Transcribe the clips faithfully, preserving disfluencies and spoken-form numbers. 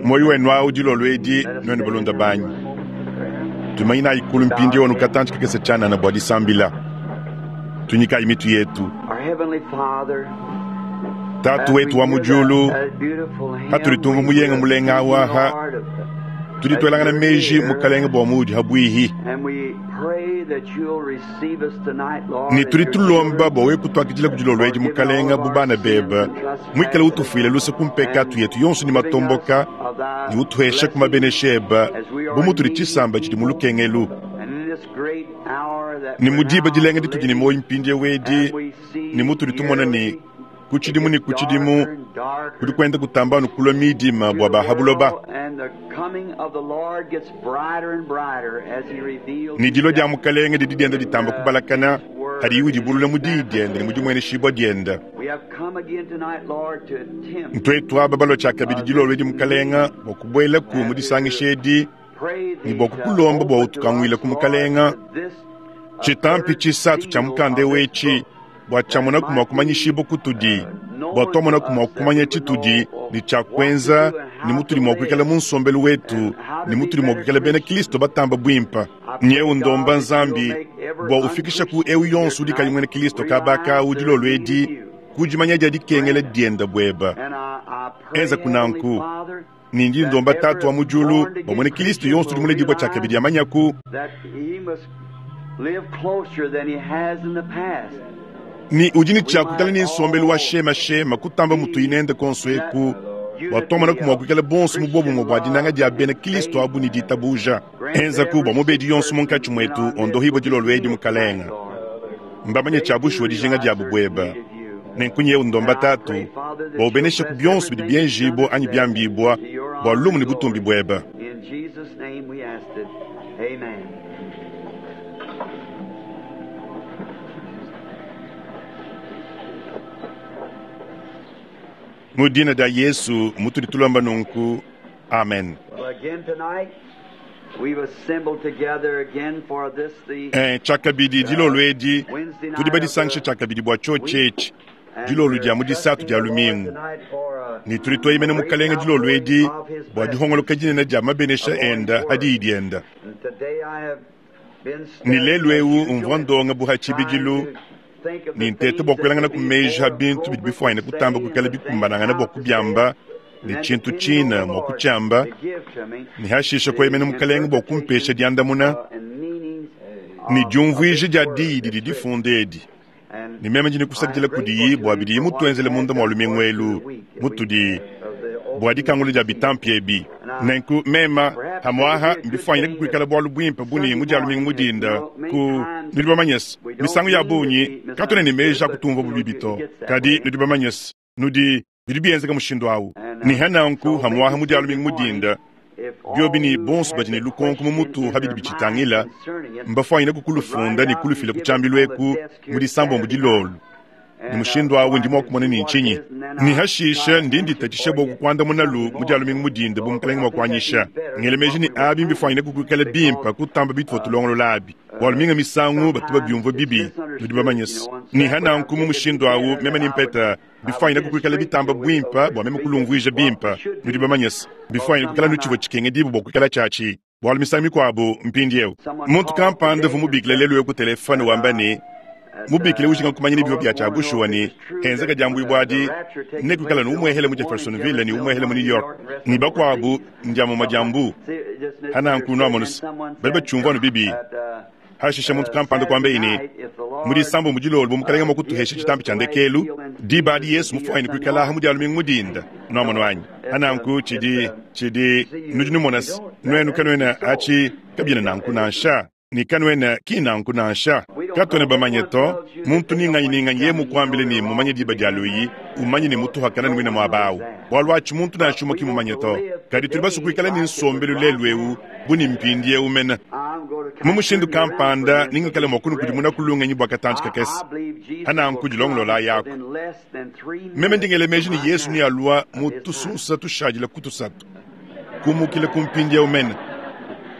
Moyo wenu awu dilolo edi nuenu balonda banyi tumanyinayi kulu mpindieu anu katantshi kakese tshianana bua disambila tunyikayi mitu yetu. Tatu wetu wa mu diulu, hatudi tumva muyenga mulenga awaha, tudi tuelangana meji mukalenge bua muudi habwihi ne tudi tulomba bua wewe kutuakidila ku dilolo edi mukalenge bu bana bebe, muikale utufuile luse ku mpekatu yetu yonso ne matomboka ne utuheshe ku mabenesha ebe bu mutudi tshisamba tshidi mu lukengelu. Ne mu diba dilenga ditudi ne muoyo mpindieu edi ne mutudi tumona ne ku tshidimu ne ku tshidimu kudi kuenda kutamba anu kulua midima bua ba buloba, ne dilua dia mukalenge didi dienda ditamba kubalakana hadiyi udibulula mu diyi diende ne mu dimueneshibua diende. Ntuetu aba balua tshiakabidi dilolo edi mukalenge bua kubuelaku mu disangisha edi ne bua kukulomba bua utukanguile ku mukalenge tshitampi tshisatu tshia mukanda eu etshi bua tshiamonaku mua kumanyishibua kutudi, bua tuamonaku mua kumanya tshitudi ne tshia kuenza ne mutudi mua kuikala mu nsombelu wetu ne mutudi mua kuikala bena Kristo batamba buimpa. Nyeu ndomba Nzambi bua ufikisha ku eu yonso udi kayi muena Kristo kabaka dilolo edi ku dimanya dia dikengela dienda bueba. Enza kunanku ne ndi ndomba Tatu wa mu diulu bua muena Kristo yonso udi muledibua tshiakabidi amanyaku ni udi ne tshia kuikala ne nsombelu wa shemashema kutamba mutu inende konso eku bua tuamonaku mua kuikala bonso mu bobumue bua dinanga dia bena Kristo abu ne ditabuja. Enzaku bua mubedi yonso munkatshi muetu ondohibua dilolo edi mukalenge, mbamanye tshia bushuwa dijinga diabu bueba. Nenku nyeu ndomba Tatu bua ubeneshe ku bionso bidi bienjibua anyi biambibua bua lumu ne butumbi bueba. Mu dina dia Yesu mutudi tulomba nunku, amen. Eh, tshiakabidi dilolo edi tudi badisangisha tshiakabidi bua tshiotshi etshi dilolo dia mu disatu dia lumingu, ne tudi tueyemena mukalenge dilolo edi bua dihongoloka dinene dia mabenesha enda hadiyi dienda. Ne lelu eu umvua ndonga bu ha tshibidilu ne ntete bua kuelangana ku meji ha bintu bidi bifuanyine kutamba kuikala bikumbanangana bua kubiamba ne tshintu tshina mua kutshiamba, ne hashisha kueyemena mukalenge bua kumpesha diandamuna ne diumvuija dia diyi didi difunda edi. Ne meme ndi nikusakidila kudiyi bua bidiyi mutuenzele munda mua lumingu elu mutudi bua dikangula dia bitampi ebi. Nenku mema hamuaha mbifuanyine kukuikala bualu buimpe buni mu dia lumingu mudinda ku nudi bamanyese misangu ya bungi katuena ne meji a kutumvua bubibi to, kadi nudi bamanyese nudi bidi bienzeka mushindu awu. Ne hananku hamuaha mu dia lumingu mudinda biobi ne bonso badi ne lukonko mu mutu habidi bitshitangila mbafuanyine kukulufunda ne kulufila ku tshiambilu eku mu disambombo dilolo. Ne mushindu awu ndi mua kumona ne ntshinyi ne hashisha ndi nditatshisha bua kukuandamunalu mu dia lumingu mudinda bu mukalenge mua kuanyisha. Ngele meji ne abi mbifuanyine kukuikala bimpe kutamba bituvua tulongolola abi bualu minga misangu batu babiumvua bibi nudi bamanyese. Ne hananku mu mushindu awu meme ne mpeta bifuanyine kukuikala bitamba buimpe bua meme kulumvuija bimpe nudi bamanyese bifuanyine kuikala nutshivua tshikengedibu bua kuikala tshiatshi bualu misangu mikuabu mpindieu muntu kampanda uvua mubikile lelu eu ku telefone wamba ne mubikile ujinga kumanya ne bivua bia tshia bushuwa ne henzeka diambuibua adi ne kuikala ne umuehele mu Jeffersonville ne umuehele mu New York ne bakuabu ndiamuma diambu hananku nuamonusa bali batshiumvua anu bibi. Hashisha muntu kampanda kuamba ne mu disambo mu dilolo bu mukalenge mua kutuhesha tshitampi tshia ndekelu diba adi Yesu mufuanyine kuikala aha mu dia lumingu mudinda nuamono anyi hananku tshidi tshidi nudi numonasa nuenu kanuena atshi kabiena nanku nansha. Ne kanuena ki nanku nansha. Katuena bamanye to, muntu ninganyi ninganyi yeye mukuambile ne mumanye diba dia luyi, umanye ne mutuhakana ne muine muaba awu. Bualu atshi muntu nansha umue ki mumanye to. Kadi tudi basue kuikala ne nsombelu lelu eu bu ne mpindiewu mene. Mu mushindu kampanda ningikale mua kunukudimuna ku lungenyi bua katantshi kakese. Hananku dilongolola yako. Meme ndingele meji ne Yesu nealua mu tusunsa tushadila ku tusatu. Kumukila ku mpindiewu mene.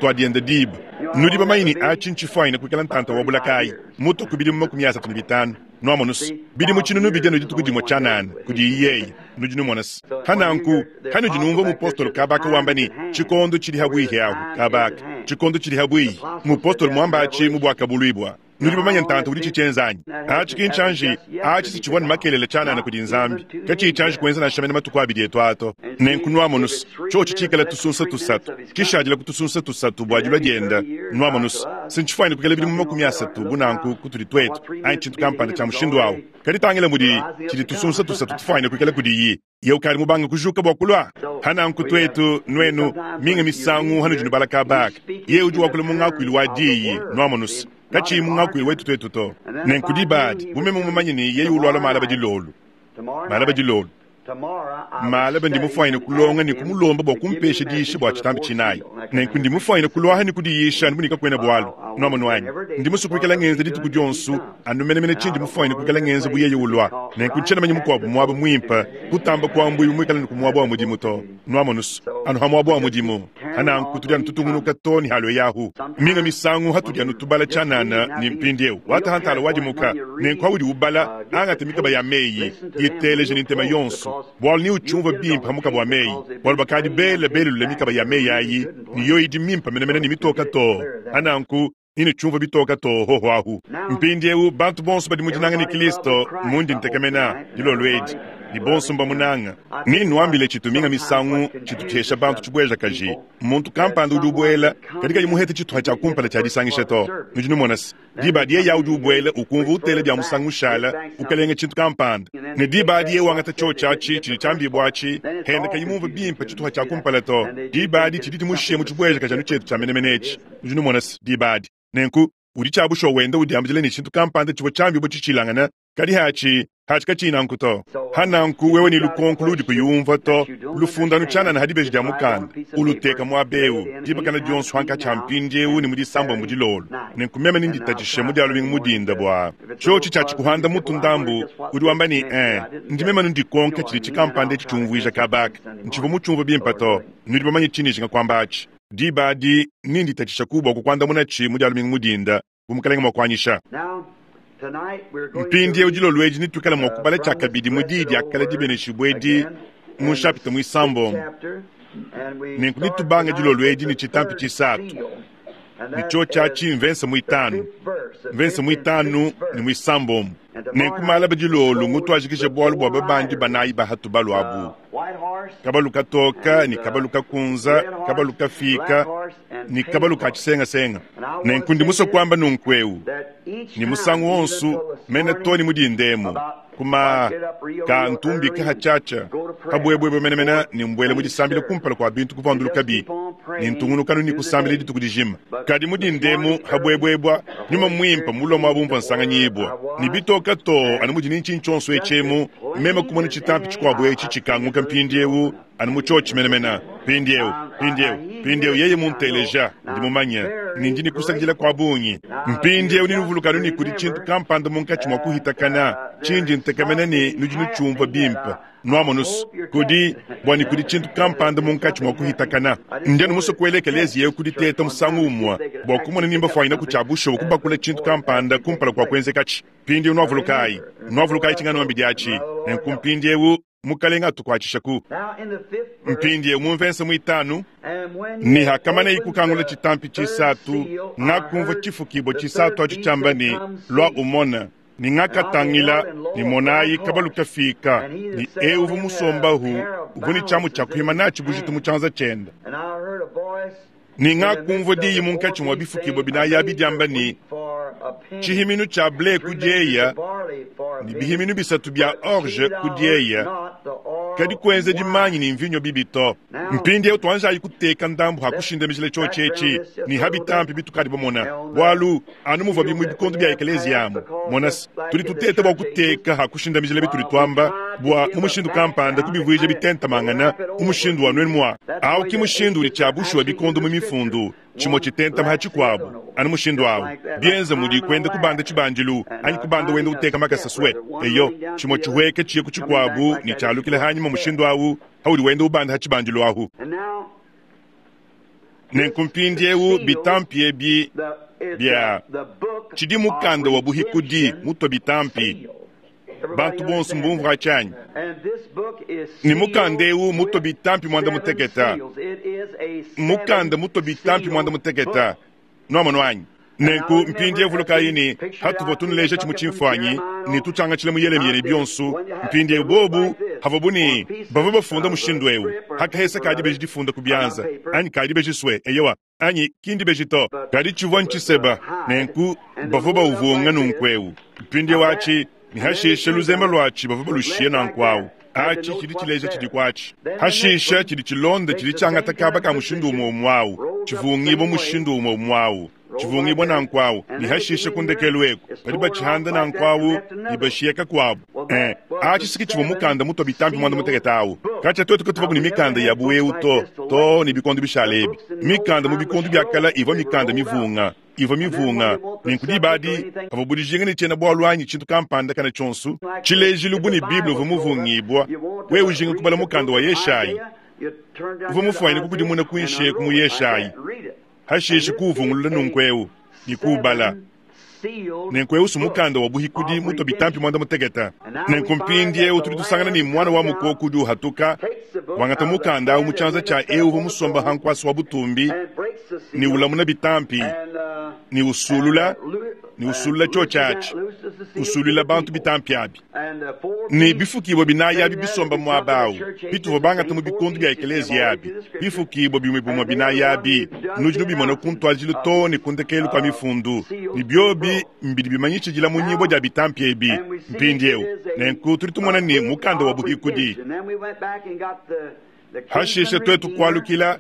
Twadienda diba. Nudi bamanye ne atshi ntshifuanyine kuikala ntanta wa bulakayi. Mutu ku bidimu makumi asatu ne bitanu. Nwamonusu. Bidimu tshinunu bidia dituku dimue tshianana kudi yeye. Nudi numonasa. Hananku, hanudi numva mupostolo kabaka wamba ne tshikondo tshidi habwihi ahu kabaka. Tshikondo tshidi habwihi. Mupostolo mwamba atshi mu bwakabuluibwa. Nudi bamanye ntanta udi tshitshienzanyi. Atshi ki nchanji, atshi sitshivua ne makelele tshianana kudi Nzambi. Katshiyi tshianji kuenza nansha mene matuku abidi etu ato. Nenku nwamonusu, tshiotshi tshikala tusunsa tusatu. Tshishadila ku tusunsa tusatu bua dilua dienda nwamonusu. Sintshifuanyine kuikala bidimu makumi asatu bu nanku kutudi twetu, anyi tshintu kampanda tshia mushindu awu. Kadi tangila mudi tshidi tusunsa tusatu tufuanyine kuikala kudiyi. Ye ukali mubanga kujuka bua kulua. Hananku twetu nwenu minga misangu hanudi nubala kabaka. Ye udi wakula mu ngakuilu wa diyi nwamonusu. Katshiyi mu ngakuilu wetu twetu to. Nenku dibadi bu meme mumanye ne yeye ulwala malaba dilolu. Malaba dilolu. Malaba ndi mufuanyine kulonga ne kumulomba bua kumpesha diyisha bua tshitambi tshinayi. Nenku ndi mufuanyine kulwaha ne kudiyisha anu bunika kuena bualu. Nwamonu wanyi. Ndi musue kuikala ngenza dituku dionso anu menemene tshindi mufuanyine kuikala ngenza bu yeye ulwa. Nenku ntshiena manya mukuabu muaba muimpe kutamba kuambuyi muikala ne kumuaba wa mudimu to. Nwamonusu. Anu ha muaba wa mudimu. Hananku tudi anu tutungunuka to ne halo yahu. Minga misangu hatudi anu tubala tshianana ne mpindiewu. Watahantala wadimuka. Nenku haudi ubala angata mikaba ya meyi. Yiteleje ne ntema yonso. Bualu ni uchumva bimpe hamukaba wa meyi. Bualu bakadi bele belulule mikaba ya meyi ayi. Ni yo idi mimpe menemene ne mitoka to. Hananku ine chumva bitoka to hoho ahu. Mpindiewu bantu bonso badi mudinanga ne Kristo mundi ntekemena dilolo edi. Ni bonso mbamunanga. Ni nwambile tshitu minga misangu tshitu tshesha bantu tshibweja kaji. Muntu kampanda udi ubwela kadi kayi muhete tshituha tshia kumpala tshia disangisha to. Nudi numonasa. Diba diye ya udi ubwela ukumva utele bya musangu ushala ukalenga tshintu kampanda. Ne diba diye wangata tshiotshi atshi tshidi tshiambibwa atshi henda kayi mumva bimpe tshituha tshia kumpala to. Diba adi tshidi tshimushiye mu tshibweja kaji anu tshietu tshia menemene etshi. Nudi numonasa diba adi. Nenku udi tshiabusha wenda udiambila ne tshintu kampanda tshivua tshiambibwa tshitshilangana kadi hatshi hatshi katshina nanku to. Hananku wewe ni lukonko ludi kuyumva to. Lufundano tshianana hadibeji dia mukanda. Uluteka muabewu dibakana dionso hankatshi mpindiewu ne mudisamba mudilolo. Nenku meme ninditatshishe mudialu mudinda bua tshiotshi tshia tshikuhanda mutu ndambu udi wamba ne eh ndi meme ndikonka tshidi tshikampanda etshi tshiumvuija kabaka. Ntshivua mutshiumva bimpe to. Nudi bamanye tshinijinga kwamba atshi. Dibadi ninditatshisha kubwa kukwandamuna tshi mudialu mudinda bu mukalenga mwakwanyisha. Mpindiewu dilolo edi nituikala mua kubala tshiakabidi mu diyi dia kala dibeneshibua edi mu nshapita muisambombo. Nenku nitubanga dilolo edi ne tshitampi tshisatu. Ne tshiotshi atshi mvensa muitanu. Mvensa muitanu ne muisambombo. Nenku malaba dilolo ngutwajikishe bualu bua babandi banayi bahatu baluabu. Kabalu katoka ni kabalu kakunza, kabalu kafika ni kabalu katshisengasenga. Nenku ndi musue kuamba nunku ni musangu wonso mene to ni mudindemo. Kuma ka ntumbi kahatshatsha kabwebwebwe menemene ni mbwele mudisambila kumpala kwa bintu kuvanduluka bi. Ni ntungunukanu ni kusambila dituku dijima. Kadi mudindemo habwebwebwa nyuma mwimpa mulomo abumva nsanganyibwa. Ni bitoka to anu mudi nintshintshonso etshemu meme kumona tshitampi tshikuabu etshi tshikanguka mpindiewu anu mutshiotshi menemene. Mpindiewu, mpindiewu, mpindiewu yeye munteleja ndi mumanye nindi nikusakidila kwa bungi. Mpindiewu ninuvulukanu ni kudi tshintu kampanda munkatshi mua kuhitakana tshindi ntekemena ne nudi nutshiumva bimpe. Nwamonusu kudi bua ni kudi tshintu kampanda munkatshi mua kuhitakana. Ndi anu musue kuelekela yewe kuditeta musangu umue bua kumona nimba fuanyina kutshiabusha kubakula tshintu kampanda kumpala kua kuenzekatshi. Mpindiewu nwavulukayi, nwavulukayi tshingano mbidi atshi. Nenku mpindiewu mukalenga atukuatshishaku. Mpindiewu mu mvensa muitanu ni hakamana ikukangula tshitampi tshisatu ngakumva tshifukibwa tshisatu atshi tshiamba ne lwa umona. Ni ngakatangila ni monayi kabalu kafika ni euvu musombahu uvu ni tshiamu tshia kuhima natshi bujitu mu tshianza tshienda. Ni ngakumva diyi munkatshi mua bifukibwa binayi abi diamba ne tshihiminu tshia ble kudieya ni bihiminu bisatu bia orge kudieya kadi kuenza dimanyi ni mvinyo bibi to. Mpindieu tuanjayi kuteka ndambu ha kushindamijila tshiotshi etshi ne ha bitampi bitukadi bamona, bualu anu muvua bimue bikondo bia ekeleziya amu. Mona se, tudi tuteta bua kuteka ha kushindamijila bitudi tuamba bua mu mushindu kampanda kubivuija bitentamangana mu mushindu wa nuenu mua. Awu ki mushindu udi tshia bushuwa bikondo mu mifundu, tshimue tshitentama ha tshikuabu anu mushindu awu. Bienza mudi kuenda kubanda tshibandilu anyi kubanda wenda uteka makasa swe. Eyo, tshimue tshihueke tshiye ku tshikuabu ne tshialukila hanyima mushindu awu haudi wenda ubanda ha tshibandilu ahu. Nenku mpindieu bitampi ebi bia tshidi mukanda wa buhikudi mutue bitampi, bantu bonso mbumvua tshianyi. Ne mukanda eu mutue bitampi muanda muteketa, mukanda mutue bitampi muanda muteketa, nuamono anyi? Nenku mpindieu vulukayi ne hatuvua tunuleja tshimue tshimfuanyi ne tutshiangatshile mu Yelemiya ne bionso. Mpindieu bobu havuabu ne bavua bafunda mushindu eu, hakahesa kadi beji difunda ku bianza anyi kadi beji swe, eyewa anyi kindi beji to, kadi tshivua ntshiseba. Nenku bavua bauvunga nunku eu mpindieu atshi ne hashisha luzembe luatshi bavua balushiye nanku awu. Atshi tshidi tshileja tshidi kuatshi. Hashisha tshidi tshilonda tshidi tshiangata kaba ka mushindu umue umue awu, tshivungibua mushindu umue umue awu, tshivungibua nanku awu, ne hashisha ku ndekelu eku badi batshihanda nanku awu ne bashiye kakuabu. Eh, atshi siki tshivua mukanda mutue bitampi muanda mutekete awu. Katshia tuetu katuvaku ne mikanda ya buewu to, to ne bikondo bishale ebi. Mikanda mu bikondo bia kala ivua mikanda mivunga, ivua mivunga. Nenku diba adi pavua budijinga ne tshiena bualu anyi tshintu kampanda kana tshionso, tshilejilu bu ne Bible uvua muvungibua, wewe ujinga kubala mukanda wa Yeshayi, uvua mufuanyine kukudimuna kuinshi eku mu Yeshayi, hashishe kuuvungulula nunku eu ne kuubala. Nenku eu su mukanda wa buhikudi mutue bitampi muanda mutekete. Nenku mpindieu tudi tusangana ne mwana wa mukoko udi uhatuka, wangata mukanda awu mu tshianza tshia eu uvua musomba ha nkuasa wa butumbi, ne ulamuna bitampi, ne usulula, ne usulula tshiotshi atshi, usulula bantu bitampi abi. Ne bifukibua binayi abi bisomba muaba awu, bituvua bangata mu bikondo bia ekeleziya abi, bifukibua bimue bimue binayi abi, nudi nubimona ku ntuadijilu too ne ku ndekelu kua mifundu, ne biobi mbidi bimanyishidila mu nyimbo dia bitampi ebi. Mpindieu nenku tudi tumona ne mukanda wa buhikudi. Hashishe tuetu kualukila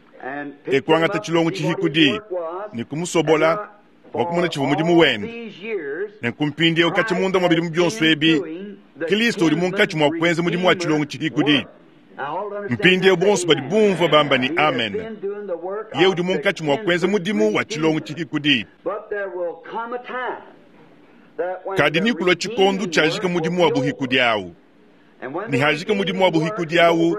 e kuangata tshilongo tshihikudi ne kumusobola bua kumona tshivua mudimu wende. Nenku mpindieu katshia munda mua bidimu bionso ebi, Kristo udi munkatshi mua kuenza mudimu wa tshilongo tshihikudi. Mpindieu bonso badi bumvua bamba ne amen. Ye udi munkatshi mua kuenza mudimu wa tshilongo tshihikudi. Kadi nikulua tshikondo tshiajika mudimu wa buhikudi awu. Ne hajika mudimu wa buhikudi awu,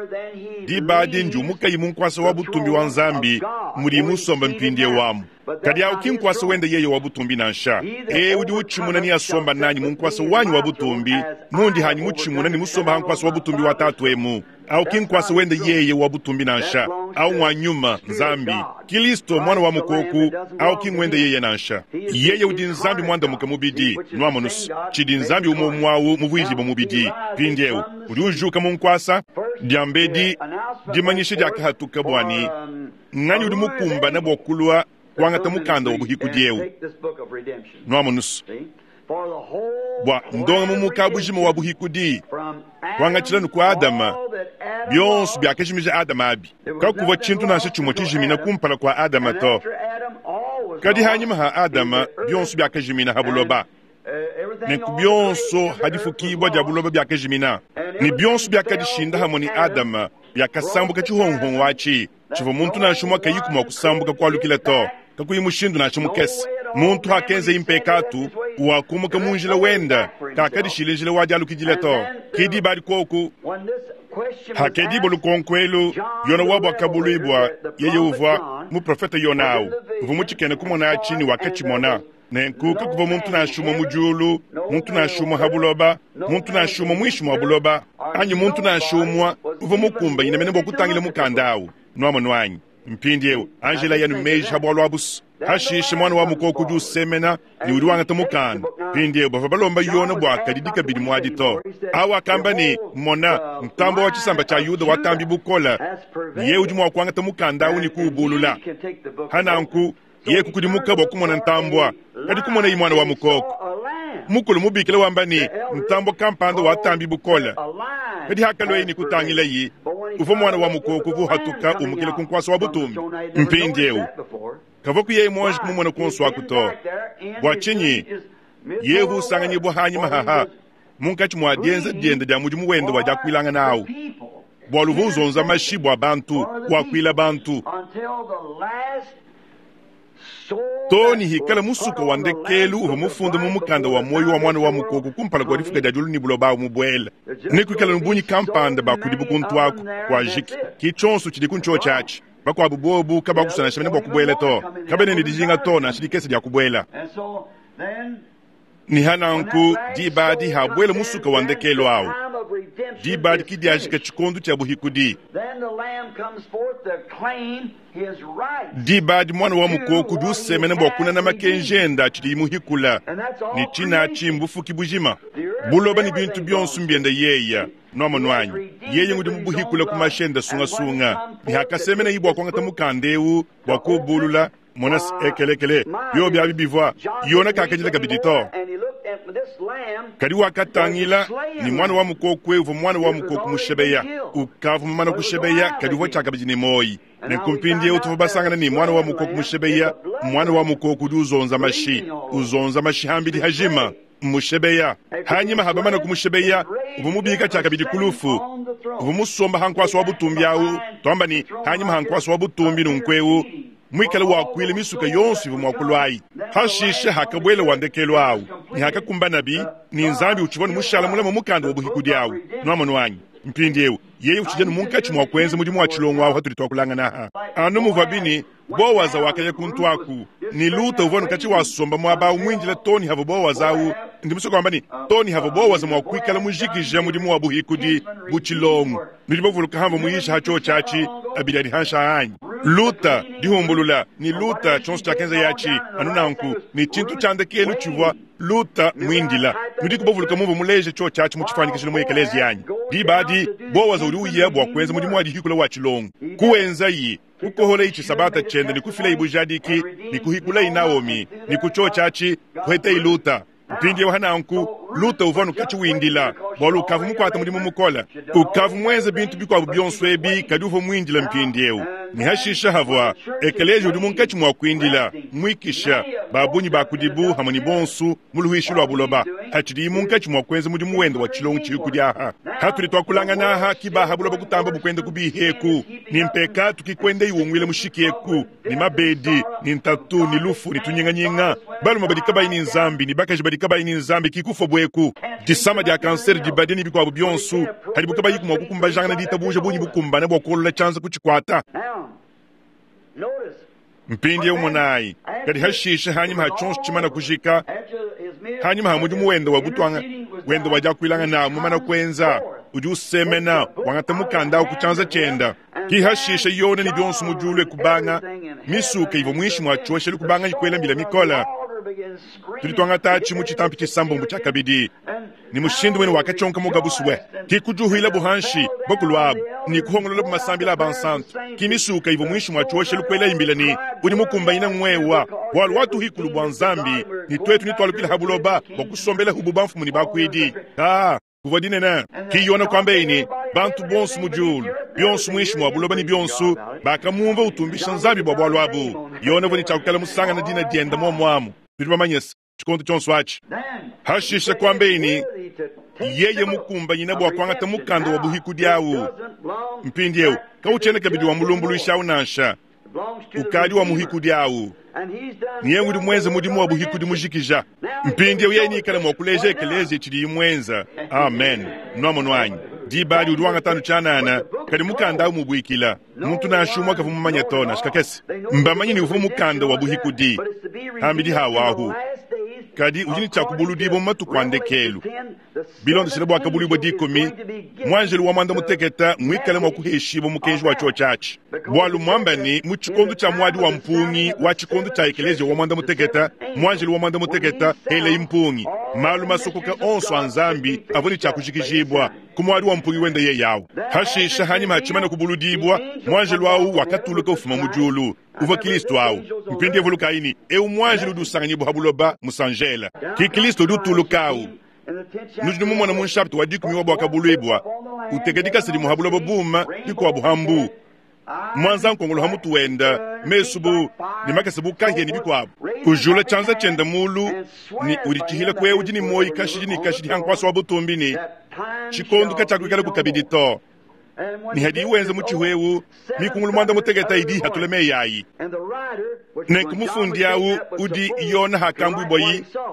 diba adi ndiumukayi mu nkuasa wa butumbi wa Nzambi mudi musomba mpindieu amu. Kadi awu ki nkuasa wende yeye wa butumbi nansha. E udi utshimuna ne asomba nanyi mu nkuasa wanyi wa butumbi, mundi hanyi mutshimuna ne musomba ha nkuasa wa butumbi wa tatu emu. Awu ki nkuasa wende yeye wa butumbi nansha. Awu wa nyuma Nzambi, Kristo mwana wa mukoku, awu ki ngwende yeye nansha. Yeye udi Nzambi mwandamuka mubidi, nuamonusu tshidi Nzambi umue umue awu muvuijibua mubidi. Mpindieu udi ujuka mu nkuasa. Diambedi dimanyisha diakahatuka bua ne nganyi udi mukumbana bua kulua kuangata mukanda wa buhikudi eu. Nuamonusu bua ndonga mu mukabujima wa buhikudi kuangatshila nuku Adama, bionso biakajimija Adama abi. Kakuvua tshintu nansha tshimue tshijimina kumpala kua Adama to. Kadi hanyima ha Adama bionso biakajimina ha buloba. Nenku bionso hadifukibua dia buloba biakajimina, ne bionso biakadishinda hamue ne Adama biakasambuka tshihongohongo atshi tshivua muntu nansha umue kayiku mua kusambuka kualukila to, kakuyi mushindu nansha mukese. Muntu hakenza impekatu wakumuka mu njila wenda, kakadishila njila wa dialukidila to. Ke diba adi kuoku hakedibo lukonko elu, Yona wabo akabuluibua, yeye uvua muprofete Yona awu uvua mutshikene kumona atshi ne wakatshimona. Nenku kakuvua muntu nansha umue mu diulu, muntu nansha umue ha buloba, muntu nansha umue muinshi mua buloba, anyi muntu nansha umue uvua mukumbanyine mene bua kutangila mukanda awu. Nuamono anyi? Mpindieu Angela yanu meji ha bualu abusu. Hashishe mwana wa mukoko udi usemena ne udi wangata mukanda. Mpindieu bavua balomba Yona bua kadidi kabidi muadi to. Awu akamba ne, mona, ntambo wa tshisamba tshia Yuda watambi bukola, ne ye udi mua kuangata mukanda awu ne kuubulula. Hananku ye kukudimuka bua kumona ntambua, kadi kumona yi mwana wa mukoko. Mukulu mubikila wamba ne, ntambua kampanda watambi bukola. Kadi hakalua ye ne kutangila yi, Uvua mwana wa mukoko uvua uhatuka umukila ku nkuasa wa butumbi. Mpindieu kavua kuyeyi muanji kumumona kuonso aku to. Bua tshinyi yehu usanganyibua hanyima haha munkatshi mua dienza diende dia mudimu wende wa diakuilangana awu, bualu uvua uzonza mashi bua bantu, wakuila bantu to ni hikala musuka wa ndekelu uvua mufunda mu mukanda wa muoyo wa mwana wa mukoko kumpala kua difuka dia diulu ni buloba awu mubuela. Nekuikala nubunyi kampanda bakudibu kuntu aku kua jiki ki tshionso tshidi ku ntshio tshiatshi. Bakuabu bobu kabakusana mene bua kubuela to, kabena ne dijinga to nansha dikese dia kubuela. Ni hananku diba dihabuela musuka wa ndekelu awu, diba dikidiajika tshikondo tshia buhikudi. Diba adi mwana wa mukoko udi usemena bua kunana makenji enda atshidi muhikula, ne tshina atshi mbufuki bujima. Buloba ne bintu bionso mbiende yeya nwamonu anyi. Yeye ngudi mubuhikula ku mashenda sungasunga, ne hakasemena yi bua kuangata mukanda ewu bua kuubulula. Mona ekelekele byo byabi bivua Yona kakajila kabidi to. Kadi wakatangila ni mwana wa mukoko uvua mwana wa mukoko mushebeya, ukavu mumana kushebeya kadi uvua tshiakabidi ne moyi. Nenku mpindiewu tuvua basangana ni mwana wa mukoko mushebeya, mwana wa mukoko udi uzonza mashi, uzonza mashi hambidi hajima mushebeya. Hanyima habamana kumushebeya uvua mubika tshiakabidi kulufu, uvua musomba hankuasa wa butumbi awu. Twamba ni hanyima hankuasa wa butumbi nunkuewu mwikale wakuile misuka yonso ivua muakulu ayi. Hashishe hakabwela wa ndekelu awu ni hakakumbanabi ni nzambi utshivua mushala mulama mukanda wa buhikudi awu. Nwamonu anyi mpindiewu yeye utshijanu munkatshi mua kuenza mudimu wa tshilongo awu hatuli twakulangana aha. Anu muvua bini Bowaza wakaya kuntu aku ni Luta uvua nukatshi wasomba muaba awu mwinjila toni havo Bowaza awu. Ndi musoko wamba ni toni havo Bowaza mua kuikala mujikija mudimu wa buhikudi bu tshilongo. Nudi bavuluka hamva muyisha hacho tshiatshi abidi adi hansha anyi. Luta dihumbulula ni Luta tshionso tshiakenza yatshi anu nanku ni tshintu tshia ndekelu tshivua Luta mwindila. Nudi kubavuluka mumvu muleje tsho tshiatshi mu tshifanikishilo mu ekelezi yanyi. Diba adi Bowaza udi uya bua kuenza mudimu wa dihikula wa tshilongo. Kuwenza yi kukohola ichi sabata chende ni kufila ibujadiki ni kuhikula Naomi ni kucho chachi kuheta iluta. Mpindiewu hananku Luta uvua nukatshi windila bualu ukavu mukuata mudimu mukola, ukavu muenze bintu bikuabu bionso ebi kadi uvua muindila mpindiewu. Ni hashisha havua ekeleji udi munkatshi mua kuindila mwikisha babunyi bakudibu hamwe ni bonsu mu luhishi lwa buloba hatshidi munkatshi mua kuenza mudimu wende wa tshilongo tshikudi aha. Hatuli twakulangana aha kibaha buloba kutamba bukwenda kubiheku ni mpeka tukikwenda iwungwile mushikieku ni mabedi ni ntatu ni lufu ni tunyinganyinga baluma badi kabayi ni nzambi ni bakaji badi kabayi ni nzambi kikufa bweku disama dia kanseri dibadi ni bikuabu bionsu hadi bukabayi kumwa kukumbajangana ditabuja bunyi bukumbana bua kuolola tshianza kutshikwata. Mpindiewu umunayi kadi hashishe hanyima ha tshionso tshimana kujika hanyima ha mudimu wende wa butwanga wende wa diakuilanga nawu mumana kuenza udi usemena wangata mukanda awu ku tshianza tshienda. Ki hashishe yona ni bionso mu diulu ekubanga misuka ivua muinshi mua tshioshelu kubanga ikuela mbila mikola. Tudi twangata tshi mu tshitampi tshisambombo tshia kabidi ni mushindu wene wakatshonka mugabusuwe ki kujuhila buhanshi bakulu abu ni kuhongolola bumasambila a bansantu. Ki misuka ivua muinshi mua tshioshelu kuela imbila ni udi mukumbanyina ngwewa bualu watuhikulu bua nzambi ni twetu ni twalukila ha buloba bua kusombela hubu bamfumu ni bakuidi. Ah, kuvua dinene ki yona kwamba ini bantu bonso mu diulu bionso muinshi mua buloba ni bionso bakamumva utumbisha nzambi bua bualu abu. Yona vua ni tshiakukala musangana dina dienda muamuamu. Tudi bamanye tshikondo tshionso atshi. Hashishe kwamba ini yeye mukumbanyina bua kuangata mukanda wa buhikudi awu. Mpindiewu kautshiena kabidi wa mulumbuluishi awu nansha, ukadi wa muhikudi awu. Niye ngudi muenze mudimu wa buhikudi mujikija. Mpindiewu yeye nikala mua kuleja ekelezi tshidi imwenza. Amen. Nwamonu anyi diba adi udi wangatanu tshianana kadi mukanda awu mubuikila muntu nansha umwe kavua mumanye to nansha kakese. Mbamanye ni uvua mukanda wa buhikudi hambidi hawahu kadi udi ni tshiakubuludibua mu matuku a ndekelu. Bilondeshele bua kabulibua dikumi mwanjelu wa mwanda muteketa mwikale mua kuheshibua mukenji wa tshio tshiatshi. Bualu mwamba ni mu tshikondo tshia muadi wa mpungi wa tshikondo tshia ekelezia wa mwanda muteketa mwanjelu wa mwanda muteketa hele impungi malu masokoka onso a nzambi avua ni tshiakujikijibua ku muadi wa mpungi wende ye yawu. Hashisha hanyima hatshimana kubuludibua mwanjelu awu wakatuluka ufuma mu diulu uvua Kristo awu. Mpindiewu vulukaini ewu mwanjelu udi usanganyibua ha buloba musanjela ki Kristo udi utuluka awu. Nudi numumona mu nshapita wa dikumi wa bua kabuluibua Uteka dikasa dimue ha buloba buuma, dikuabu ha mbu. Mwanza nkongolo ha mutu wenda, mesu bu ne makasa bu kahia ne bikuabu. Ujula tshianza tshienda mulu ne uditshihila ku eu udi ne muoyo kashidi ne kashidi ha nkuasa wa butumbi ne tshikondo katshiakuikalaku kabidi to. Ne hadi wenza mutshihu eu mikungulu muanda mutekete idi ihatula meyi ayi. Nenku mufundi awu udi Yona hakambuibua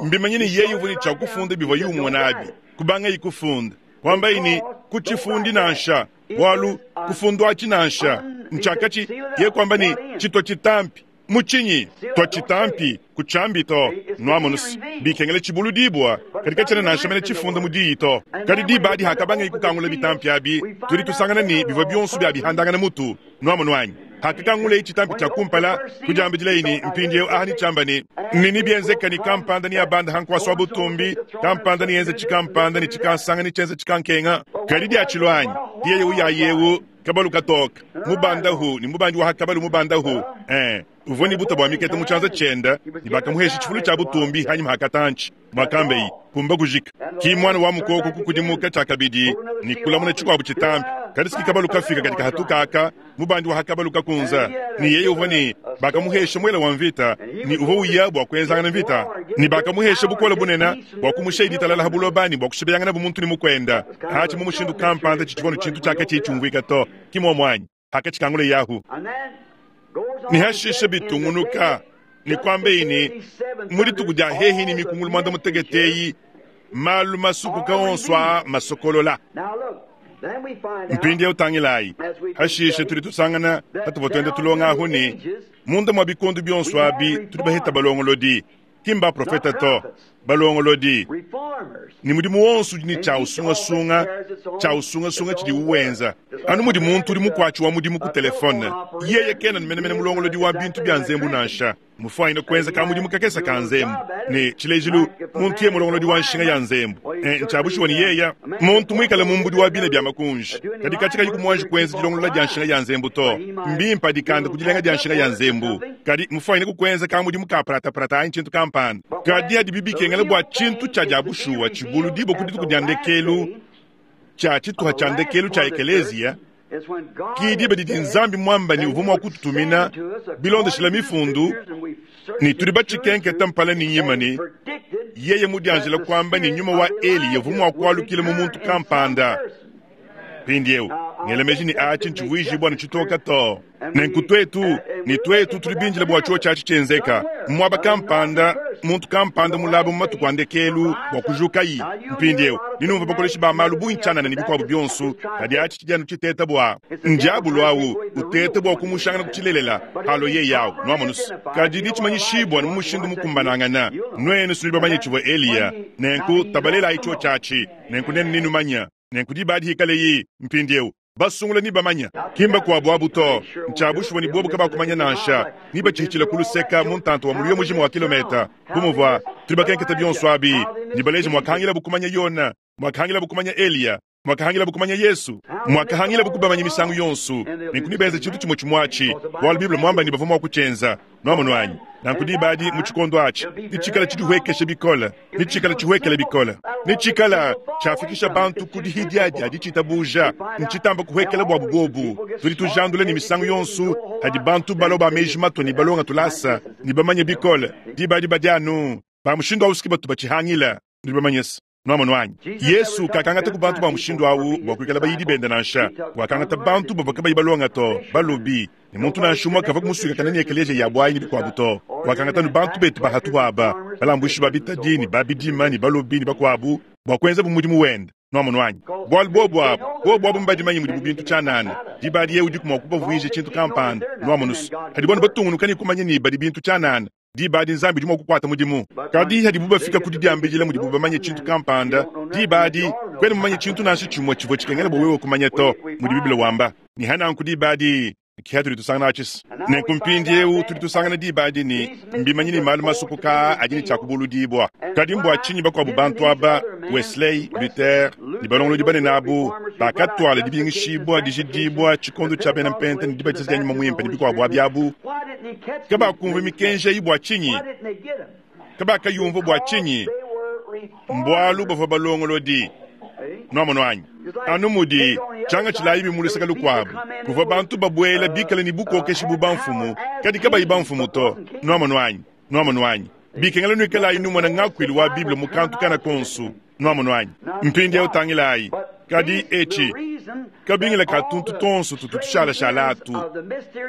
mbimanye ne yeye uvua ne tshia kufunda bivua yumona abi kubangayi kufunda kwambayi ne kutshifundi nansha bualu kufundwatshi nansha ntshiakatshi ye kwamba ne tshitwa tshitampi mutshinyi twa tshitampi kutshiambi to nuamonusi bikengela tshibulu dibua kadi katshiena nansha mene tshifunda mu diyi to. Kadi diba adi hakabangayi kukangula bitampi abi tudi tusangana ne bivua bionso bia bihandangana mutu nuamonu anyi. Hakakangulei tshitampi tshia kumpala kudiambidilayi ne mpindieu aha ni tshiamba ne nini bienzeka ni kampanda ni abanda ha nkuasa wa butumbi kampanda ni yenza tshikampanda ni tshikansanga ni tshienza tshikankenga. Kadi diatshilo anyi diyeye uyayewu kabalu katoka mubandahu ni mubandi wa hakabalu mubandahu eh uvua ni buta bua mikete mu tshianza tshienda ne bakamuhesha tshifulu tshia butumbi hanyima hakatanchi mwakambeyi kumba kujika ki mwana wa mukoko kukudimuka tshiakabidi ni kulamuna tshikuabu tshitampi. Kadi siki kabalu kafika katika hatukaka mubandi wa hakabalu kakunza ni yeye uvua ni bakamuhesha mwela wa mvita ni uvua uya bua kuenzangana mvita ni bakamuhesha bukola bunena bua kumusha iditalala habulobani bua kushibeyangana bumuntu ni mukwenda achi mu mushindu kampanda tshitshikono tshintu tshiaka tshitshiumvuika to kimomwanyi hakatshikangule yahu. Ni hashishe bitungunuka ni kwambe ini mudituku dia hehi ni mikungulu mwanda mutegeteyi malu masukuka onso a masokolola. Mpindi utangilayi hashishe tudi tusangana patuvua tuenda tulonga ahu ni munda mwa bikondo bionso abi tudi baheta balongolodi kimba profeta to balongolodi ni mudimu wonso udi ni tshia usungasunga tshia usungasunga tshidi uwenza anu mudi muntu udi mukuatshi wa mudimu ku telefone yeye kena menemene mulongolodi wa bintu bia nzembu nansha mufuanyine kuenza ka mudimu kakesa ka nzembu ne tshilejilu muntu ye mulongolodi wa nshinga ya nzembu ntshiabushiwa ni yeya muntu muikale mumbudi wa bina bia makunji kadi katshikayi kumuanji kuenza dilongolola dia nshinga ya nzembu to mbimpa dikanda ku dilenga dia nshinga ya nzembu kadi mufuanyine kukuenza ka mudimu ka prataprata anyi tshintu kampanda kadi adi bibikengela bua tshintu tshia diabushuwa tshibulu dibo ku dituku dia ndekelu tshia tshituha tshia ndekelu tshia ekelezia ki diba didi nzambi mwamba ni uvua mua kututumina bilondeshela mifundu ni tudi batshikenketa mpala ni nyima ni yeye mudianjila kwamba ni nyuma wa Eli yavua mua kualukila mu muntu kampanda. Mpindieu ngelemeji ni achi ntshivuijibua ni tshitoka to nenku twetu ni twetu tudi binjila bua tshio tshiatshi tshienzeka muaba kampanda muntu kampanda mulaba mu matuku a ndekelu bua kujukayi. Mpindieu ninumva bakoleshi ba malu bungi tshianana ne bikuabu bionso kadi atshi tshidi tshiteta bua ndiabulu awu utete bua kumushangana kutshilelela halo ye yawu nuamonusi kadi ditshimanyishibua ni mu mushindu mukumbanangana nuenu sudi bamanye tshivua Eliya nenku tabalelayi tshio tshiatshi nenku nenu ninumanya nenku diba dihikaleyi mpindieu basungula ni bamanya kimba kuabu abu to ntshiabushuwa ni bobu kabakumanya nansha ni batshihitshila kuluseka mu ntantu wa muluyo mujima wa kilometa bumuvua tudi bakenketa bionso abi ni baleje mwakahangila bukumanya Yona mwakahangila bukumanya Eliya mwakahangila bukumanya Yesu mwakahangila bukubamanya misangu yonso nenku nibenza tshintu tshimue tshimue bualu Biblia mwamba ni bavua mua kutshienza nuamonu anyi nanku diba adi mu tshikondo atshi nitshikala tshidihuekesha bikole nitshikala tshihuekela bikole nitshikala tshiafikisha bantu ku dihidiadia ditshitabuja ntshitamba kuhuekela buabu bobu tudi tujandula ne misangu yonso hadi bantu balo ba meji mato ni balonga tulasa ni bamanye bikole diba adi badi anu ba mushindu awu siki batu batshihangila nudi bamanyesa nuamonu anyi. Yesu kakangata ku bantu ba mushindu awu bua kuikala bayidi bende nansha wakangata bantu bavua kabayi balonga to balobi ne muntu nansha umue kavua kumusuikakana ne ekeleziya ya buayi ne bikuabu to wakangata nu bantu betu bahatu aba balambuishi ba bitadi ne babidima ne balobi ne bakuabu bua kuenza bu mudimu wende nuamonu anyi. Bualu bobu abu bobu abu mbadimanyi mudibu bintu tshianana diba adi yeye udiku mua kubavuija tshintu kampanda nuamonusu hadi bonu batungunuka ne kumanya ne badi bintu tshianana diba adi nzambi udi mua kukuata mudimu. Kadi hadibu bafika ku didiambidila mudibu bamanye tshintu kampanda diba adi kwena mumanye tshintu nansha tshimue tshivua tshikengela bua wewe kumanya to mudi Biblia wamba ni hananku diba adi kiha tudi tusangana atshisa nenku mpindieu tudi tusangana diba adi ni mbimanyi ni malu masukuka adi ne tshiakubuludibua. Kadi mbua tshinyi bakuabu bantu aba Wesley, Luther ne balongolodi banene abu bakatwala dibingishibua dijidibua tshikondo tshia bena mpenta ne dibatiza dia nyuma muimpe ne bikuabu abi abu kabakumva mikenji eyi bua tshinyi kabakayumva bua tshinyi mbualu bavua balongolodi Nwamonu anyi? Anu mudi tshiangatshilayi mu luseke lukuabu, kuvua bantu babwela bikale ne bukookeshi bu bamfumu, kadi kabayi bamfumu to. Nwamonu anyi? Nwamonu anyi? Bikengela nwikalayi numona ngakwilu wa Bible mu kantu kana konsu. Nwamonu anyi? Mpindieu tangilayi. Kadi etshi kabingila ka tuntu tonso tutu tushalashala atu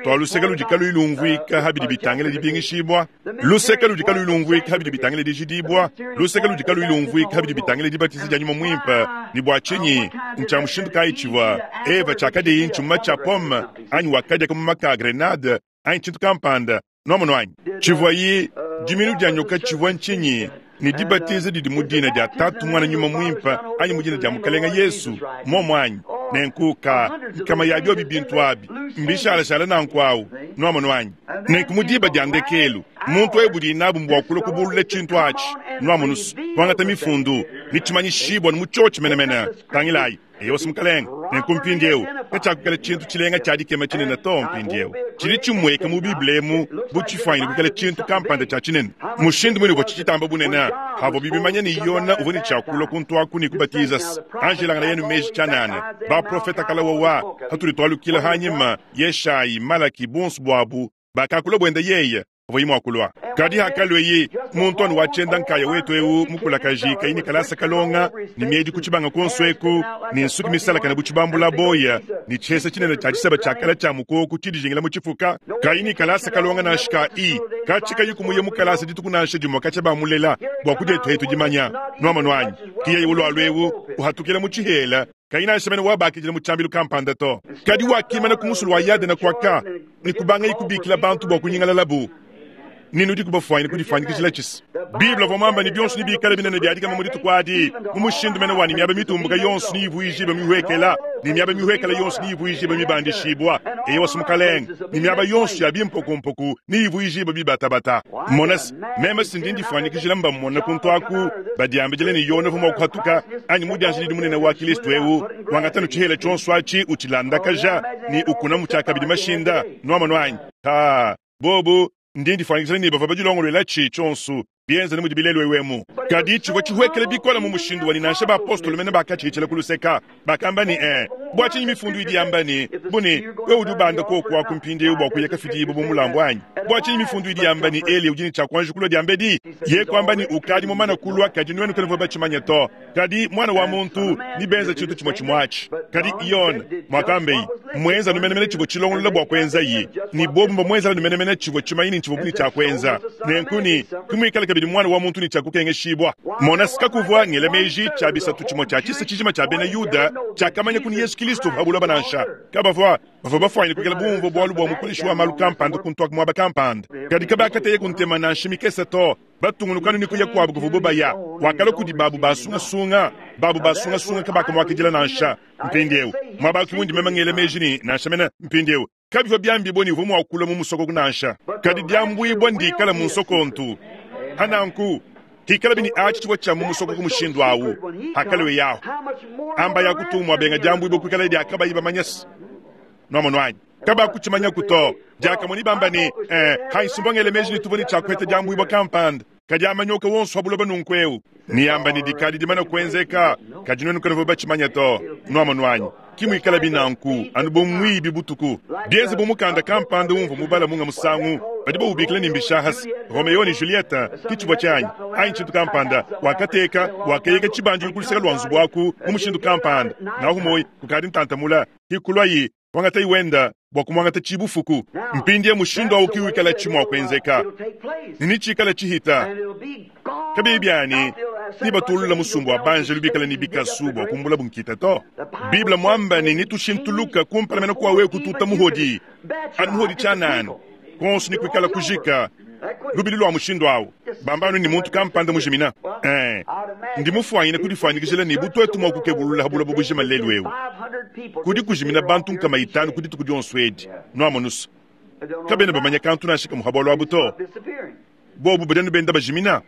twa luseke ludi kaluyi lumvuika habidi bitangila dibingishibwa, luseke ludi kaluyi lumvuika habidi bitangila dijidibwa, luseke ludi kaluyi lumvuika habidi bitangila dibatiza dia nyuma mwimpe. Ne bwa tshinyi ntshia mushindu kayi tshivua Eva tshiakadiyi ntshimuma tshia pomme anyi wakadiaka kamuma ka grenade anyi tshintu kampanda? Nwamonu anyi? Tshivuayi diminu dia nyoka tshivua ntshinyi? Ne dibatiza didi mu dina dia Tatu, Mwana, Nyuma Mwimpe anyi mu dina dia Mukalenga Yesu? Momo anyi? Nenku ka nkama ya biobi bintu abi mbishalashala nanku awu. Nwamonu anyi? Nenku mu diba dia ndekelu muntu ewu budi nabu mbua kulua kubulula tshintu atshi. Nwamonu kuangata mifundu ne tshimanyishibwa mu tshiotshi menemene. Tangilayi. Eyosi Mukalenga, nenku mpindieu katshiakukala tshintu tshilenga tshia dikema tshinene to. Mpindieu tshidi tshimweka mu Bible emu bu tshifuanyine kukala tshintu kampanda tshia tshinene. Mushindu mwine uvua tshitshitamba bunene havua bibimanya ne Yona uvua ne tshiakulua kuntuaku ne kubatiza anjelangana yenu meji tshianana. Baprofeta kala wawa hatudi twalukila hanyima Yeshayi, Malaki bonso bwabu bakakula bwenda yeye avua mwakulwa. Kadi hakalweyi muntu anu watshienda nkaya wetu ewu mukulakaji kayi ne kalasa kalonga ne miedi ku tshibanga konso eku ne nsuki misalakana bu tshibambula boya ne tshiesa tshinene tshia tshiseba tshiakala tshia mukoku tshidijingila mu tshifuka kayi ne kalasa kalonga nansha ka i katshikayi kumuye mu kalasa dituku nansha dimue katshia bamulela bua kudietu hetu dimanya. Nwamonu anyi? Kiyeye ulwalu ewu uhatukila mu tshihela kayi nansha mene wabakidila mu tshiambilu kampanda to. Kadi wakimana ku musulu wa Yadena kwaka ne kubangayi kubikila bantu bua kunyingalalabu. Ninu kubafuanyine kudifanyikishila tshisa. Bible avua muamba ne bionso ne bikala binene bia dikema mu dituku adi, mu mushindu mene wa ne miaba mitumbuka yonso ne ivuijibe mihuekela, ne miaba mihuekela yonso ne ivuijibe mibandishibwa. Eyowa Mukalenga, ne miaba yonso ya bimpokumpoku ne ivuijibe bibatabata. Mona se, meme sindi ndifanyikishila mba mmona kuntu aku, badiambidile ne Yona uvua mua kuhatuka, anyi mudianjilidi munene wa Kristo ewu, wangatanu tshihela tshionso atshi utshilandakaja ne ukuna mu tshiakabidi mashinda. Nwamonu anyi? Ha, bobu ndi ndifanyikishila ne bavua badilongoluela tshi tshionso bienza ne mudi bilelu ewemu. Kadi tshivua tshihuekele bikola mu mushindu wani nansha baapostolo mene bakatshihitshila ku luseka. Bakamba ne, eh, bua tshinyi mifundu idi yamba ne, bune, wewe udi ubanda koku aku mpindieu bua kuya kafidibu bu mulambu anyi? Bua tshinyi mifundu idi yamba ne, Eli udi ne tshiakuanji kulua diambedi? Ye kuamba ne, ukadi mumana kulua, kadi nuenu kanuvua batshimanye to. Kadi mwana wa muntu ni benza tshintu tshimue tshimue atshi. Kadi Yona mwakambeyi mwenza numenemene tshivua tshilongolola bua kuenza yi, ni bobu mbamwenzela numenemene tshivua tshimanyine tshivua buni tshia kuenza. Nenku ni kumwikala kabidi mwana wa muntu ni tshiakukengeshibwa. Mona sikakuvua ngela meji tshia bisatu tshimue tshia tshisa tshijima tshia bena Yuda tshiakamanya kuni Yesu Kristo pabulaba nansha. Kabavua bavua bafuanyine kukela bumvua bualu bua mukoleshi wa malu kampanda kuntu aku muaba kampanda. Kadi kabakateye kuntema nansha mikese to. Batungunukanu ni kuya kwabu kuvubu baya. Wakala kudi babu basungasunga, babu basungasunga kabakamwakidila nansha. Mpindieu mwaba kimundi meme ngela meji ni nansha mena mpindieu kabivua byambibwa ni uvua mwakula mu musoko nansha. Kadi dyambwibwa ndikala mu nsokontu. Hananku hikala bini atshi tshivua tshia mu musoko ku mushindu awu. Hakalewe yaho amba ya kutumwa benga dyambwibwa kwikala dyakabayi bamanyasa. Nwamonu anyi? Kabakutshimanya kuto. Diakamue bamba ne, eh, haisumbwa ngele meji ni tuvua ne tshiakuheta dyambwibwa kampanda. Kadi amanyoka wonso abuloba nunku ewu. Niyamba ne dikadi dimana kuenzeka, kadi nuenu kanuvua batshimanya to. Nwamonu anyi? Kimwikala binanku anu bu mwibi butuku. Bienze bu mukanda kampanda umvua mubala munga musangu, badi bawubikila ne mbishahasi. Romeo ne Julieta, ki tshivua tshianyi, anyi tshintu kampanda, wakateka, wakeyeka tshibandilu ku luseke lua nzubu aku mu mushindu kampanda. Nahu moyi, kukadi ntantamula, hikulwayi, wangatayi wenda bua kumwangata tshibufuku. Mpindie mushindu awu kiwikala tshimua kuenzeka. Nini tshikala tshihita. Kabiyi byani, ni batulula musumbu wa banja lubikala ni bikasu bua kumbula bunkita to. Bible mwamba ni nitushintuluka kumpala mena kwa wewe kututa muhodi. Anu muhodi tshianana. Konso ni kuikala kujika. Lubili lwa mushindu awu. Bambanu ni muntu kampanda mujimina. Eh, ndi mufuanyine kudifanyikishila ni butwetu mwa kukebulula habula bubujima lelu ewu. Kudi kujimina bantu nkama itanu kudi tuku dionso edi. Nwamonusu. Kabena bamanya kantu nansha kamuhabwa lwabu to. Bobu badanu benda bajimina.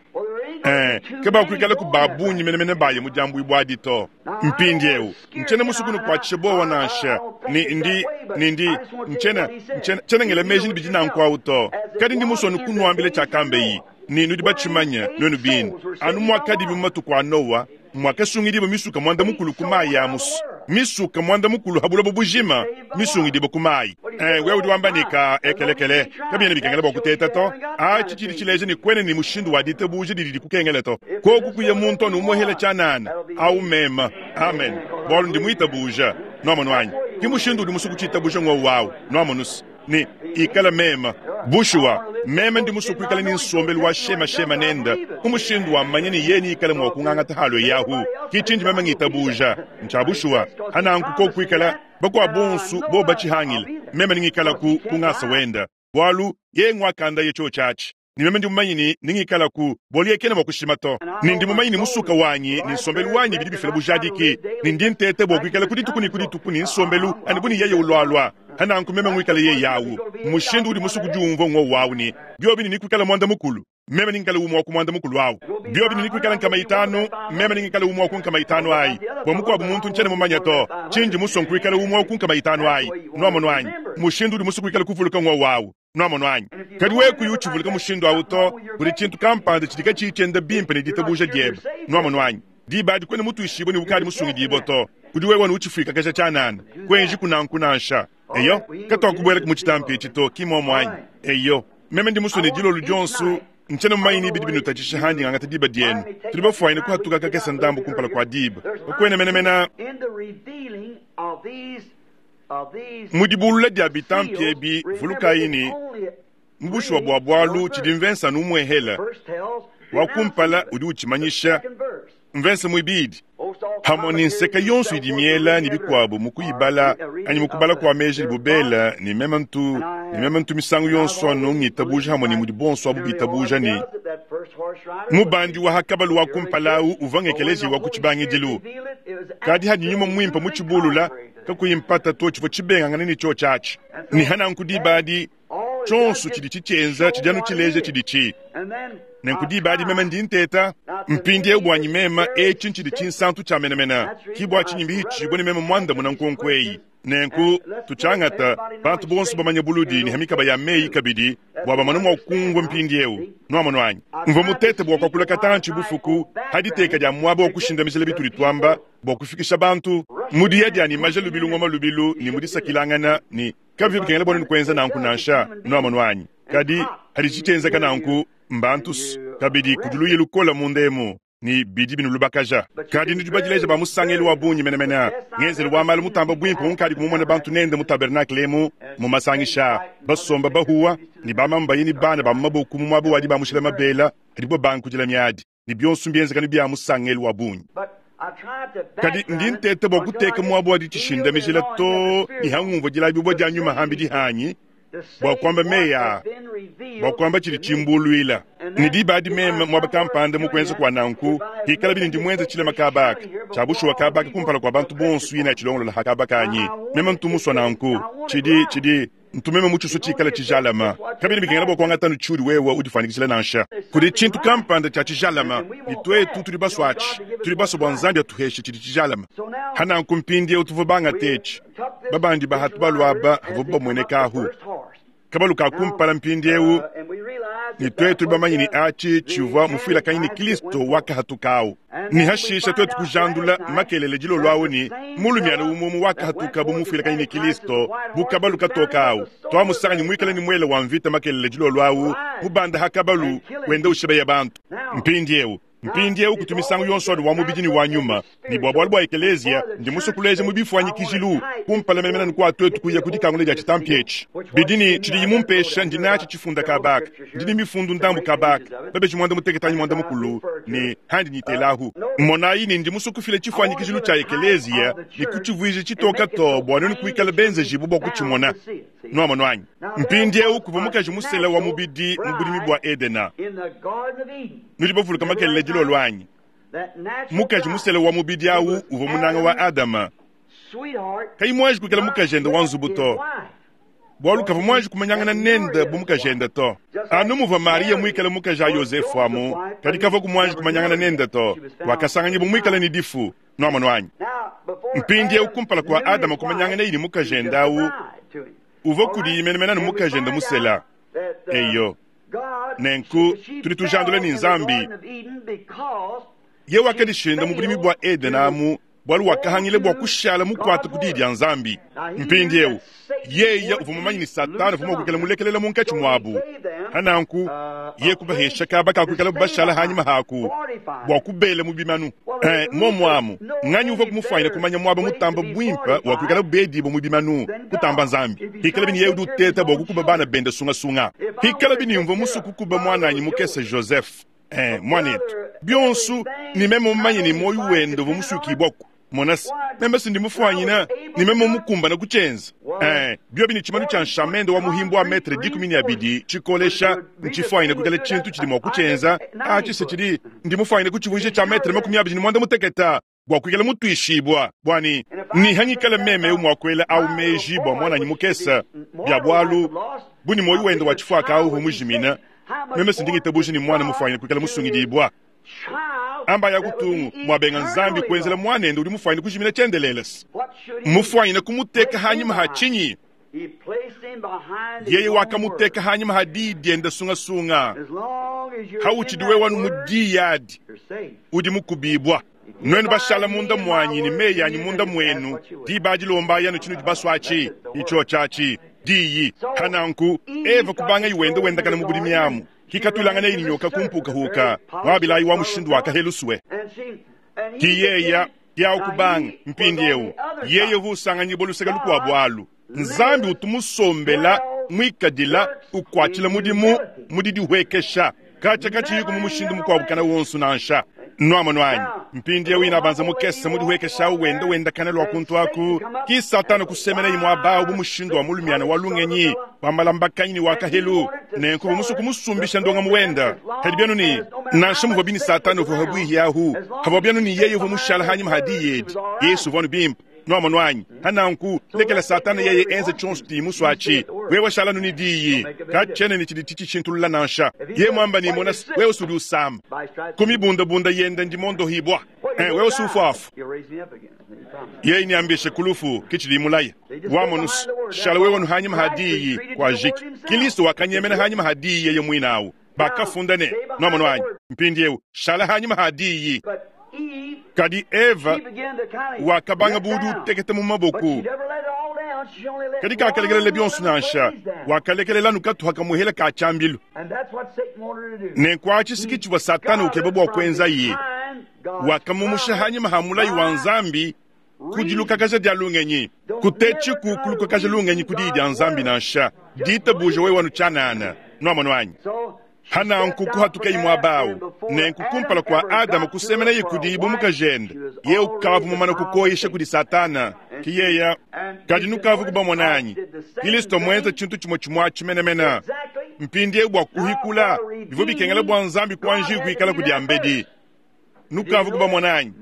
Eh, kabakuikala ku babunyi menemene baye mu dyambwibwa adi to. Mpindieu, ntshiena musukunu kuatshisha bowa nansha. Ni ndi, ni ndi, ntshiena, ntshiena, tshiena ngela meji ni bidi nanku awu to. Kadi ndi musonu kunuambila tshiakambeyi, ni nudi batshimanya, nuenu bine. Anu mwakadi mu matuku a Noa, Mwakasungidibwa misuka mwanda mukulu ku mayi a musu. Misuka mwanda mukulu ha buloba bujima misungidibwa ku mayi. Eh, wewe udi wamba ne ka ekelekele kabiena bikengela bua kuteta to. Atshi tshidi tshileja ne kuena ne mushindu wa ditabuja didi dikukengela to. Koku kuya muntu anu umuhela tshianana au mema. Amen. Bualu ndi muitabuja. Nwamonu anyi? Ki mushindu udi musu kutshitabuja ng'wowu wawu. Nwamonu se ne ikala mema. Bushuwa, meme ndi musu kuikala ne nsombelu wa shema shema nenda ku mushindu wa mmanya ne yeye ikale mua kungangata halo yahu. Ki tshindi meme ngitabuja. Ntsha bushuwa, hananku ko kuikala bakwa bonsu bo batshihangile. Meme ngikala ku kungasa wenda. Bualu yeye ngwakanda ye cho tshatshi. Ni meme ndi mumanyi ni ningikala ku bualu yeye kena mua kushima to. Ni ndi mumanyi ni musuka wanyi ni nsombelu wanyi bidi bifila bujadiki. Ni ndi ntete bua kuikala ku dituku ni ku dituku ni nsombelu anu bu ni yeye ulwalwa. Hananku meme ngwikala yeye yawu. Mushindu udi musu kudiumvua ng'wowu wawu ni biobi ni nikuikala mwanda mukulu. Meme ningikala umwe wa ku mwanda mukulu awu. Biobi ni nikuikala nkama itanu, meme ningikala umwe wa ku nkama itanu ayi. Bua mukuabu muntu ntshiena mumanya to. Tshindi musue nkuikala umwe wa ku nkama itanu ayi. Nwamonu anyi? Mushindu udi musu kuikala kuvuluka ng'wowu wawu. Nwamonu anyi? Kadi wewe kuyi utshivuluka mushindu awu to, kudi tshintu kampanda tshidi katshiyi tshienda bimpe ne ditabuja diebe. Nwamonu anyi? Diba adi kuena mutuishibue ne ukadi musungidibue to. Kudi wewe utshifwikakaja tshianana. Kuenji kunanku nansha. Eyo, katuakubuela mu tshitampi etshi to, ki muomu anyi? Eyo, meme ndi musue ne dilolo dionso, ntshiena mumanyi ne bidi binutatshisha handi ngangata diba dienu. Tudi bafuanyine kuhatuka kakese ndambu kumpala kua diba. Kakuena menemene mu dibulula dia bitampi ebi, vulukayi ne mu bushuwa bua bualu tshidi mvensa anu umuehela. Wa kumpala udi utshimanyisha mvensa muibidi. Hamwe ne nseka yonso idi miela ne bikuabu mu kuyibala anyi mu kubala kua meji ne bubela ne meme ntu ne meme ntu misangu yonso anu ngitabuja hamwe ne mudi bonso abu bitabuja ne mubandi wa hakabalu wa kumpala awu uvua ngekeleji wa ku tshibangidilu. Kadi hadi nyuma muimpe mu tshibulula kakuyi mpata to tshivua tshibengangane ne tshio tshiatshi. Ne hananku diba adi tshionso tshidi tshitshienza tshidi anu tshileja tshidi tshi. Nenku diba adi meme ndi nteta mpindieu buanyi meme etshi ntshidi tshinsantu tshia menemene. Ki bua tshinyi mbihitshibue ne meme muandamuna nkonko eyi. Nenku tutshiangata bantu bonso bamanye buludi ne hamikaba ya meyi kabidi bua bamone mua kumvua mpindieu. Nwamonu anyi? Mvua mutete bua kuakula katantshi bufuku ha diteka dia muaba wa kushindamijila bitudi tuamba bua kufikisha bantu mu diya dia ne maja lubilu ngoma lubilu ne mu disakilangana ne kabivua bikengela bua nenu kuenza nanku nansha. Nwamonu anyi? Kadi hadi tshitshienzeka nanku mbantu kabidi kudi luye lukola munda emu ne bidi binulubakaja. Kadi nudi badileja ba musangelu wa bungi menemene. Ngenzelu wa malu mutamba buimpe unkadi kumumona bantu nende mu tabernacle emu mu masangisha basomba bahuwa ne bamambayi ne bana ba mu maboku mu muaba wadi bamushila mabela adibo bankudila miadi ne bionso mbienzeka bia musangelu wa bungi. Kadi ndi ntete bua kuteka muaba wadi tshishindamijila to ne hangumvua dilabibua dia nyuma hambidi hanyi bua kuamba meya bua kuamba tshidi tshimbuluila. Ne diba adi meme muaba kampanda mu kuenza kua nanku hikala bini ndi muenza tshilema kabaka tshia bushuwa kabaka kumpala kua bantu bonso yina tshilongolola ha kabaka anyi. Meme ntu musua nanku tshidi tshidi ntu meme mu tshiso tshikala tshijalama. Kabini bikengela bua kuangata anu tshiudi wewe udifuanyikishila nansha. Kudi tshintu kampanda tshia tshijalama ne tuetu tudi basua atshi. Tudi basua bua Nzambi atuheshe tshidi tshijalama. Hananku mpindieu tuvua bangate etshi. Babandi bahatu baluaba havua bamueneka ahu. Kabalu ka kumpala mpindieu ne tuetu bamanye ne atshi tshivua mufuilakanyi ne Kristo wakahatukawu. Ne hashisha tuetu kujandula makelele dilolo awu ne mulumiana umumu wakahatuka bu mufuilakanyi ne Kristo bu kabalu katoka awu. Twamusanganyi muikale ne muele wa mvita makelele dilolo awu mubanda ha kabalu wenda ushibeya bantu. Mpindieu mpindieu kutu misangu yonso anu wa mubidi ne wa nyuma ne bua bualu bua ekelezia ndi musue kuleja mu bifuanyikijilu kumpala menemene kua tuetu kuya ku dikangula dia tshitampi etshi. Bidi ne tshidiyi mumpesha ndi natshi tshifunda kabaka ndi ne mifundu ndambu kabaka babeji mwanda mutekete anyi mwanda mukulu ne handi nitelahu. Monayi ne ndi musue kufila tshifuanyikijilu tshia ekelezia ne kutshivuija tshitoka to bua nenu kuikala benzejibu bua kutshimona. Nwamonu anyi? Mpindieu kuvua mukaji musela wa mubidi mu budimi bua Edena. Nudi bavuluka makelele dilolo anyi? Mukaji musela wa mubidi awu uvua munanga wa Adama. Kayi muanji kuikala mukajende wa nzubu to. Bualu kavua muanji kumanyangana nende bu mukajende to. Anu muvua Maria muikale mukaji a Yosefu amu, kadi kavua kumuanji kumanyangana nende to. Wakasanganyibwa muikale ne difu. Nwamonu anyi? Mpindieu kumpala kua Adama kumanyangana ne mukajende awu, uvua kudi menemene anu mukajende musela. Eyo. Nenku tudi tujandula ne Nzambi. Ye wakadishinda mu bulimi bua Edena amu bwalu wakahangile bua kushala mukwata ku diyi dia Nzambi. Mpindiewu yeye uvua mumanye ne Satana uvua mua kuikala mulekelela munkatshi muabu. Hananku ye kubahesha kaba ka kuikala bashala hanyima haku bua kubela mu bimanu. Eh, momu amu nganyi uvua kumufanyina kumanya muaba mutamba buimpe wa kuikala bedibo mu bimanu kutamba Nzambi. Hikala bini yeye udi uteta bua kukuba bana bende sungasunga. Hikala bini mvua musu kukuba mwananyi mukese Joseph. Eh, mwanetu bionsu ni meme mumanye ni moyo wende uvua musukibwaku. Monasi meme sindi mufwanyina ni meme mukumbana kuchenza. Eh, biobi ni chimanu cha nshamende wa muhimbu wa metre dikumi ni abidi chikolesha nchifwanyina kukala chintu chidi mwa kuchenza achise chidi ndi mufwanyina kuchivunjisha cha metre makumi abidi ni mwanda muteketa bwa kuikala mutwishibwa bwani ni hanyikala meme umwakwela au meji bwa mwananyi mukesa bya bwalu buni moyo wende wa chifwaka au humujimina meme sindingitabuji ni mwana mufwanyina kuikala musungidibwa amba ya kutungu mwabenga Nzambi kwenzela mwanende uli mufwanyina kujimina chendelelesi mufwanyina kumuteka hanyuma ha chinyi yeye wakamuteka hanyuma ha didienda sungasunga hauchidiwe wanu mudiyadi udi mukubibwa nwenu bashala munda mwanyi ni meyi yanyi munda mwenu dibadilomba yanu chinu dibaswachi icho chachi diyi hananku Eva kubanga iwende wendakana mubulimi amu kikatulangana ini nyoka kumpukahuka mwabilayi wa mushindu wakaheluswe kiyeya yaukubanga mpindiewu yeye husanganyibwa luseka lukuabu alu Nzambi utumusombela mwikadila ukwachila mudimu mudidihwekesha kacha kachiyiku mu mushindu mukuabukana wonsu nansha nwamo nwanyi mpindiewu ina banza mukese mudihwekesha wenda wenda kana lwa kuntu aku ki Satana kusemena imwe abawu bu mushindu wa mulumiana wa lungenyi wa malambakanyi wa kahelu nenku bumusu kumusumbisha ndonga muwenda kadi byanu ni nansha muvua bini Satana uvua habwihi ahu havua byanu ni yeye uvua mushala hanyuma hadiyedi Yesu uvua bimpe nwamo nwanyi hananku lekela Satana yeye enze chonso timuswachi wewe shala nuni diyi kachene ni chidi chichintulula nansha ye mwamba ni mona wewe usudi usamba kumibunda bunda yenda ndimondo hibwa eh wewe usufafu yeye niambishe kulufu kichili mulaya wamonus shala wewe nuhanyima hadiyi kwa jiki Kristo wakanyemena hanyima hadiyi yeye mwinawu bakafundane nwamo nwanyi mpindiewu shala hanyima hadiyi kadi Eva wakabanga budu tekete mu maboku kadi kakalekelele bionsu nansha wakalekelela nukatuha kamuhela ka chambilu nenkwachisiki chivwa Satana ukeba bwa kwenza ye wakamumusha hanyima ha mulayi wa Nzambi kudilukakaja dia lungenyi kutechi kukulukakaja lungenyi kudi dia Nzambi nansha dita buje wewe wanu chanana nwamo nwanyi hananku kuhatuka imwe abawu nenku kumpala kwa Adamu kusemena yikudibu mukajende ye ukavu mumana kukoyisha kudi Satana kiyeya kadi nukavu kubamonanyi Kristo mwenza chintu chimwe chimwa chimenemena mpindie bwa kuhikula bivu bikengela bwa Nzambi kwanji kuikala kudiambedi nukavu kubamonanyi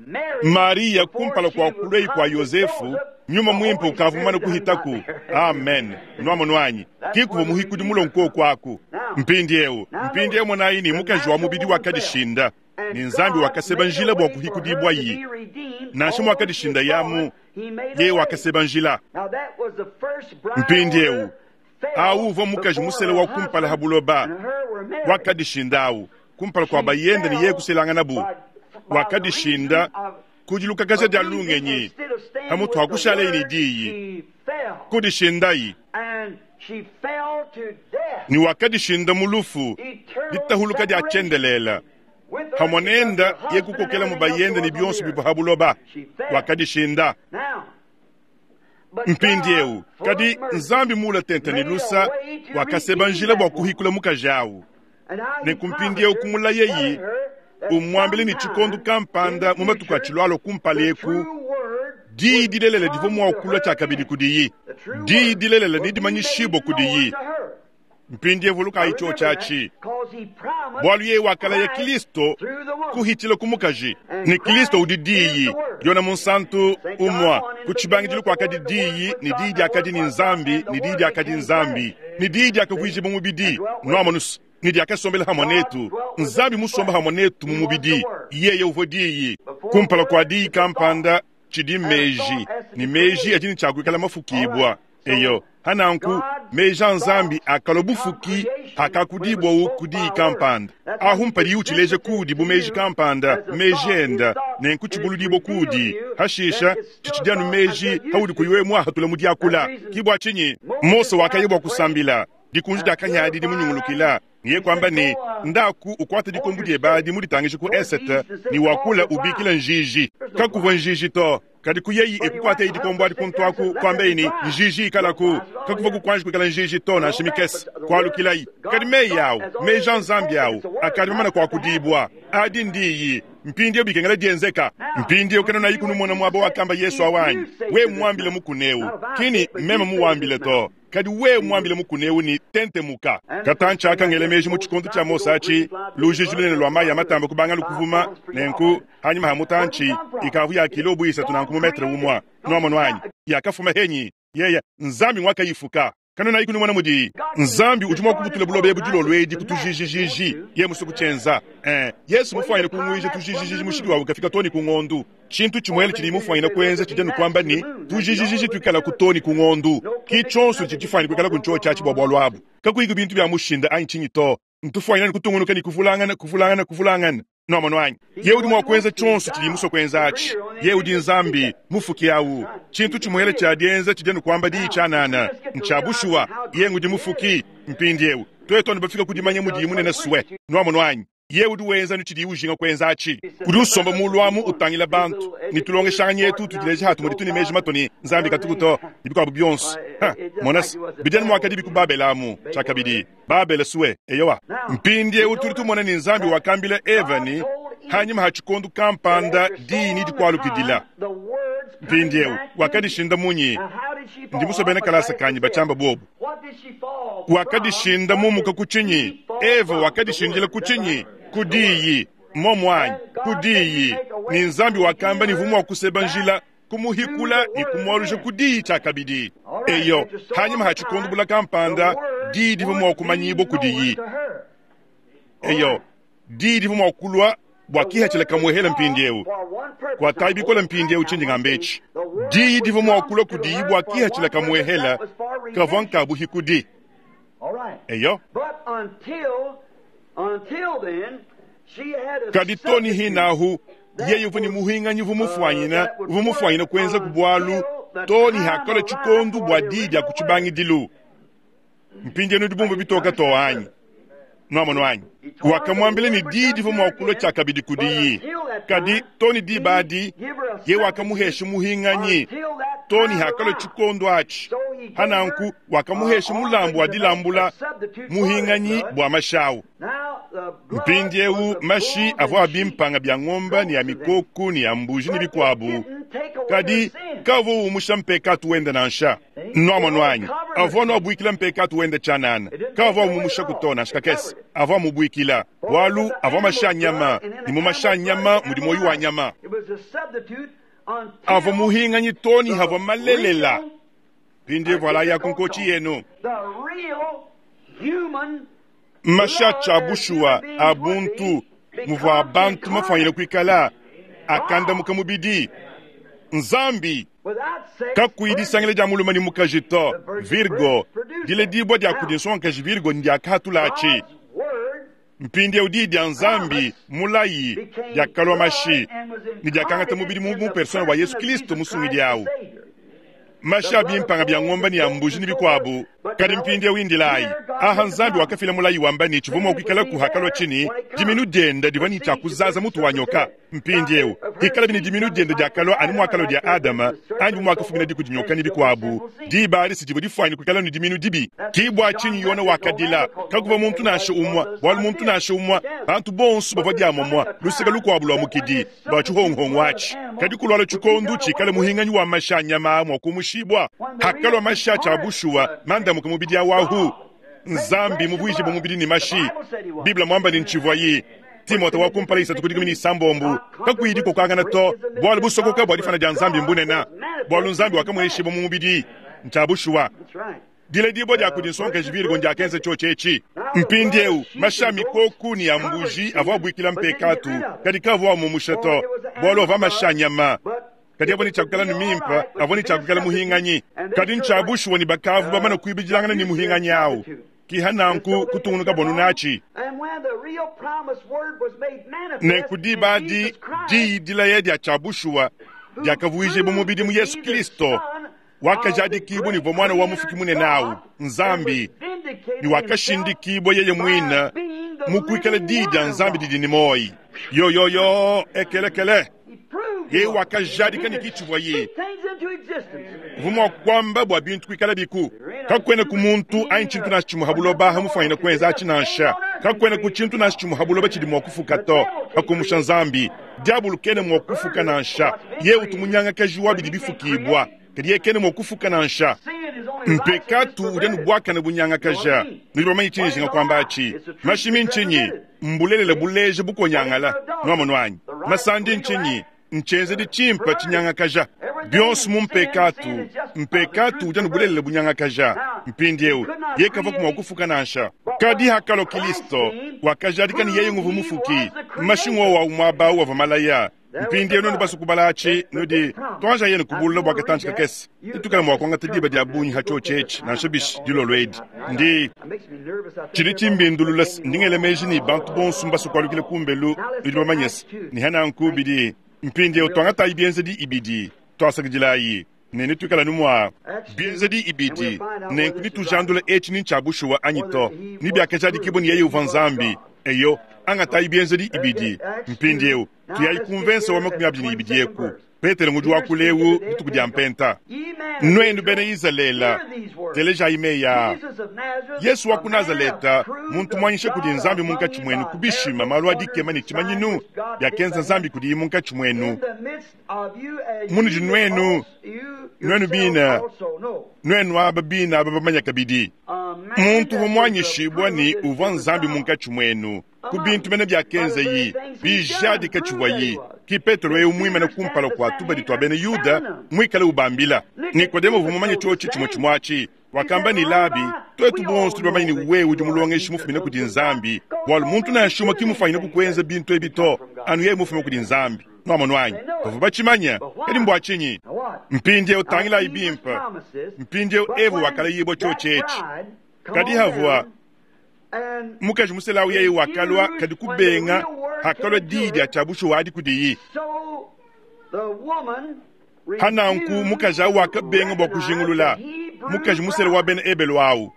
Maria kumpala kwa kulei kwa Yosefu nyuma mwimpe ukavu mumana kuhitaku amen nwamo nwanyi kikuva muhikudi mulonko kwaku mpindiewu mpindiewu mwanayi ni mukaji wa mubidi wakadishinda ni Nzambi wakaseba njila bwa kuhikudibwa yi nansha mwakadishinda yamu ye wakaseba njila mpindiewu awu uvua mukaji musele wa kumpala habuloba wakadishinda awu kumpala kwa bayenda ni ye kuselangana bu wakadishinda kudilukakaja dia lungenyi hamutu hakushala ini diyi kudishindayi ni wakadishinda mulufu litahuluka dia chendelela hamonenda ye kukokela mu bayenda ni bionso bivua habuloba wakadishinda mpindiewu kadi Nzambi mula tenta ni lusa wakaseba njila bwa kuhikula mukaji awu nenku kumula yeyi umwambile ni chikondu kampanda mu matuku achilwalo kumpaleku diyi dilelela divua mua kulua tshiakabidi kudiyi diyi dilelela ni dimanyishibwa kudiyi mpindiewu lukayi cho chachi bwalu yeye wakalaya Kristo kuhitila kumukaji ni Kristo udi diyi yona munsantu umwa kuchibangidilu kwakadi diyi ni diyi diakadi ni Nzambi ni diyi diakadi Nzambi ni diyi diakavuijibwa mubidi nwamonusu ni diakasombela hamwe netu Nzambi musomba hamwe netu mu mubidi yeye uvua diyi kumpala kwa diyi kampanda chidi meji ni meji ajini chakuikala mafukibwa eyo hananku Meji a Nzambi akalua bufuki akakudibwawu ku diyi kampanda. Ahu mpadiyi utshileja kuudi bu meji kampanda, meji enda, nenku tshibuludibwa kuudi. Hashisha, tshitshidi anu meji haudi kuyi wewe muahatula mu diakula. Ke bua tshinyi Mose wakaya bua kusambila, dikunji dia kahia adi dimunyungulukila, niye kuamba ne, ndaku ukwate dikombo diebe adi muditangishe ku esete, ne wakula ubikila njiji. Kakuvua njiji to. Kadi kuyeyi ekukwata idi kombo adi kuntu aku kuambeyi ne njiji ikalaku. Kakuvua kukuanji kuikala njiji to nansha mikese. Kualukilayi. Kadi meyi awu, meji a Nzambi awu, akadi mamana kuakudibwa. Adi ndiyi. Mpindieu bikengela dienzeka. Mpindieu kena kunumona muaba wakamba Yesu awanyi. We muambile mukuneu. Kini meme muwambile to. Kadi we muambile mukuneu ni tentemuka. Katanchi akangela meji mu tshikondo tshia Mose achi, lujiji lunene lwa mayi amatamba kubanga lukuvuma, nenku hanyuma ha mutanchi ikavu ya kilo buisa tunanku mu metre umwa. Nwamonu anyi. Yakafuma henyi. Yeye Nzambi mwakayifuka. Kanona ikunumona mudi Nzambi udi mwakubutula bulobe budilo lwedi kutujijijiji ye musuku chenza. Eh, Yesu mufwanyina kungwija tujijijiji mushiki wawe kafika toni kungondu. Chintu chimwele chili mufwanyina kuenza chijanu kwamba ni tujijijiji twikala kutoni kungondu. Ki chonso chichifwanyina kwikala kuncho chachi bwa bwalwabu. Kakuyiku bintu bya mushinda anyi chinyi to. Ntufwanyina kutungunuka ni kuvulangana kuvulangana kuvulangana. Nwamonu anyi. Ye udi mwakwenza chonso chili muso kwenza achi. Ye udi Nzambi mufuki awu. Chintu chimwele cha dienza chijanu kwamba di chanana. Nchabushuwa ye ngudi mufuki mpindiewu. Tweto nibafika kudimanya mudi munene suwe. Nwamonu anyi. Ye udi wenza nuchidi ujinga kwenza achi. Udi usomba mulwamu utangila bantu. Nitulongeshanga yetu tudileje hatu mudi tuni meji matoni Nzambi katukuto nibikwabu byonso. Ha, monas bideni mwakadi bikubabelamu chakabidi. Babele suwe eyowa. Mpindiewu tuli tumona ni Nzambi wakambila Eva ni hanyuma hachikondu kampanda dini dikwalukidila. Mpindiewu wakadishinda munyi ndi musobene kalasa kanyi bachamba bobu. Wakadishinda mumuka kuchinyi. Eva wakadishindila kuchinyi kudiyi momwanyi kudiyi ni Nzambi wakamba ni vumu wakuseba njila kumuhikula ni kumwalusha kudiyi chakabidi. Eyo hanyuma hachikondu bula kampanda diyi divumu wakumanyibo kudiyi. Eyo diyi divumu wakulwa bwakihachila kamwehela mpindiewu. Kwa taibikola mpindiewu chindi ngambechi. Diyi divumu wakulwa kudiyi bwakihachila kamwehela kavanka buhikudi. Eyo. Kadi toni hinahu yeye uvuni muhinganyi vumufwanyina vumufwanyina kwenza kubwalu toni hakola chikondu bwa didi akuchibangidilu. Mpindiewu dibumbu bitoka to anyi. Nwamonu anyi. Wakamwambile ni didi vumwakulwa chakabidi kudiyi. Kadi toni dibadi ye wakamuhesha muhinganyi toni hakola chikondu achi. Hananku wakamuhesha mulambu wa dilambula muhinganyi bwa mashawu. Mpindiewu mashi avwa abimpanga bya ng'omba ni ya mikoku ni ya mbuji ni bikwabu. Kadi kavu umusha mpekatu wenda nansha. Nwamonu anyi. Avwa nwabwikila mpekatu wenda chanana. Kavu umumusha kutona shikakesi. Avwa mubwikila. Walu avwa masha nyama. Ni mu masha nyama mudi moyo wa nyama. Avwa muhinganyi toni havwa malelela. Pindi voila ya kunkochi yenu. Masha bushuwa abuntu muvwa abantu mafanyile kwikala akanda mukamubidi Nzambi kakuidisangile ja muluma ni mukajito Virgo dile dibwa dia kudinsonka Virgo ndia katulachi mpindi udi dia Nzambi mulayi dia kalwa mashi ni dia kangata mubidi mu persona wa Yesu Kristo musungidi awu. Masha bimpanga bya ng'omba ni ya mbuji ni bikwabu. Kadi mpindi windilai. Aha Nzambi wakafila mulayi wamba ni chivumo kwikala kuhakalwa chini. Diminu dienda divani cha kuzaza mutu wa nyoka. Mpindi eu. Hikala bini diminu dienda diakalwa anu mwakalo dia Adama. Anyu mwakafumina diku dinyoka ni bikwabu. Diba alisi dibo difwani kwikala ni diminu dibi. Kibwa chini yona wakadila. Kakuva muntu nasho umwa. Walu muntu nasho umwa. Bantu bonsu bavwa diamomwa. Lusika lukwabu lwa mukidi. Bachuhonghong wachi. Kadi kulwalo chikondu chikale muhinganyi wa masha nyama mwa kumushibwa. Hakalwa masha cha bushuwa manda mukamubidi awahu. Nzambi mubwiji bumubidi ni mashi. Biblia mwamba ni nchivwayi. Timote wakumpala isatu kudikumi ni sambombu. Kakuidi kokangana to. Bwalu busokoka bwadifana ja Nzambi mbunena. Bwalu Nzambi wakamweshibo mumubidi. Nchabushuwa. Dile dibo dia kudinsonka jibiri gonja kenze chochechi. Mpindiewu masha mikoku ni ya mbuji avwa bwikila mpekatu. Kadika avwa mumushato. Bwalu ava masha nyama. Kadi avua ne tshia kuikala ne mimpe, avua ne tshia kuikala muhinganyi. Kadi ntshia bushuwa ne bakavua bamane kuibidilangana ne muhinganyi awu. Ki hananku kutungunuka bonu natshi. Nenku diba adi diyi dilaya dia tshia bushuwa diakavuijibua mubidi mu Yesu Kristo, wakajadikibua ne uvua Muana wa Mufuki munene awu, Nzambi, ne wakashindikibua yeye muine mu kuikala diyi dia Nzambi didi ne muoyo. Yo yo yo, ekelekele. Yeye wakajadika ne kitshivua ye uvua mua kuamba bua bintu kuikala biku. Kakuena ku muntu anyi tshintu nansha tshimue ha buloba hamufuanyina kuenza atshi nansha. Kakuena ku tshintu nansha tshimue ha buloba tshidi mua kufuka to, hakumusha Nzambi. Diabulu kena mua kufuka nansha. Yeye utu munyangakaji wa bidi bifukibua, kadi yeye kena mua kufuka nansha. Mpekatu udi anu buakane bunyangakaja. Nudi bamanye tshinyi njinga kuamba atshi? Mashimi ntshinyi? Mbulelela buleja bukonyangala. Nuamonu anyi? Masandi ntshinyi? Ntshienzedi tshimpe tshinyangakaja. Bionso mu mpekatu. Mpekatu udi anu bulelela bunyangakaja. Mpindieu yeye kavua mua kufuka nansha. Kadi hakalua Kristo, wakajadika ne yeye nguvua mufuki. Mashingo wa muaba wavua malaya. Mpindieu nuenu basue kubala atshi, nudi tuanja yenu kubulula bua katantshi kakese. Ditukala mua kuangata diba dia bungi ha tshiotshi etshi, nansha bishi dilolo edi. Ndi tshidi tshimbindulula ndi ngela meji ne bantu bonso mbasue kualukila kumbelu, nudi bamanye se ne hananku bidi mpindieu tuangatayi bienzedi ibidi, tuasakidilayi ne netuikala nu mua bienzedi ibidi, nenku nitujandula etshi ni ntshia bushuwa anyi to, ni biakajadikibua ne yeye uvua Nzambi. Eyo, angatayi bienzedi ibidi. Mpindieu tuyayi ku mvensa wa makumi abidi ne ibidi eku. Petelo ngudi wakula eu dituku dia mpenta. Nuenu bena Izalele, telejayi meyi aa. Yesu wa ku Nazaleta, muntu muanyisha kudi Nzambi munkatshi muenu ku bishima malu a dikema ne tshimanyinu biakenza Nzambi kudiye munkatshi muenu. Munudi nuenu, nuenu bina, nuenu aba bina aba bamanya kabidi. Muntu uvua muanyishibua ne uvua Nzambi munkatshi muenu ku bintu mene biakenzeyi bijadika tshivuayi. Ki Petelo eu muimane kumpala kua tubadi tua bena Yuda muikale ubambila. Nikodemo uvua mumanye tshiotshi tshimue tshimue atshi. Wakamba ne Labi, tuetu bonso tudi bamanye ne wewe udi mulongeshi mufumine kudi Nzambi, bualu muntu nansha umue ki mufanyine kukuenza bintu ebi to, anu yeye mufume kudi Nzambi. Nuamonu anyi? Bavua batshimanya, kadi mbua tshinyi? Mpindieu tangilayi bimpe. Mpindieu Eva wakalayibua tshiotshi etshi. Kadi havua mukaji muselawu yeye wakalua, kadi kubenga hakalua diyi dia tshia bushuwa adi kudiyi. Hananku mukaji awu wakabenga bua kujingulula mukaji musela wa bena Ebelu awu,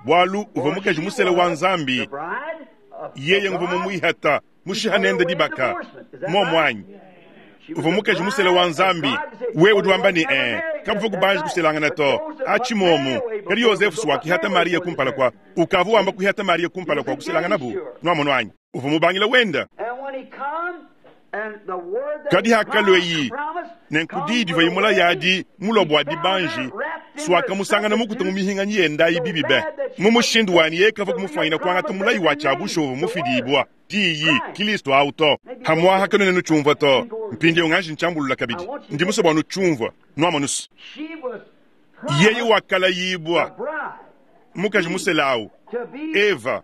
bualu uvua mukaji musela wa Nzambi. Yeye nguvua mumuihata mushiha nende dibaka momu anyi? Uvua mukaji musela wa Nzambi. Wewe udi wamba ne eh, kabuvua kubanja kuselangana to atshi momu. Kadi Yosefu wakihata Maria kumpala kwa ukavua wamba kuihata Maria kumpala kwa kuselangana bu nuamonu anyi? Uvua mubangila wenda. Kadi hakalua nenku diyi divua imula yadi mulua bua dibanji swakamusangana mukuta mu mihinganyi yendayi bibi be. Mu mushindu wani yeye kavua kumufuanyina kuangata mulayi wa tshia bushuwa uvua mufidibua diyi Kristo awu to. Hamwaha kanene nutshumvua to. Mpindieu nganji ntshiambulula kabidi. Ndi musue bua nutshumvua. Nuamonusu. Yeye wakalayibua mukaji muselawu Eva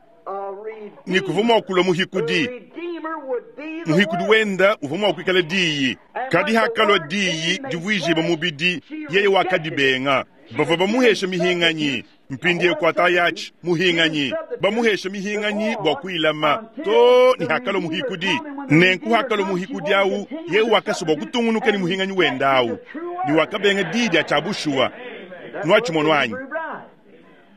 ni kuvua mua kulua muhikudi. Muhikudi wenda uvua mua kuikala diyi. Kadi hakalua diyi divuijibua mubidi, yeye wakadibenga. Bavua bamuhesha mihinganyi. Mpindieu kuatayachi muhinganyi. Bamuhesha mihinganyi bua kuilama to ni hakalua muhikudi. Nenku hakalua muhikudi awu, yeye wakasua bua kutungunuka ni muhinganyi wenda awu. Ni wakabenga diyi dia tshia bushuwa. Nuatshimono anyi?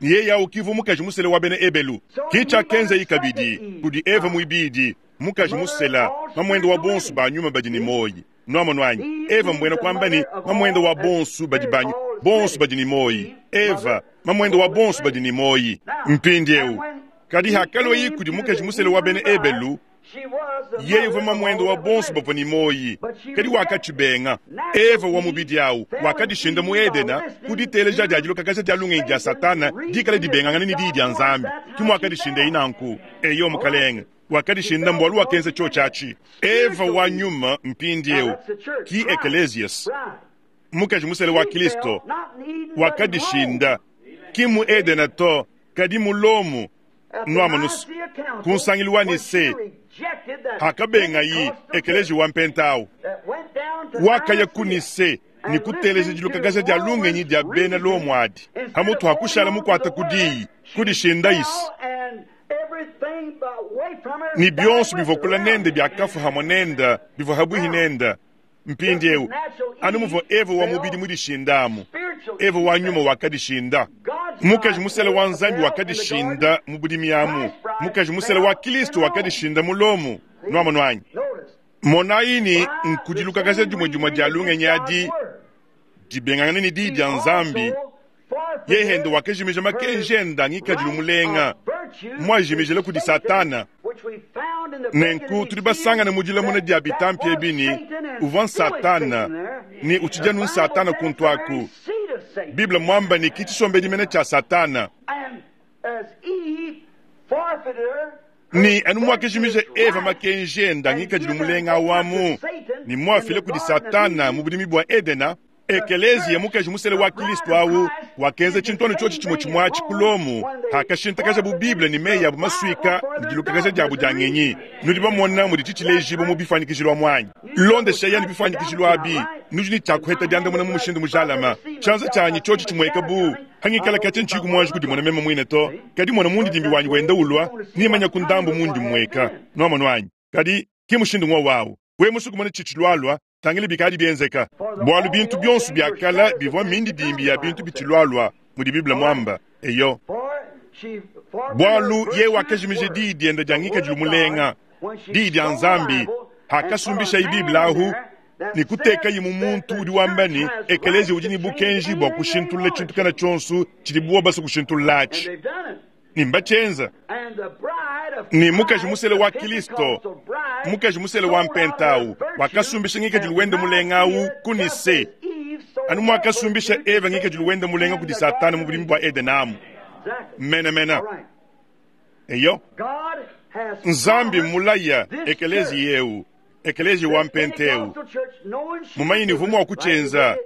Yeye awu kivu mukaji musela wa bena Ebelu. Ki tshiakenzayi kabidi kudi Eva muibidi mukaji musela mamuende wa bonso ba nyuma badi ne moyi. Nuamonu anyi? Eva mbwena kuamba ne mamuende wa bonso badi ba bonso badi ne moyi. Eva mamuende wa bonso badi ne moyi. Mpindieu kadi hakalua kudi mukaji musela wa bena Ebelu, yeye uvua mamuende wa bonso bavua ne moyi, kadi wakatshibenga. Eva wa mubidi awu wakadishinda mu Edena ku diteleja dia dilokakaja dia lungenyi dia Satana dikala dibengangana ne diyi dia Nzambi. Ki muakadishinda nanku. Eyo mukalenge wakadishinda mbualu wakenza tshiotshi atshi. Eva wa nyuma mpindieu ki Ecclesias mukaji musela wa Kristo wakadishinda ki mu Edena to, kadi mu Lomu. Nuamonusu kunsangilu wa Nise hakabengayi ekeleji wa mpentawu. Wakaya ku Nise ne kuteleja dilukakaja dia lungenyi dia bena Lomo adi. Pamutu pa kushala mukuate ku diyi, kudishinda-isi. Ne bionso bivua kule nende biakafua hamue nende, bivua pabuipi nende. Mpindieu, anu muvua Eva wa mubidi mudishindamu, Eva wa nyuma wakadishinda. Mukaji musele wa Nzambi wakadishinda mu budimi amu. Mukaji musele wa Kilisto wakadishinda mu Lomo. Nuamonu anyi? Monayi ne, nkudilukakaja dimue dimue dia lungenyi adi dibengangane ne diyi dia Nzambi. Yeye wakajimija makenji ende a ngikadilu mulenga, muajimijile kudi Satana. Nenku tudi basangane mu dilamuna dia bitampi ebi ne, uvua Satana ne utshidi anu Satana kuntu aku. Bible muamba ne ke tshisombedi mene tshia Satana. Ne anu muakajimija Eva makenji ende a ngikadilu mulenga awu amu, ne muafile kudi Satana mu budimi bua Edena, Ekeleziya mukaji musele wa Kilisto awu wakenza tshintu anu tshiotshi tshimue tshimue atshi ku Lomo hakashintakajabu Bible ne meyi abu masuika ne dilukakaja diabu dia ngenyi. Nudi bamona mudi tshitshilejibua mu bifuanyikijilu amu anyi? Londeshayi anu bifuanyikijilu abi, nudi ne tshia kuheta diandamuna mu mushindu mujalame. Tshianza tshianyi tshiotshi tshimueka bu hangikala katshia ntshiyi muanji kudimona meme muine to, kadi mona mundidimbi wanyi wenda ulua, nimanya ku ndambu mundi mmueka. Nuamonu anyi? Kadi ki mushindu ng'wowu awu. Wewe musue kumona tshitshilualua, tangila bikadi bienzeka. Bualu bintu bionso bia kale bivua mindidimbi ya bintu bitshilualua, mudi Bible muamba. Eyo. Bualu yeye wakajimija diyi diende dia ngikadilu mulenga, diyi dia Nzambi, hakasumbishaye Bible ahu ne kutekaye mu muntu udi wamba ne, ekeleziya udi ne bukenji bua kushintulula tshintu kana tshionso tshidibu basue kushintulula atshi. Ne mbatshienza. Ne mukaji musele wa Kilisto, mukaji musele wa mpenta awu, wakasumbisha ngikadilu wende mulenga awu ku Nise, anu muakasumbisha Eva ngikadilu wende mulenga kudi Satana mu budimi bua Edena amu. Menemene. Eyo. Nzambi mmulaya ekeleziya eu, ekeleziya wa mpenta eu, mumanye ne uvua mua kutshienza,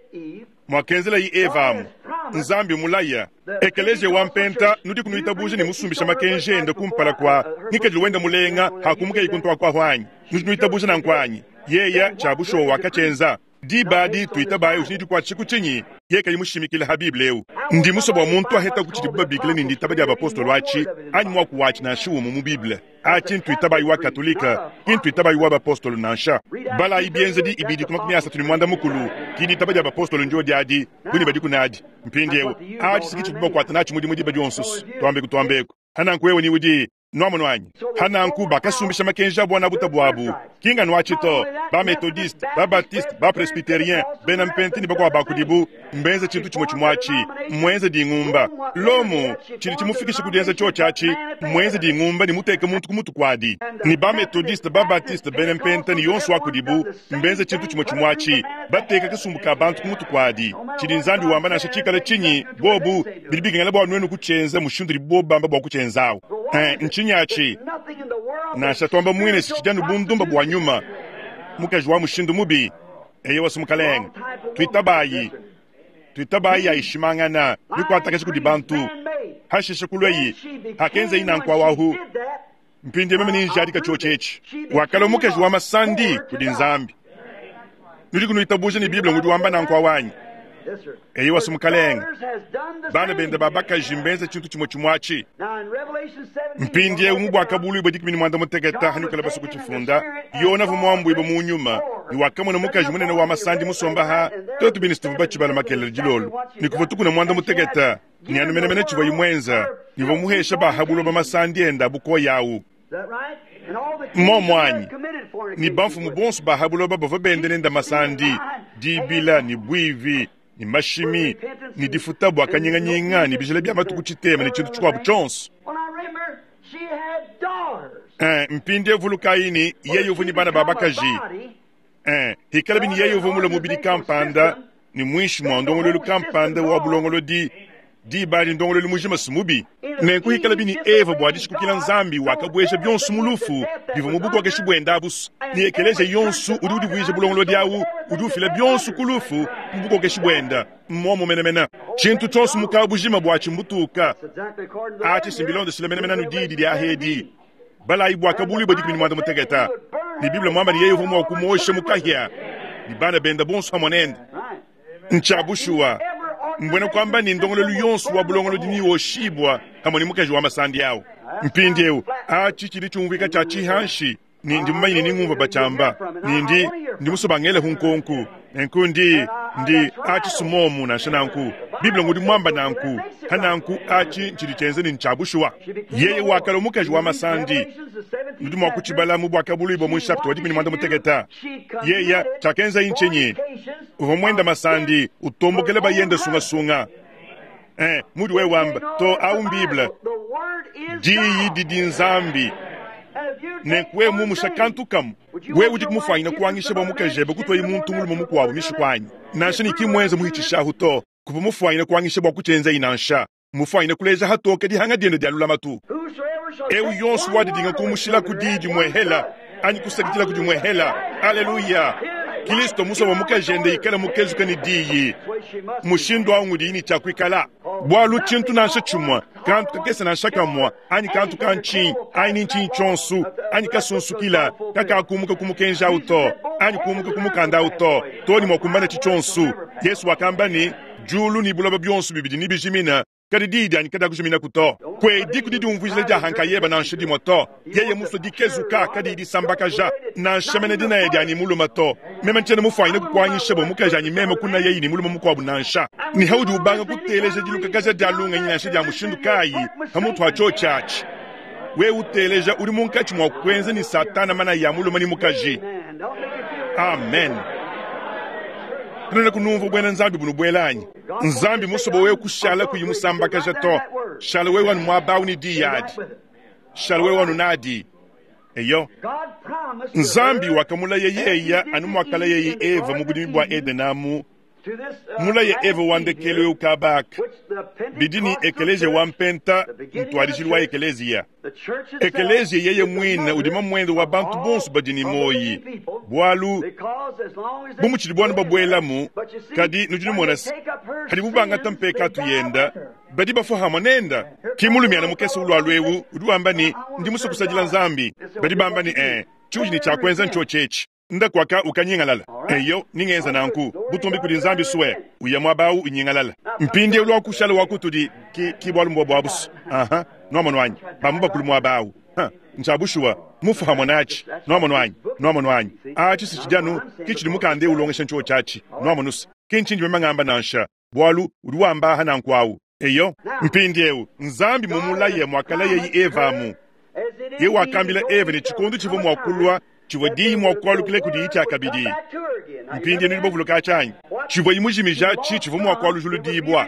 muakenzelaye Eva amu. Nzambi mulaya ekeleziya wa mpenta, nudi kunuitabuja ne musumbisha makenji ende kumpala kua ngikadilu wende mulenga hakumukaye kuntu akuahu anyi? Nudi nuitabuja nanku anyi? Yeya tshia bushuwa wakatshienza. Diba adi tuitabaye udi ne dikuatshisha ku tshinyi? Yeye kayi mushimikile ha Bible eu. Ndi musue bua muntu aheta ku tshidibu babikila ne nditaba dia bapostolo atshi anyi muaku watshi nansha umue mu Bible. Atshi ntuitabayi wa Katolika, ki ntuitabayi wa bapostolo nansha. Balayi bienzedi ibidi ku makumi asatu ne muanda mukulu, ki ditaba dia bapostolo ndio diadi, bu ne badiku nadi. Mpindieu, atshi si tshidibu bakuata natshi mudimu diba dionso. Tuambeku tuambeku. Hananku wewe ni udi nuamonu anyi? Hananku bakasumbisha makenji abu anabuta buabu, ki nganu atshi to. Ba Methodiste, ba Baptiste, ba Presbyterien, bena mpenti ne bakuabu ba kudibu mbenze tshintu tshimue tshimue atshi, mmuenze dingumba. Lomo tshidi tshimufikisha ku dienza tshiotshi atshi, mmuenze dingumba ne muteke muntu ku mutu kuadi. Ne ba Methodiste, ba Baptiste, bena mpenta ne yonso wa kudibu mbenze tshintu tshimue tshimue atshi, bateka kasumbu ka bantu ku mutu kuadi. Tshidi Nzambi wamba nansha tshikale tshinyi, bobu bidi bikengela bua nuenu kutshienza mushindu udibu bobu bamba bua kutshienzawu. Ntshinyi atshi? Nansha tuamba muine tshidi anu bundumba bua nyuma, mukaji wa mushindu mubi. Eyo wasu mukalenge, tuitabayi, tuitabayi ayishimangana mikuatakaji kudi bantu. Hashishe kulweyi hakenzeyi nanku awahu. Mpindie meme ninjadika tshiotshi etshi. Wakalua mukaji wa masandi kudi Nzambi. Nudi kunuitabuja ne Bible ngudi wamba nanku awanyi? Eyo wasu mukalenge, bana bende ba bakaji mbenze tshintu tshimue tshimue atshi. Mpindiewu mu buakabuluibua dikumi ne muanda mutekete hanukala basue kutshifunda, Yona uvua muambuibue mu nyuma ne wakamona mukaji munene wa masandi musomba ha tuetu bine situvua batshibala makelele dilolo ne kuvua tukuna muanda mutekete ne anu menemene tshivua imuenza ne uvua muhesha bahabuloba masandi ende abukoya awu. Momu anyi ne bamfumu bonso bahabuloba bavua bende nende masandi, dibila ne buivi ne mashimi ne difuta bua kanyinganyinga ne bijila bia matuku tshitema ne tshintu tshikuabu tshionso. Eh, mpindiewu vulukayi ne yeye uvua ne bana ba bakaji. Eh, hikalabi ne yeye uvua mule mubidi kampanda ne muinshi mua ndongoluelu kampanda wa bulongolodi, diba adi ndongoluelu mujima si mubi. Nenku hikalabi ne Eva bua dishikukila Nzambi wakabueja bionso mu lufu bivua mu bukokeshi buende abusu, ne ekeleziya yonso udi udivuija bulongolodi awu udi ufila bionso ku lufu mu bukokeshi buende. Mmuomu menemene. Tshintu tshionso mu kabujima buatshi mbutuka. Atshi si mbilondeshile menemene anu diyi didi ahedi. Balayi buakabuluibua dikumi ne muanda mutekete. Ne Bible muamba ne yeye uvua mua kumuosha mu kahia. ne bana bende bonso hamwe nende. Ntshia bushuwa, mbwena kwamba ni ndongololu yonso wa bulongolodi ni woshibwa hamwe ni mukaji wa masandi awo. Mpindieu achi chili chumvika cha chihanshi ni ndi mumanyine ni ngumva bachamba ni ndi ndi musobangele hunkonku nenku ndi ndi achi sumomu nansha nanku Biblia ngudi mwamba nanku hananku achi nchili chenze ni nchabushuwa. Yeye wakala mukaji wa masandi nudi mwakuchibala mu bwakabuluibwa mu nshapita wa dikumi ne mwanda muteketa. Yeya chakenza inchenyi uva mwenda masandi utombokele bayenda sungasunga. Eh, mudi we wamba to au Bible diyi didi nzambi nenkuwe mumusha kantu kamu we udi kumufanyina kuangisha bwa mukajebe kutwayi muntu mulume mukuabu mishikwanyi nansha ni kimwenza muhichishahu to kuva mufanyina kuangisha bwa kuchenza inansha mufanyina kuleja hatoke dihanga diende dia lulamatu. Eu yonso wadidinga kumushila kudidi mwehela anyi kusakitila kudi mwehela. Aleluya. Kristo musa wa mukajende ikala mukezuka ni diyi mushindu awu ngudi ni chakwikala bwalu chintu nansha chumwa kantu kakesa nansha kamwa anyi kantu kanchinyi anyi nchinyi chonsu anyi kasunsukila kakakumuka kumukenja auto anyi kumuka kumukanda auto toni mwakumbana chichonsu. Yesu wakamba ni julu ni bulaba byonsu bibidi ni bijimina kadi didi anyi kada kujimina kuto kwe diku didi umvujile dia hanka yeba nansha dimwa to yeye muso dikezuka kadi disambakaja nansha mene dina yedi anyi muluma to meme nchene mufanyine kukwanyisha bo mukaji anyi meme kuna yeyi ni muluma mukuabu nansha ni haudi ubanga kuteleja dilukakaja dia lunga nansha dia mushindu kayi hamutu acho chachi we uteleja uri munkachi mwa kwenza ni satana mana ya muluma ni mukaji. Amen. Tunene kunumva bwena nzambi bunu bwelanyi nzambi musobo we kushala kuyimusambakaja to shala we wanu mwabawu ni diyadi shala we wanu nadi eyo. Nzambi wakamulaye yeya anu mwakala yeyi Eva mu budimi bwa Edenamu mulaye Eva wandekele ukabaka bidini ekeleje wampenta mtwalijili wa ekelezia ekelezia yeye mwina udima mwendo wa bantu bonso badini moyi bwalu bumuchili bwanu babwelamu kadi nujini mona hadi bubangata mpeka tuyenda badi bafuhama nenda kimulumiana mukesa ulwalwewu udi wamba ni ndi musukusajila nzambi badi bamba ni eh chuji ni chakwenza ncho chechi ndakwaka ukanyingalala eyo ningenza nanku butumbi kudi nzambi suwe uya mwabawu unyingalala mpindi ulwakushala wakutudi ki kibwalu mbwa bwabusu aha nwamonwanyi bamu bakulu mwabawu ha nchabushuwa mufahamu nachi nwamonwanyi nwamonwanyi achi sichijanu kichili mukande ulongesha ncho chachi nwamonusa kinchinji memangamba nansha bwalu udi wamba nanku awu eyo mpindi eu nzambi mumulaye mwakala yeyi evamu ye wakambila eva ni chikundu chivu mwakulwa chivwe diyi mwakwalukile kudi ichakabidi mpindi nuli bovuluka chanyi chivwe imujimija chi chivwe mwakwalujulu dibwa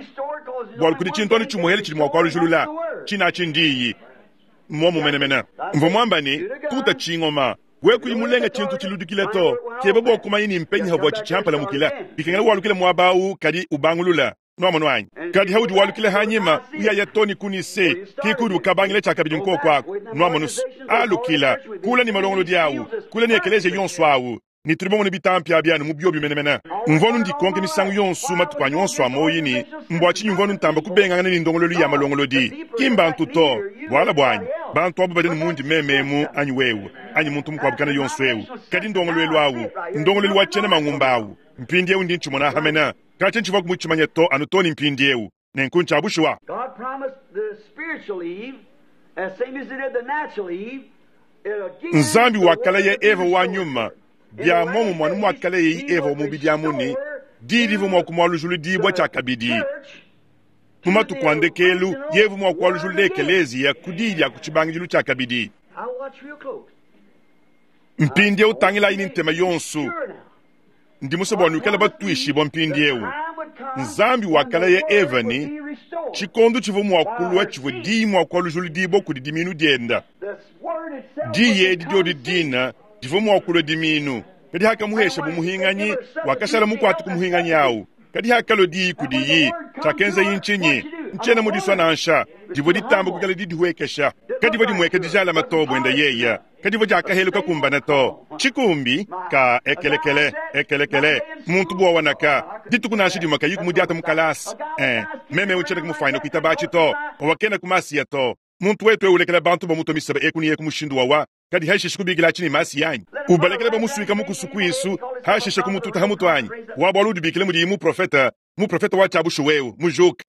bwalu kudi chintwanu chumuhele chili mwakwalujulula china chindiyi mwomu menemene mvo mwamba ni tuta chingoma we kuyimulenga chintu chiludukile to kebe bwakumanyi ni mpenyi habwa chichampala mukila bikengela walukile mwabawu kadi ubangulula nwamonwanyi kadi haudi walukile hanyima uyaya toni kunise kikudi ukabangile chakabidi nkokwako nwamonusu alukila kula ni malongolo diawu kula ni ekeleje yonso awu ni tulibomone bitampi abyanu mu byobi menemene mvonu ndikonke misangu yonsu matuku anyu onso amoyini mbwa chinyi mvonu ntamba kubengangana ni ndongololu ya malongolodi kimbantu to bwala bwanyi bantu abo badeni mundi mememu anyi wewe anyi muntu mukwabukana yonso ewu kadi ndongolwelu awu ndongolelu wa chene mangumba awu mpindi ewu ndi nchimona hamena kache nchiva kumuchimanya to anu toni mpindi ewu nenku nchabushuwa. God promised the spiritual Eve, as same as he did the natural Eve. Nzambi wakala ye Eva wa nyuma bya momu mwanu mwakala yeyi Eva omubidi amuni dilivu mwakumwalujulu dibwa chakabidi mumatuku andekelu yevu mwakwalujulu ekelezia kudilya kuchibangijilu chakabidi. Mpindi eu tangila ini ntema yonsu ndi musobwa nukala batwishibwa mpindi eu nzambi wakala ye Eva ni chikondo chivu mwakulwa chivu diyi mwakwalujulu dibwa kudi diminu dienda diyi edi dyodi dina divu mwakulwa diminu kadi hakamuhesha bumuhinganyi wakashala mukwati kumuhinganyi awu kadi hakalo diyi kudiyi chakenza yinchinyi nchena mudiswa nansha divo ditamba kukala didihuekesha kadivo dimweka dijala matobo enda yeya kadivo diakaheluka kumbana to chikumbi ka ekelekele ekelekele muntu bwa wanaka dituku nansha dimweka yiku mudiata mukalasi eh meme uchena kumufaina kuitabachi to owakena kumasiya to muntu wetu eulekela bantu bamuto misaba ekuni yeku mushindu wawa Kadi hashishe kubikila tshini masi yanyi. Ubalekele bamusuika mukusu kuisu, hashishe kumututa hamutu anyi. Wa bwalu udibikile mudiyi muprofeta, muprofeta wa tshiabushu wewe, mujuka.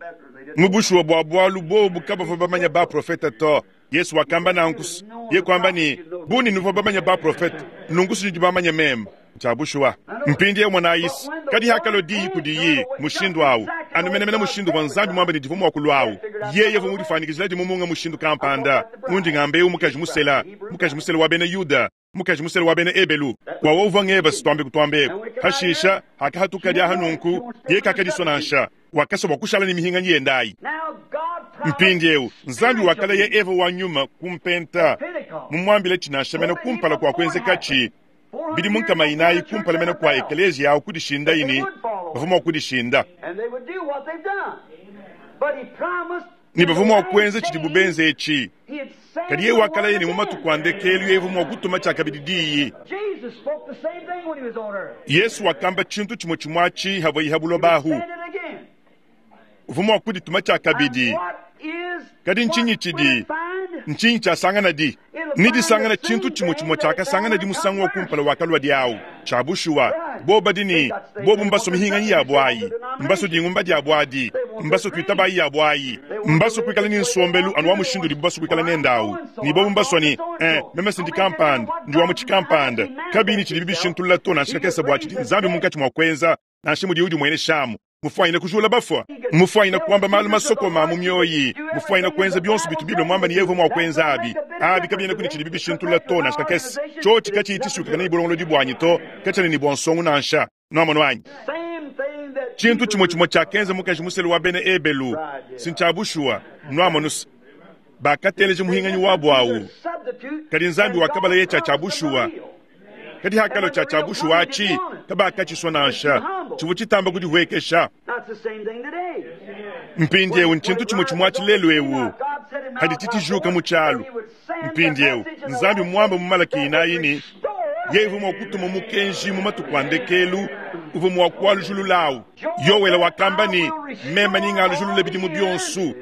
Mubushuwa bwa bwalu bobu kabavua bamanya baprofeta to. Yesu wakamba nankusu. Ye kwamba ni, buni nuvua bamanya baprofeta, nunkusu nudi bamanya meme. Tshiabushuwa. Mpindi mwana Yesu, kadi hakalo diyi kudiyi, mushindu awu. Anumenemene mushindu wa Nzambi mwamba ni divu mwa kulwawu. Yeye vu mudifanikizila di mumunga mushindu kampanda. Undi ngambe mukaji musela, mukaji musela wa bena Yuda, mukaji musela wa bena Ebelu. Kwa wovu ngeba sitwambe kutwambe. Hashisha hakahatuka dia hanunku, ye kakadiswa Wakasa wa kushala ni mihinga nyendayi. Mpindi eu, Nzambi wakala ye Eva wa nyuma kumpenta. Mumwambile chinasha kumpala kwa kwenzeka chi. Bidi munkama inayi kumpala mena kwa ekelezia yawo kudishinda ini, bavuma kudishinda. Ni bavuma kwenza chidi bubenze echi. Kadi ye wakala ye ni mumatu kwa ndekelu ye vuma kutuma chakabidi diyi. Yesu wakamba chintu chimwe chimwachi havo ihabulo bahu. Vuma kudituma chakabidi. Kadi nchinyi chidi, nchinyi chasangana di. Nidi sangana chintu chimwe chimwe chakasangana di musango wa kumpala wakalwa diawu. Chabushuwa, boba dini, bobu mbaso mihinga ya bwayi, mbaso dingumba dia bwadi, mbaso kuitabayi ya bwayi, mbaso kuikala ni nsombelu anu wa mushindu di mbaso kuikala nendawu. Ni bobu mbaso ni, eh, meme sindi kampanda, ndi wa muchikampanda. Kabini chidi bibishintulula to na shikakesa bwachi di nzambi munkachi mwa kwenza, na shimu di udi mwene shamu. Mufwaina kujula bafwa, mufwaina kwamba malu masoko ma mumyoyi, mufwaina kwenza byonso bitu Biblia mwamba ni yevo mwa kwenza abi. Abi kabina kuni chidi bibishintulula to na shikakesa. Chochi kachi itishuka kana ibulongolo di bwanyi to, kachani ni bwansongu nansha. Nwa wanyi. Chintu chimwe chimwe cha kenza mukaji muselu wa bene Ebelu, sinchabushua, nwa manus. Bakateleje muhinganyi wabo awu. Kadi Nzambi wakabala ye cha chabushua. Kadi hakalo cha chabushua achi, kabakachiswa nansha. Chivu chitamba kudihwekesha. Mpindi ewu nchintu chimwe chimwe achilelu ewu. Hadi titijuka muchalo. Mpindi ewu, Nzambi mwamba mumalaki inayini. Yevu mwakutuma mukenji mumatukwandekelu, uvu mwakwalujululawu. Yowela wakamba ni, mema ningalujulule bidimu byonsu.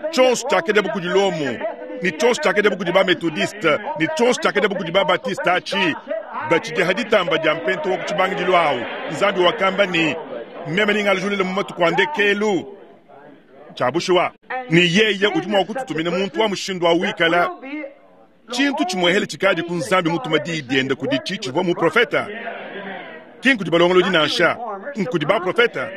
Chonso chakede bukudilomu, ni chonso chakede bukudiba metodiste, ni chonso chakede bukudiba batiste achi. Bachidi haditamba dia mpento wa kuchibangidilwawu. Nzambi wakamba ni, mema ningalujulule mumatukwandekelu. Chabushuwa. Ni yeye udi mwakututumina muntu wa mushindu wa wikala. Chintu chimwehele chikadi ku Nzambi mutuma diyi diende kudi chichivwa mu profeta. Kinku di balongolo dinansha, nkudi ba profeta.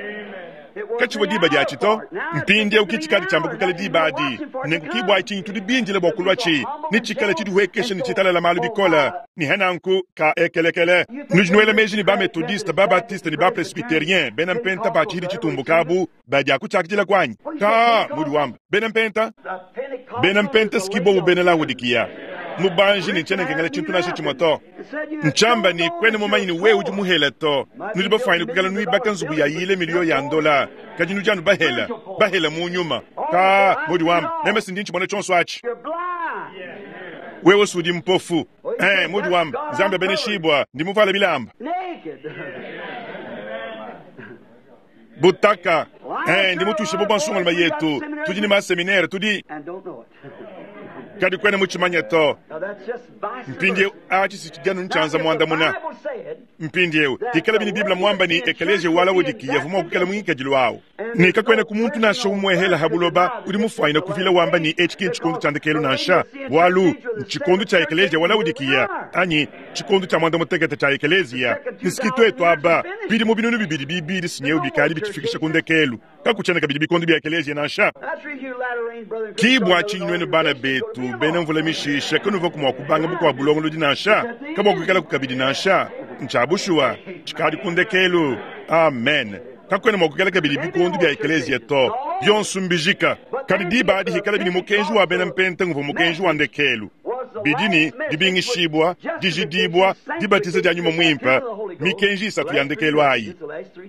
Kachivwa diba dia chito, mpindi eu kichikadi chamba kukala diba adi. Nenku kibwa chinyi tudi binjile bwa kulwa chi, ni chikala chidiwekesha ni chitala la malu bikola, ni henanku ka ekelekele. Nujnuele meji ni ba metodiste, ba baptiste ni ba presbyterien, bena mpenta ba chihidi chitumbukabu, ba dia kuchakidila kwanyi. Ka mudi wamba, bena mpenta, bena mpenta skibo bena Laodikia. Mubanji ni chene kengele chintu na chimoto. Nchamba ni kwene mumanyi ni wewe udi muhela to. Nudi bafaini kukala nuibaka nzubu ya yile milio ya ndola. Kadi nudi anu bahela, bahela mu nyuma. Ka mudi wamba, meme sindi nchibona chonso achi. Wewe sudi mpofu. Eh, mudi wamba, Nzambi bene shibwa, ndi muvala bilamba. Butaka. Eh, ndi mutushe bo bansonga yetu. Tudi ni ma seminaire, tudi Kadi kwene muchimanya to. Mpindi achi sichijanu nchanza mwanda muna. Mpindi eu, hikala bini Biblia mwamba ni ekeleje wala wodiki yavuma kukala mwingi jilwao. Ni kakwene kumuntu na shomwe hela habuloba uri mufaina kuvila wamba ni H K chikondo cha ndekelo nansha. Walu chikondo cha ekeleje wala wodikiya. Anyi chikondo cha mwanda mutekete cha ekelezia. Nisikitwe twaba bidi mu binunu bibidi bibidi sinyeu bikali bichifikisha kundekelu. Kakuchana kabidi bikondo bya ekelezia nansha. Kibwa chinywenu bana betu bena mvula mishisha kanuva kumwa kubanga bukwa bulongolo dinansha kabwa kukala kukabidi nansha nchabushuwa chikadi kundekelu. Amen. Kakwena mwakukala kabidi bikondo bya ekelezia to byonsu mbijika kadi diba adi hikala bini mukenji wa bena mpenta nguvu mukenji wa ndekelu bidini dibingishibwa dijidibwa dibatiza dia nyuma mwimpa mikenji isatu ya ndekelu ayi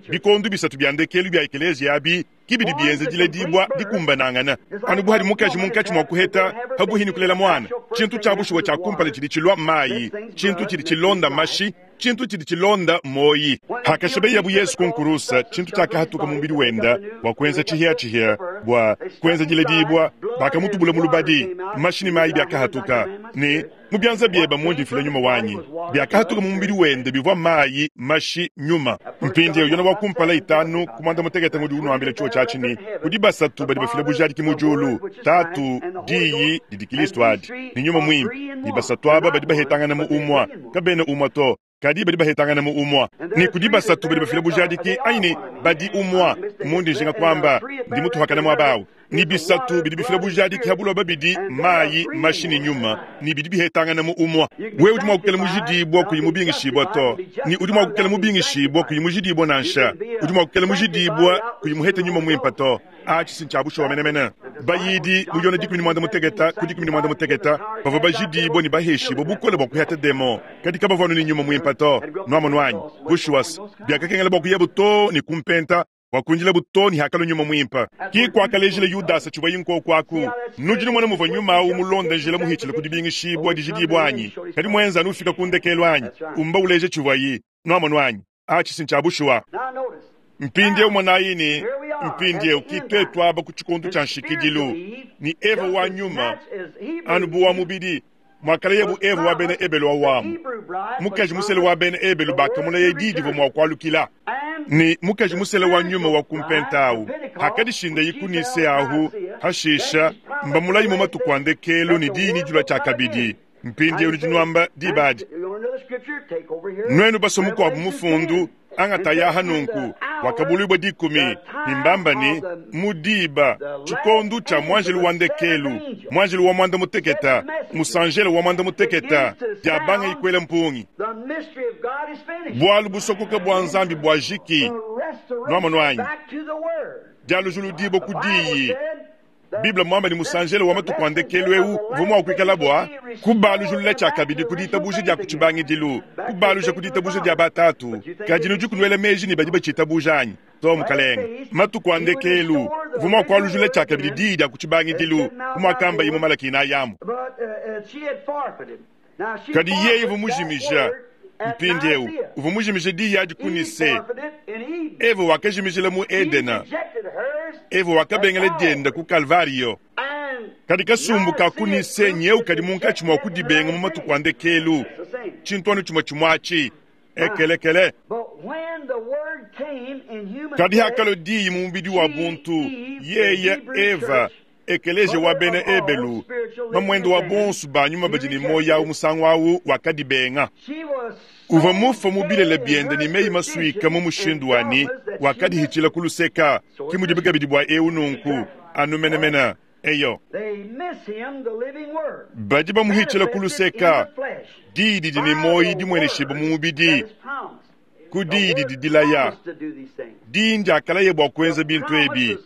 bikondo bisatu bya ndekelu bya ekelezia abi kibidi bienze dile dibwa dikumbanangana anu buhadi mukaji munkachi mwakuheta habuhini kulela mwana chintu chabushuwa cha kumpala chili chilwa mayi chintu chili chilonda mashi Tshintu tshidi tshilonda moyi. Hakashibeyabu Yesu ku nkurusa, tshintu tshiakahatuka mu mubidi wenda bua kuenza tshihiatshihia, bua kuenza diledibua, bakamutubula mu lubadi, mashi ne mayi biakahatuka. Ne mu bianza biebe mundi mfila nyuma wanyi. Biakahatuka mu mubidi wende bivua mayi, mashi, nyuma. Mpindieu Yona wa kumpala itanu ku muanda mutekete ngudi unuambila tshiwo tshiatshi ne kudi basatu badi bafila bujadiki mu diulu, Tatu, Diyi didi Kristo adi, ne nyuma muimpe. Ne basatu aba badi bahetangana mu umua, kabena umua to, kadi badi bahetangana mu umua. Ne kudi basatu badi bafila bujadiki anyi ne badi umua, mundi njinga kwamba ndi mutuhakana muaba awu. Ni bisatu bidi bifila bujadiki ha buloba bidi mayi, mashi ne nyuma, ni bidi bihetangana mu umua. Wewe udi mua kukela mujidibua kuyi mubingishibua to, ni udi mua kukela mubingishibua kuyi mujidibua nansha, udi mua kukela mujidibua kuyi muhete nyuma muimpe to. Atshi si ntshiabushuwa menemene. Bayidi mu Yona dikumi ne muanda mutekete ku dikumi ne muanda mutekete bavua bajidibua ne baheshibua bukole bua kuheta demo, kadi kabavua anu ne nyuma muimpe to. Nuamonu anyi? Bushuwa biakakengela bua kuyabu to ne kumpenta, bua kuinjilabu to ne hakalua nyuma muimpe. Ki kuakalejile Yudasa tshivua yinkoko aku. Nudi numona muvua nyuma awu mulonda njila muhitshile ku dibingishibua dijidibua anyi? Kadi muenza anu ufika ku ndekelu anyi? Umba uleje tshivua yi. Nuamonu anyi? Atshi si ntshiabushuwa. Mpindieu monayi ne mpindieu ki twetu aba ku tshikondo tshia nshikidilu ni Eva wa nyuma anu bu wa mubidi mwakala bu Eva wa bena Ebelu wa wamu. Mukaji musele wa bena Ebelu bakamulaya diyi divua mua kualukila. Ni mukaji musele wa nyuma wa kumpenta awu hakadishinda yikunise ahu hashisha mbamulayi mu matuku a ndekelu ne diyi ni dilua tshiakabidi. Mpindieu nudi nuamba dibadi. Nuenu baso mukuabu mufundu angataya hanunku wakabulibwa dikumi ni mbamba ni mudiba tshikondu tshia mwanjelu wa ndekelu, mwanjelu wa mwanda muteketa, musanjelo wa mwanda muteketa diabanga ikwela mpungi. Bwalu busokoka bwa nzambi bwa jiki nuamonu anyi dialujulu dibo kudiyi. Bible mwamba ni musanjelo wa matuku a ndekelu eu uvua mua kuikala bua kubalujulula tshiakabidi ku ditabuja dia ku tshibangidilu, kubaluja ku ditabuja dia batatu. Kadi nudi kunuela meji ne badi batshitabuja anyi? To mukalenge, matuku a ndekelu uvua mua kualujula tshiakabidi diyi dia ku tshibangidilu, kumuakamba imue Malaki inayi amu. Kadi yeye uvua mujimija mpindieu uvua mujimije diyi adi ku Nise. Eva wakajimijila mu Edena. Eva wakabengela dienda ku Kalvario. Kadi kasumbu ka ku Nise nyeu kadi munkatshi mua kudibenga mu matuku a ndekelu. Tshintu anu tshimue tshimuatshi ekelekele. Kadi hakalua diyi mu mubidi wa buntu, yeye Eva ekeleje wa bena Ebelu, mamuende wa bonso ba nyuma badi ne moyo awu musangu awu wakadibenga. Uvua mufa mu bilele biende ne meyi masuika mu mushindu wani wakadihitshila ku luseka. Ki mudibi kabidi bua eu nunku anu menemene eyo. Badi bamuhitshila ku luseka, diyi didi ne moyo dimueneshibua mu mubidi, ku diyi didi dilaya. Diyi ndiakalaye bua kuenza bintu ebi.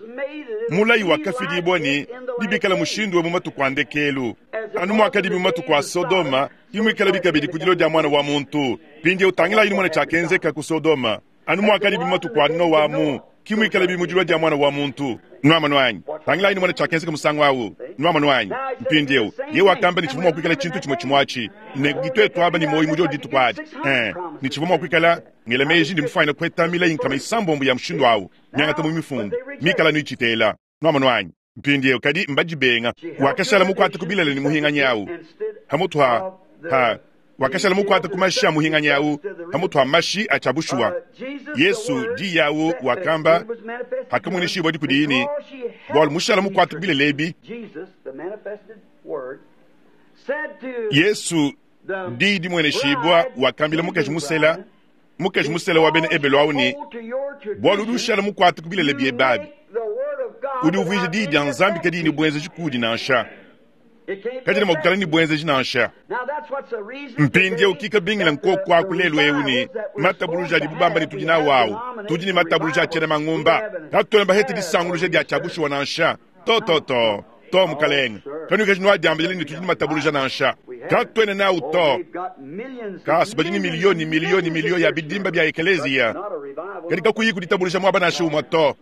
Mulayi wakafidibua ne dibikala mushindu wa mu matuku a ndekelu. Anu muakadibi mu matuku a Sodoma, imuikala bikabidi ku dilo dia mwana wa muntu. Mpindieu utangilayi numona tshiakenzeka ku Sodoma. Anu muakadibi mu matuku a Noa mu, kimuikala bi mu dilo dia mwana wa muntu. Nuamonu anyi? Tangilayi numona tshiakenzeka musangu awu. Nuamonu anyi? Mpindieu yeye wakamba ne tshivua mua kuikala tshintu tshimue tshimuatshi. Ne ditwetu aba ne moyo mu dio dituku adi. Eh, ne tshivua mua kuikala ngela meji ndi mufuanyine kuheta milayi nkama isambombo ya mushindu awu. Miangata mu mifundu mikala nuitshitela. Nuamonu anyi? Mpindieu kadi mbadibenga. Wakashala mukwate ku bilele ne muhinganyi awu. Hamutu ha ha wakashala mukwate ku mashi a muhinganyi awu, hamutu ha mashi a tshiabushuwa. Yesu diyi awu wakamba hakamueneshibua dikudi ne bwalu mushala mukwate ku bilele ebi. Yesu diyi dimueneshibua wakambila mukaji musela, mukaji musela wa bena Ebelu awu ne bwalu udi ushala mukwate ku bilele biebe abi. Udi uvuija diyi dia Nzambi kadi ne buenzeji kudi nansha. Kadi ne mua kukala ne buenzeji nansha. Mpindieu kikabingila nkoko aku lelu eu ne matabuluja adi bubamba ne tudi nawu awu. Tudi ne matabuluja a tshiena mangumba. Katuena bahete disanguluja dia tshiabushuwa nansha. To to to. To mukalenge. Kanuikeji nuadiambile ne tudi ne matabuluja nansha. Katuena nawu to. Kasu badi ne milioni milioni milioni ya bidimba bia ekeleziya. Kadi kakuyi kuditabuluja muaba nansha umue to.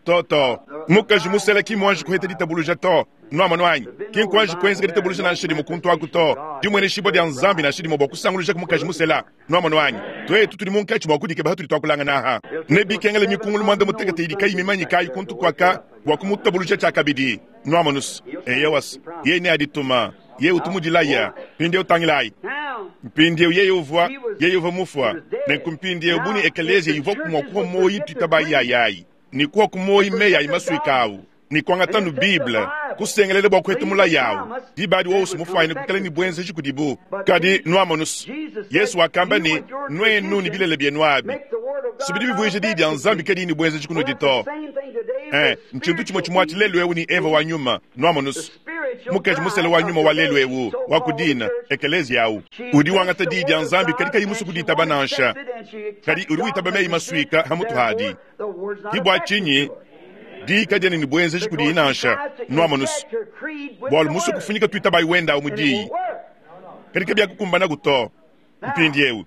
To to. Mukaji musela ki mwanji kuheta ditabuluja to. Nwamonu anyi? Ki nkwanji kwenzeka ditabuluja nansha dimwe kuntu aku to. Dimweneshibwa dia Nzambi nansha dimwe bua kusanguluja mukaji musela. Nwamonu anyi? Twetu tudi munkatshi mua kudikeba hatudi twakulangana aha. Ne bikengele mikungulu mwanda mutekete idi kayi mimanyi kayi kuntu kwaka bua kumutabuluja tshiakabidi. Nwamonus. Eyowas. Yeye ne adituma. Yeye utumudilaya. Mpindieu tangilayi. Mpindieu yeye uvua, yeye uvua mufua. Nenku mpindieu buni ekelezia ivua kumua kuwa moyi twitabayi yayi. Ni kuwa kumoyi meyi maswika awu. Ni kuangata nu Bible kusengelela bua kuheta mulayi awu. Dibadi wonso mufwanyine kukala ni bwenzeji kudibu. Kadi nwamonus. Yesu wakamba ni nwenu ni bilele byenu abi. Subidi bivuije di dia Nzambi kadi ni bwenzeji kunudi to. Eh, nchintu chimwe chimwe lelu ewu ni Eva wa nyuma. Nwamonus. Mukaji musele wa nyuma wa lelu ewu wa kudina ekelezia awu. Udi wangata di dia Nzambi kadi kayi musu kuditaba nansha. Kadi udi uitaba meyi maswika hamutu hadi. Kibwa chinyi di kadiene ni bwenzeji kudi nansha. Nwamonus. Bwalu musu kufunyika twitabayi wenda umudi. Kadi kabya kukumbana kuto. Mpindi ewu.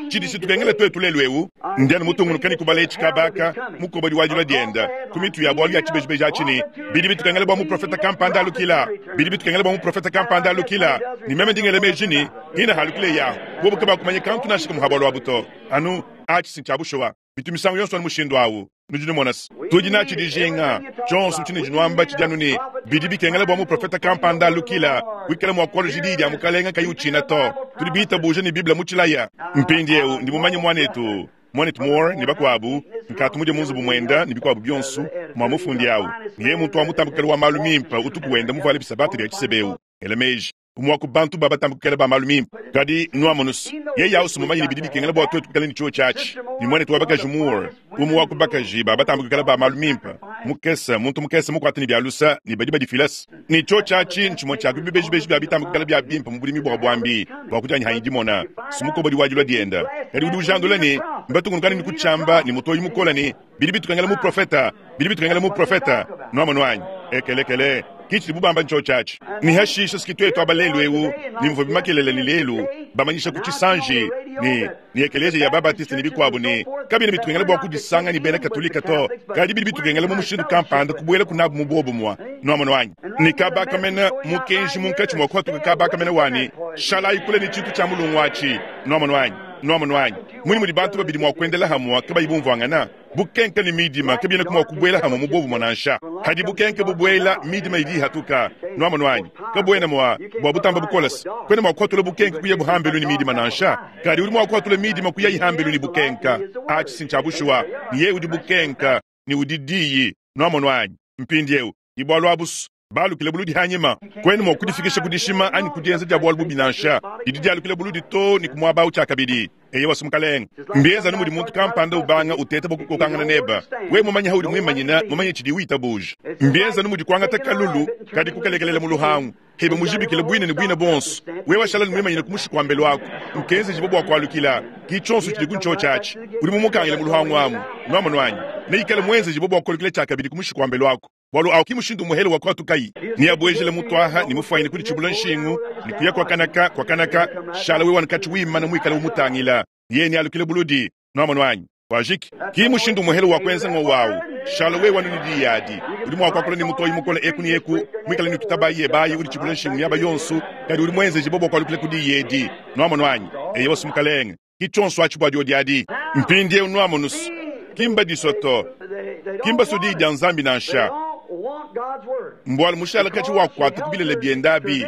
Chidi situkengele twetu lelu ewu. Ndiani mutungunukani kubala echi kabaka mukobadi wajula dienda. Kumitu ya bwalu ya chibejibeji achini. Bidi bitukengele bwa muprofeta kampanda alukila. Bidi bitukengele bwa muprofeta kampanda alukila. Ni meme ndingele mejini. Hina halukile ya. Bobu kaba kumanye kantu nashika muhabwalu wabuto. Anu achi sinchabushowa. Bitu misango yonso ni mushindu awu. Nudi numonas. Tudi nachi dijinga. Chonso chine jinwamba chijanu ni. Bidi bikengele bwa muprofeta kampanda alukila. Wikala mwa kwalo jidi ya mukalenga kayi uchina to. Tudi bita buje ni Biblia muchilaya. Mpindi ewu ndi mumanye mwanetu. Mwanetu Moore ni bakwabu. Nkatu muje munzu bumwenda ni bikwabu byonsu. Mwa mufundi awu. Niye muntu wa mutambukela wa malu mimpa utuku wenda muvale bisabati bya chisebeu. Elemeji. Umwaku bantu baba tambukela ba malu mimpa. Kadi nwamonus. Ye yausu mumanyi ni bidi bikengela bwa twetu kukala ni chuo chachi. Ni mwanetu wa bakaji Moore. Umwaku bakaji baba tambukela ba malu mimpa. Mukesa muntu mukesa mukwata ni byalusa ni badi badi filas. Ni chuo chachi nchimo cha kubibeji beji bya bitambukela bya bimpa mubulimi bwa bwambi. Bwa kujanyi hanyi dimona. Sumuko bodi wajula dienda. Kadi udi ujandula ni mbatungunukani ni kuchamba ni mutoyi mukola ni bidi bitukengela mu profeta. Bidi bitukengela mu profeta. Nwamonwanyi. Ekelekele. Kichi bubamba ncho chachi. Ni hashisha sikitwetu abalelu ewu. Ni mvubi makelele ni lelu. Bamanyisha kuchisanji. Ni, ni ekelezia ya babatiste ni bikwabu ni. Kabina bitukengela bwa kudisanga ni bena katolika to. Kadi bidi bitukengela mu mushindu kampanda kubwela kunabu mubobu mwa. Nwamonwanyi. Ni kabaka mena mukenji munkachi mwa kwatuka kabaka mena wani. Shalai kule ni chitu cha mulungu wachi. Nwamonwanyi. Nwamonwanyi. Muni mudi bantu babidi mwa kuendela hamwa kabayi bumvwangana. Bukenke ni midima kabina kumwa kubwela hamwa mubobu mwanansha. Hadi bukenke bubwela midima idi hatuka. Nwamonwanyi. Kabwena mwa bwa butamba bukolas. Kwena mwa kwatula bukenke kuya buhambelu ni midima nansha. Kadi uri mwa kwatula midima kuya ihambelu ni bukenka. Achi sinchabushuwa. Ni ye udi bukenka ni udi diyi. Nwamonwanyi. Mpindi ewu. Ibwalu abusu. Balukile buludi hanyima. Kwenu mwa kudifikisha kudishima ani kudienza dia bwalu bubi nansha. Idi dialukile buludi to ni kumwaba uchakabidi. Eye wasumukalenga. Mbieza numudi muntu kampanda ubanga uteta bokukokangana neba. We mumanya haudi mwimanyina mumanye chidi wita buja. Mbieza numudi kwangata kalulu kadi kukalekelela muluhangu. Hebe mujibikile bwine ni bwine bonso. We washala mwimanyina kumushikwa wako. Nkenze jibo kwalukila. Kichonso chidi kuncho chachi. Uri mumukangile muluhangu amu. Nwamonwanyi. Neikale mwenze jibo bwakwalukila chakabidi kumushikwa wako. Walu au kimushindu muhele wa kwatu kai. Ni abwejele mutwaha ni mufwanyine kuli chibula nshingu. Ni kuya kwa kanaka kwa kanaka. Shala wewa nkachi wima na mwikale umutangila. Ye ni alukile buludi. Nwamonwanyi. Wajiki. Kimushindu muhele wa kwenza ngo wau. Shala wewa nudi yadi. Uri mwa kwakula ni mutoi mukole eku ni eku. Mwikale ni kitabayi ebayi uri chibula nshingu yaba yonsu. Kadi uri mwenze jibobo kwa alukile kudi yedi. Nwamonwanyi. Eye wasumukalenge. Kichonso achibwa diodi. Mpindi eu nwamonus. Kimba disoto. Kimba sudi dia Nzambi nansha. Mbwala mushala kachi wakwata kubilele byendabi.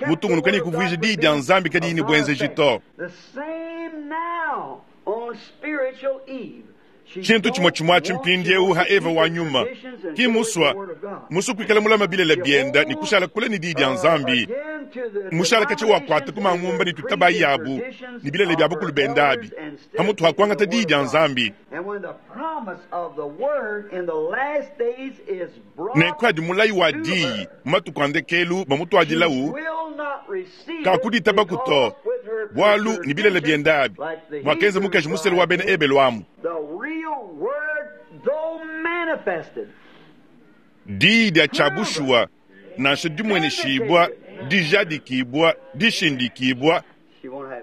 Mutungunukani kuvuija di dia Nzambi kadi ni bwenze jito. Chintu chimwe chimwe chimpindi ewu ha Eva wa nyuma. Kimuswa musu kwikala mulama bilele byenda ni kushala kule ni di dia Nzambi. Mushala kachi wakwata kumangumba ni tutabayi yabu ni bilele bya bukulu bendabi. Hamutu hakwangata di dia Nzambi. Nenkwadi mulayi wa diyi matukwandekelu bamutwadilawu kakudita bakuto bwalu ni bilele byendabi. Mwakenze mukaji musele wa bena ebelu amu. Diyi dia chabushuwa nansha dimweneshibwa dijadikibwa dishindikibwa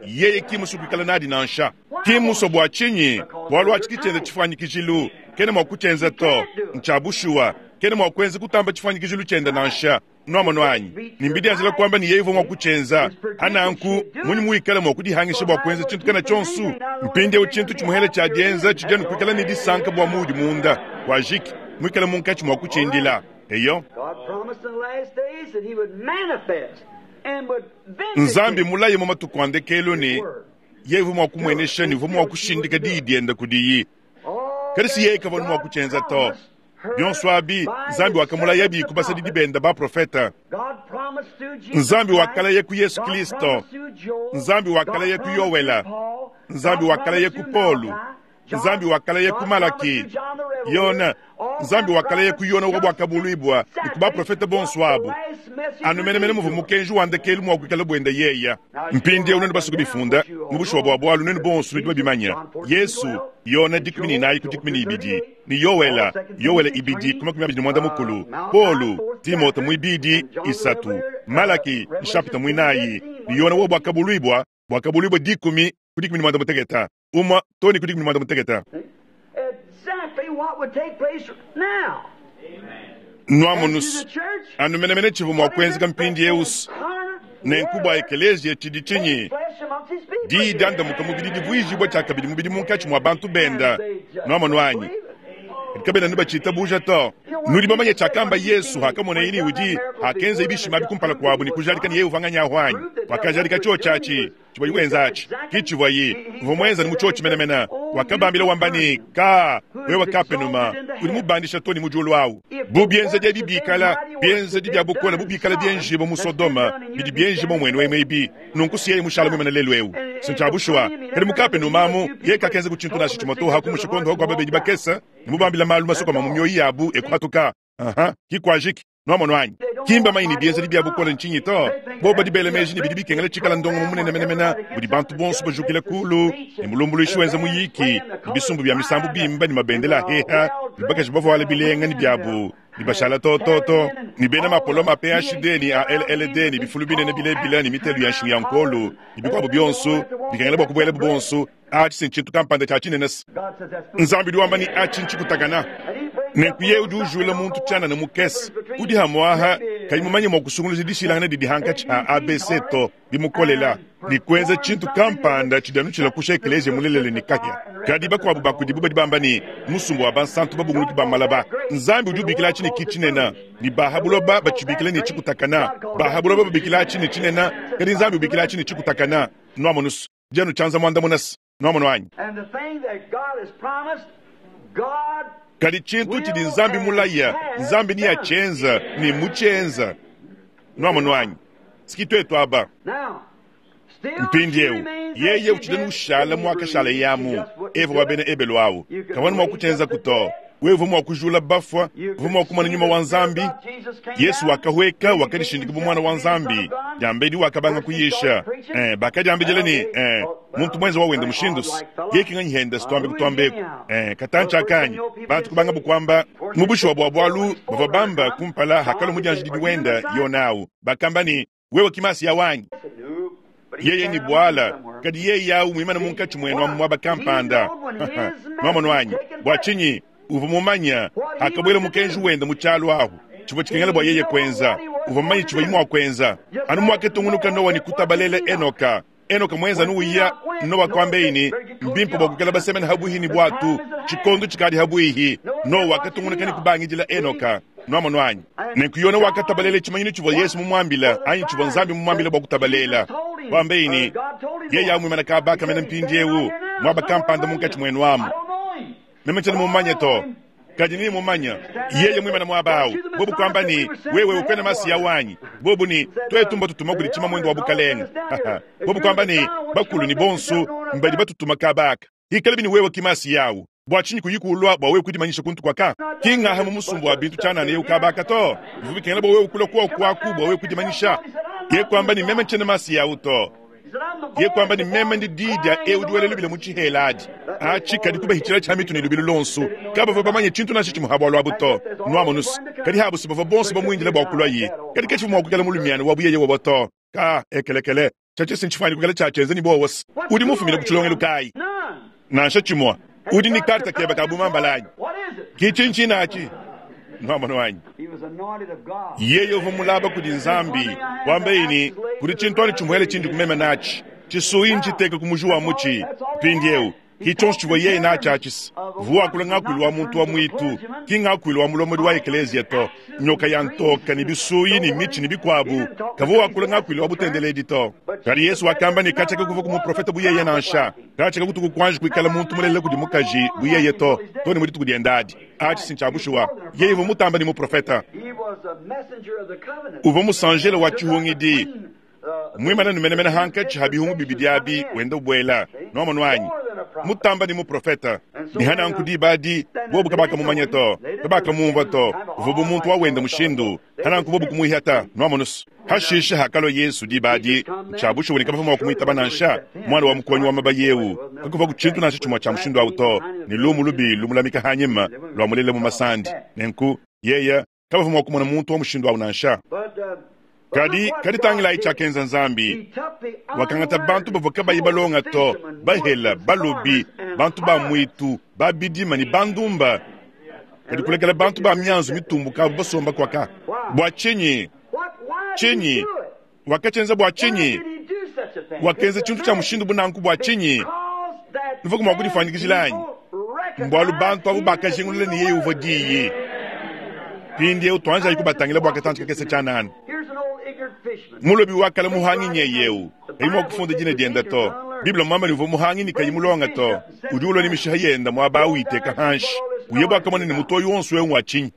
yeye kimusu kwikala nadi nansha. Kimuso bwa chinyi bwalu achikichenda chifwanyikijilu kene mwa kuchenza to nchabushuwa kene mwa kwenza kutamba chifwanyikijilu chenda nansha. Nwamonu anyi ne mbidianzila kwamba ne yeye uvua mua kutshienza ananku munyi muikale mua kudihangisha bua kuenza tshintu kana tshionso mpindieu tshintu tshimuhele tshia dienza tshidianu kuikala ne disanka bua muudi munda wajiki muikale munkatshi mua kutshindila eyo God promised in the last days that He would manifest and would nzambi vindicate mulaye mu matuku a ndekelu ne yeye uvua mua kumuenesha ne uvua mua kushindika diyi dienda kudiyi all kadi si yeye kavua mua God kutshienza to promised her bionso abi by nzambi his wakamulaya servant bi the kubasadidi prophet. benda baprofeta God promised through Jesus Nzambi Christ. wakalaya ku Yesu God Kristo. promised through Joel. Nzambi wakalaya God ku promised Yowela. through Paul. Nzambi God wakalaya promised ku through Polu. Malachi. John- Nzambi wakalaya ku God Malaki. promised through John the Revelator. Yona All Nzambi them wakalaya ku Yona prophets wa bwakabulwibwa just ni ku baprofeta bonso what abo the last message anu menemene would be muvu to mukenji wa ndekelu mua kuikala bwenda yeya mpindieu nenu basuku bifunda mu bushuwa bwa bwalu nenu bonso nudi babimanya yesu yona dikumi ni inayi ku dikumi ni ibidi ni yowela yowela ibidi ku makumi abidi ne mwanda mukulu polu timote muibidi isatu malaki nshapita muinayi ni yona wo bwakabulwibwa bwakabulwibwa dikumi ku dikumi ni mwanda muteketa umwa toni ku dikumi ni mwanda muteketa Exactly what would take place now. nwamunusu To the church, anu menemene tshivu mua kuenzeka mpindi eusu nenku bua ekeleziya tshidi tshinyi diyi diandamuka mubidi divuijibua tshiakabidi mubidi munkatshi mua bantu benda nwamonu anyi kabena nubatshitabuja to nudi bamanye tshiakamba yesu hakamona yini udi hakenza ibishima bikumpala kuabu ni kujalika ni yeye uvanganyaho anyi wakajalika chio chachi chibwa wenzachi kichibwa yi uvua mwenza ni muchio chimenemena wakabambila wambani ka wewe kapenuma udi mubandisha to ni mujulu awu bubienza dia bibikala bienza di bia bukola bubikala bienjibo mu sodoma bidi bienjibo mwenu emwe ibi nunku siye mushala mwemene lelu ewu sintshabushuwa kadi mukapenumamu ye kakenza kutshintu nashi tshimoto kumushikondo kwa babedi bakesa nimubambila malu masokoma mu mioyo yabu ekuhatuka aha kikwajiki nwamonu anyi kimba manyi ni bienza bia bukola nchinyi to bo badi bela meji ni bidi bikengela tshikala ndongo mu munene menemena budi bantu bonso bajukila kulu ni mulumbuluishi wenza muyiki ni bisumbu bia misambu bimba ni mabendela aheha ni bakaji bavuala bilenga ni biabu ni bashala tototo ni bena mapolo ma P H D ni a L L D ni bifulu binene bilebila ni mitelu ya nshinga ya nkolu ni bikwabo bionso bikengela bua kubuela bubonso achi sintshintu kampanda tshia tshinene God says that's nzambi udi wamba ni achi ntshikutakana nenku ye udi ujula muntu tshianana mukese udi hamwaha kayi mumanye mua kusunguluza dishilangana didi hankatshi ha A B C to bimukolela ni kuenza tshintu kampanda tshidi tshila kusha ekelezia mulelele ni kahia kadi bakuabu bakudibu badi bamba ni musumbu wa bansantu babunguluki ba malaba nzambi udi ubikila tshi ni kitshinena ni bahabuloba batshibikila ni tshikutakana bahabuloba babikila tshi ni tshinena kadi nzambi ubikila tshi ni tshikutakana nwamonusu dianu tshianza muandamunasi nwamonu anyi And the thing that God has promised, God kadi tshintu tshidi nzambi mulaya nzambi ni yatshienza ni mutshienza nwamonu anyi siki twetu aba now still mpindiewu she remains as yeye she utshidi did nushala in muakashala Hebrews. yamu She just wouldn't eva do wa it. bena ebelu awu kavanu mua kutshienza kuto wewe mua kujula bafwa uvua mua kumana nyuma wa nzambi yesu wakahweka wakadishindika bu mwana wa nzambi diambedi wakabanga kuyisha eh, bakadiambedila ni eh, muntu mwenza wawenda mushindusi yekinganyihenda situambe kutuambeku eh, katantsha akanyi bantu kubanga bukwamba mubushuwa bua bwalu bavua bamba kumpala hakalo mudianjididi wenda yonawu bakamba ni wewe kimasi ya wanyi yeye ni bwala kadi yeye yawu mwimana munkatshi mwenu amu mwaba kampanda nwamonu anyi bua tshinyi uvua mumanya akabwela mukenji wenda mu tshialu ahu tshivua tshikengela bua yeye kuenza uvua mumanye tshivua yimua kuenza anu muaketungunuka nowa ni kutabalela enoka enoka mwenza nuuya nowa kwambeini mbimpe bua kukela basemene habuhi ni bwatu tshikondo tshikadi habuihi nowa wakatungunuka ni kubangidila enoka nwamonu anyi nenku yona wakatabalela tshimanyinu tshivua yesu mumuambila anyi tshivua nzambi mumuambila bua kutabalela wambeini yeye amwimana kabaka mene mpindiewu mwaba kampanda munkatshi mwenu amu meme tshiena mumanye to kadi ni mumanya yeye mwimana mwaba awu bobu kwamba ni wewe ukwena masiya wanyi bobu ni twetumba tutuma kuli tshima mwendo wa bukalenga bobu kwamba ni bakulu ni bonsu mbadi batutuma kabaka ikale bini wewe kimasi yawu bua tshinyi kuyikulwa bua wewe kudimanyisha kuntu kwaka kingaha mu musumbu wa bintu tshianana yewu kabaka to bivu bikengela bua wewe kulwa kuwa kwaku bua wewe kudimanyisha ye kwamba ni meme ntshiena masi yawu to ye kwamba ni meme ndi didia ewu diwele lubila mu tshihela adi atshi kadi kubahitshila tshia mitu ne lubilu lonsu kabavua bamanye tshintu nansha tshimuhabua lwabu to nwamonusu kadi habusi bavua bonso bamuindila bua kulwa ye kadi ketshivua mua kukela mulumiana wabu yeye wabo to ka ekelekele tshiatshi sintshifuani kukela tshiatshienza ni bowose udi mufumile ku tshilongelo kayi None. nansha tshimua udi ni karta keba ka bumambalanyi What is it? kitshintshinatshi Nwamona wanyi. Yeye uvua mulaba kudi Nzambi, wambaye ne, kudi tshintu anu tshimuele tshindi kumema natshi. Tshisuyi ntshiteka ku muji wa mutshi. Mpindieu, ki tshionso tshivua yeye natshi atshisa. Uvua wakula ngakuilu wa muntu wa mwitu, ki ngakuilu wa mulomodi wa ekelezia to. Nyoka ya ntoka ne bisuyi ne mitshi ne bikuabu, kavua wakula ngakuilu wa butendeledi to. Kadi Yesu wakamba ne katshia kakuvua ku muprofeta bu yeye nansha. Katshia kakutuku kuanji kuikala muntu mulelela kudi mukaji bu yeye to, to ne mu dituku dienda adi. Atshi si ntshia bushuwa. Yeye uvua mutamba ne muprofeta. Uvua musanjela wa tshihungidi. Mwimana numenemene hankatshi ha bihungu bibidi abi wenda ubwela. Nwamona wanyi. Mutamba ni muprofeta. Ni hananku diba adi, bobu kabakamumanya to, kabakamumva to, uvua bu muntu wa wenda mushindu. Hananku bobu kumuihata, nwamonusu. Hashisha hakalua Yesu diba adi, tshia bushuwa ne kabavua mua kumuitaba nansha, mwana wa mukonyi wa mabayewu, kakuvua ku tshintu nansha tshimue tshia mushindu awu to, ne lumu lubi lumulamika hanyima, lua mulela mu masandi. Nenku, yeye, kabavua mua kumona muntu wa mushindu awu nansha. Kadi, kadi tangilayi tshiakenza Nzambi. Wakangata bantu bavua kabayi balonga to, bahela, balobi, bantu ba mwitu, ba bidima ne bandumba. Kadi kulekela bantu ba mianzu mitumbuka abo basomba kwaka. Bua tshinyi? Tshinyi? Wakatshienza bua tshinyi? Wakenza tshintu tshia mushindu bunanku bua tshinyi? Nuvua mua kudifuanyikijila anyi? Mbualu bantu abo bakajingulula ne yeye uvua diyi. Mpindieu tuanjayi kubatangila bua katantshi kakese tshianana. Mulobi wakala muhangi nyeyeu, kayi mua kufunda dina dienda to. Biblia mwamba ne uvua muhangi ne kayi mulonga to. Udi ulua ne mishiha yenda muaba awu iteka hanshi. Uye bwakamona ne mutoyi wonso eu ngwa tshinyi.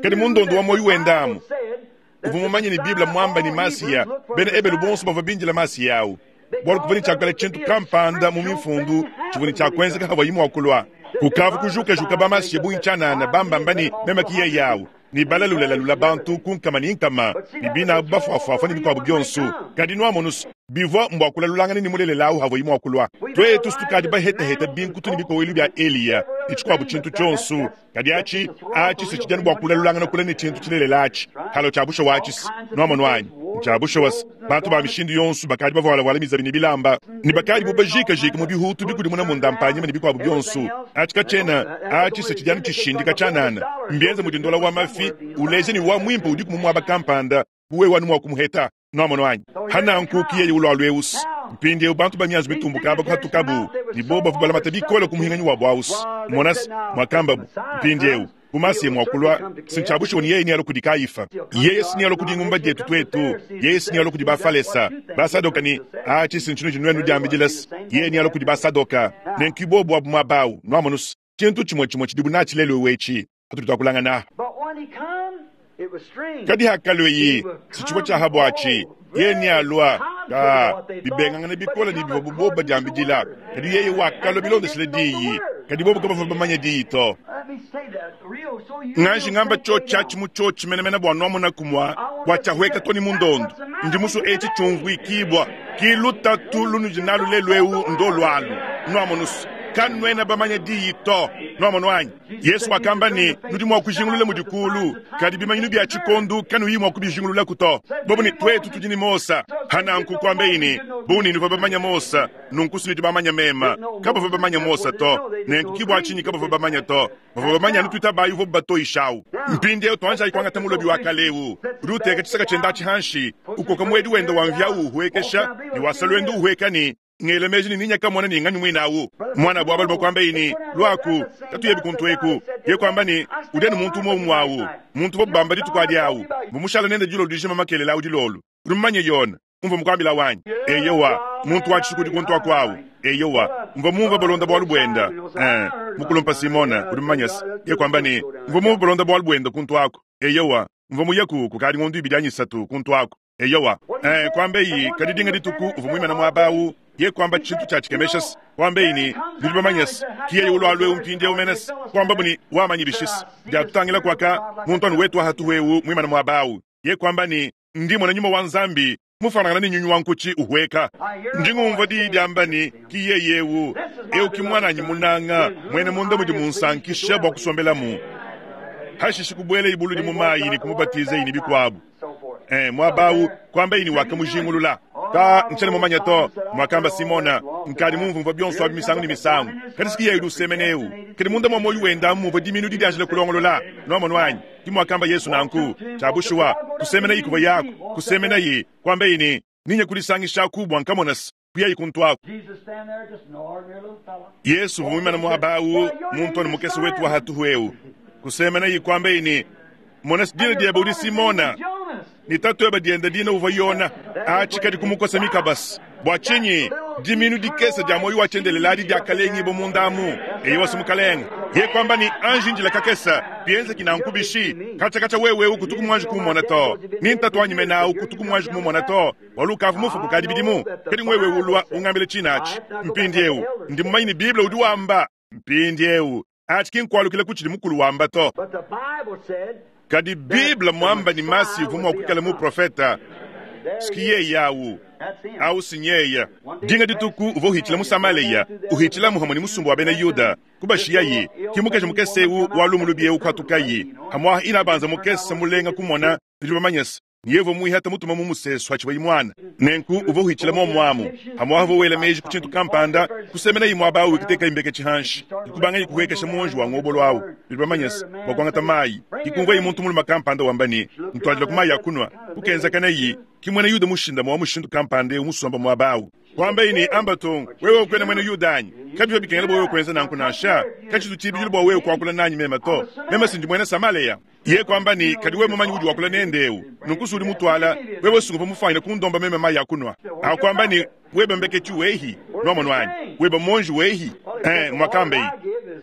Kadi mundondo wa moyo wenda amu, uvua mumanye ne Biblia mwamba ne Masiya, bena Ebelu bonso bavua bindila Masiya awu. Bualu kuvua ne tshiakala tshintu kampanda mu mifundu tshivua ne tshiakuenzeka havua yi mua kulua. Kukavu kujukajuka ba Masiya bungi tshianana bambamba ne meme ki yeye awu. Ni balalulalula bantu kunkama ni nkama, ni bina bafuafuafa ni bikuabu bionso. Kadi nwamonusu, bivua mbwa kulalulangana ni mulelela awu havua yi mua kulua. Twetu tukadi bahetaheta binkutu ni bikowelu bia Eliya, ni tshikuabu tshintu tshionso. Kadi atshi, atshi se tshidianu bua kulalulangana kula ne tshintu tshilelela atshi. Halo tshia bushuwa atshi se, nwamonu wanyi. Tshia bushuwa se, bantu ba mishindu yonso bakadi bavualavuala mizabi ne bilamba, ne bakadi bu bajikajika mu bihutu bikudimuna munda mpanyima ne bikuabu bionso. Atshi katshiena, atshi se tshidianu tshishindika tshianana. Mbienze mudindola wa mafi, uleje ni wa mwimpe udi kumumwaba kampanda, buwe wanu mwa kumuheta. Nwamonu wanyi. Hananku kiyeye ulwa lweusi. Mpindieu bantu ba mianzu mitumbuka aba kuhatukabu, ni bo bavua balamata bikole ku muhinganyi wa bwausi. Monasi, mwakambabu, mpindieu, kumasiye mwakulwa, sintshabushiwa ni yeye ni alo kudi Kaifa. Yeye si ni alo kudi ngumba dietu twetu, yeye si ni alo kudi Bafalesa. Basadoka ni, atshi sintshinu tshinuenu diambidilasi. Yeye ni alo kudi Basadoka. Nenku bobu abu mwabawu, nwamonusi, tshintu tshimue tshimue tshidibu natshi lelu wetshi. Atudi twakulangana. Kadi hakalweyi, sitshivua tshia habwatshi. Yeye ni alua, ka, bibengangana bikole ni bivua bobo diambidila. Kadi yeye wakalua bilondeshile diyi. Kadi bobo kabavua bamanye diyi to. Nganji ngamba cho tshiatshi mu cho tshimenemene bua nwamona kumua, bua tshiahweka to ni mundondo. Ndi musu etshi tshiumvuikibwa, ki lutatu lunudi nalu lelu eu ndo lwalu. Nwamonusu, kanuena bamanye diyi to. Nwamonu wanyi. Yesu wakamba ne, nudi mua kujingulula mudikulu, kadi bimanyinu bia tshikondu kanuyi mua kubijingulula kuto. Bobu ne twetu tudi ne Mosa. Hananku kuambe ne, buni nuvua bamanya Mosa, nunku sinudi bamanya mema. Kabavua bamanya Mosa to. Nenku kibwa tshinyi kabavua bamanya to. Bavua bamanya anu tuitabayi uvua batoyishawu. Mpindieu tuanjayi kuangata mulobi wa kaleu. Udi uteka tshisaka tshienda tshihanshi, ukoka mwedi wenda wa mvya uhuekesha, ne wasalwenda uhueka ne ngele meji ni ninya kamona ni ngani mwinawu. Mwana bwa balume kwamba ini, lwaku, tatuye bikuntu eku. Ye kwamba ni, udeni muntu umwe umwawu. Muntu bo bamba dituku adi awu. Mumushala nende dilo dijima makelele awu dilolo. Rumanye yona, umva mukwambila wanyi. Eyowa, muntu wa tshikudi kuntu akwawu. Eyowa, umva mumva balonda bwalu bwenda. Eh, mukulumpa Simona, uri mumanyasi. Ye kwamba ni, umva mumva balonda bwalu bwenda kuntu ako. Eyowa, umva muyeku kukadi ngondu ibidi anyisatu kuntu ako. Eyowa, eh, kwamba iyi kadi dinga dituku uva mwimana mwabawu. Ye kwamba tshintu tshia tshikemeshasi. Kwamba ini, nudi bamanyasi. Kiye ulwa lwe umpindieu menesi. Kwamba buni wamanyi bishisi. Diatutangila kwaka, muntu anu wetu ahatuwewu mwimana mwabawu. Ye kwamba ni, ndi mwana nyuma wa Nzambi, mufanangana ni nyunyu wa nkuchi uhweka. Ndi ngumva diyi diamba ni, kiye yewu. Eu ki mwananyi munanga, mwene munda mudi munsankisha bua kusombelamu. Hashishi kubwele ibulu di mumayi ni kumubatiza ini bikuabu. Eh, mwabawu, kwamba ini wakamujingulula. Ka ntshiena mumanye to, muakamba Simona, nkadi mumvumvua bionso abi misangu ne misangu. Kadi siki yeye udi usemena eu. Kadi munda mua muoyo wende amu muvua diminu didianjila kulongolola. Nuamonu anyi? Ke muakamba Yesu nanku. Tshia bushuwa, kusemenayi kuvua yaku, kusemenayi, kuambaye ne, Ninye kudisangishaku bua nkamona se, kuyayi kuntu aku. Jesus stand there just an ordinary little fella. Yesu uvua muimane muaba awu, muntu anu mukese wetu wa hatuhu eu. Kusemenayi kuambaye ne, Mona se dina diebe udi Simona. Jonas. Ni tatuebe diende dina uvua Yona. Atshi kadi kumukosa mikabasi. Bua tshinyi? Diminu dikese dia muoyo wa tshiendelele adi diakalengibo munda amu. Eyowa si mukalenge. Ye kuamba ne, Anji njila kakese, bienzeki nanku bishi? Katshia-katshia wewe eu kutuku muanji kumumona to. Ni ntatu wanyi mene au kutuku muanji kumumona to. Bualu ukavua mufue kukadi bidimu. Kadi ngwewe ulua ungambile tshina atshi. Mpindieu, ndi mumanye ne Bible udi wamba. Mpindieu, atshi ki nkualukila ku tshidi mukulu wamba to. But the Bible said, Kadi Bible muamba ni masi uvua mua kuikala muprofeta. there Siki he is. yeye awu. That's him. Awu sinyeya. Dinga dituku uvua uhitshila mu Samaleya, uhitshila muhamwe ni musumba wa bena Yuda. Kubashiyayi, ki mukaji mukese eu wa lumu lubi eu kuhatukayi. Hamwaha ina banza mukese mulenga kumona, nudi bamanye se, ni yevua muihata mutuma mu musesu hatshiwa mwana. Nenku uvua uhitshila momuamu. Hamwaha uvua wela meji ku tshintu kampanda, kusemenayi muaba awu ikuteka imbeke tshihanshi. Ikubangayi kuhuekesha muonji wa ngobolo awu. Nudi bamanye se, bua kuangata mayi. Ikumvuayi muntu mulume kampanda wamba ne, ntuadila ku mayi a kunua. Kukenzakanayi, ki muena Yuda mushindame wa mushindu kampanda eu musomba muaba awu. Kuambayi ne, amba tung, wewe ukuena muena Yuda anyi? Kabivua bikengela bua wewe kuenza nanku nansha. Katshitu tshibidilu bua wewe kuakula nanyi meme to. Meme sindi muena Samaleya. Ye kuamba ne, kadi wewe mumanyi udi wakula nende eu. Nunku sudi mutuala, wewe sungupa mufuanyine kundomba meme mayi a kunua. Akuamba ne, webe mbeketshi wehi, nuamonu anyi? Webe monji wehi. Eh, muakambeyi.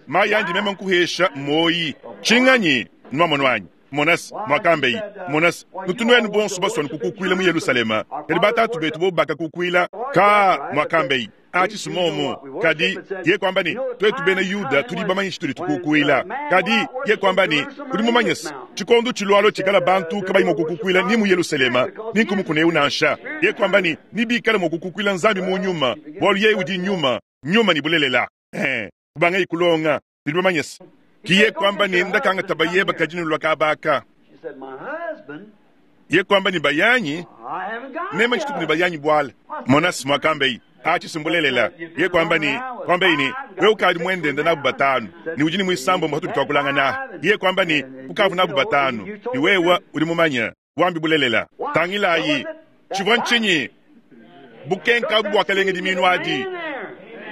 Mayi andi meme nkuhesha moyi. Tshinganyi, nuamonu anyi? Monas, muakambeyi. Monas, nutunuenu bonso baswana kukukuila mu Yerusalema. Kadi batatu betu bo bakakukuila ka muakambeyi. Atshi simomo kadi ye kwamba ne twetu bena Yuda tudi bamanye tshitudi tukukuila. Kadi ye kwamba ne udi mumanye se tshikondo tshilualo tshikala bantu kabayi mua kukukuila ni mu Yerusalema ni nkumukuna eu nansha. Ye kwamba ne ni bikale mua kukukuila Nzambi mu nyuma, bualu yeye udi nyuma, nyuma ni bulelela. Eh, kubangayi kulonga nudi bamanye se ki ye kwamba ne ndakanga tabayeba kadi nulua kabaka. She said, my husband, Ye kwamba ni bayanyi I haven't got meme any tshituku ni husband. bayanyi bwala. Monas muakambeyi atshi simbulelela. Ye kwamba ni kwamba ini wewe ukadi mwendende nabu batanu ni udi ni mwisambo mwa twakulangana. Ye kwamba ni ukavu nabu batanu ni wewe udi mumanya wambi bulelela. Tangilayi tshivua nchinyi bukenka abu bwakalenga diminu adi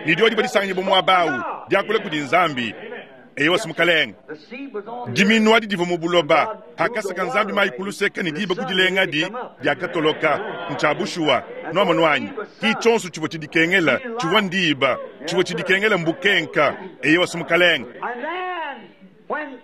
ni dio dibadisanganyi bumwabawu diakula kudi Nzambi. Eyowa simukalenga. The seed was on the Diminu adi divua mu buloba hakasaka Nzambi mayi kuluseka ne diba kudilenga di diakatoloka ntsha bushuwa nuamonu anyi ki tshionso tshivua tshidikengela tshivua ndiba tshivua tshidikengela mbukenka eyowa simukalenga. And then, when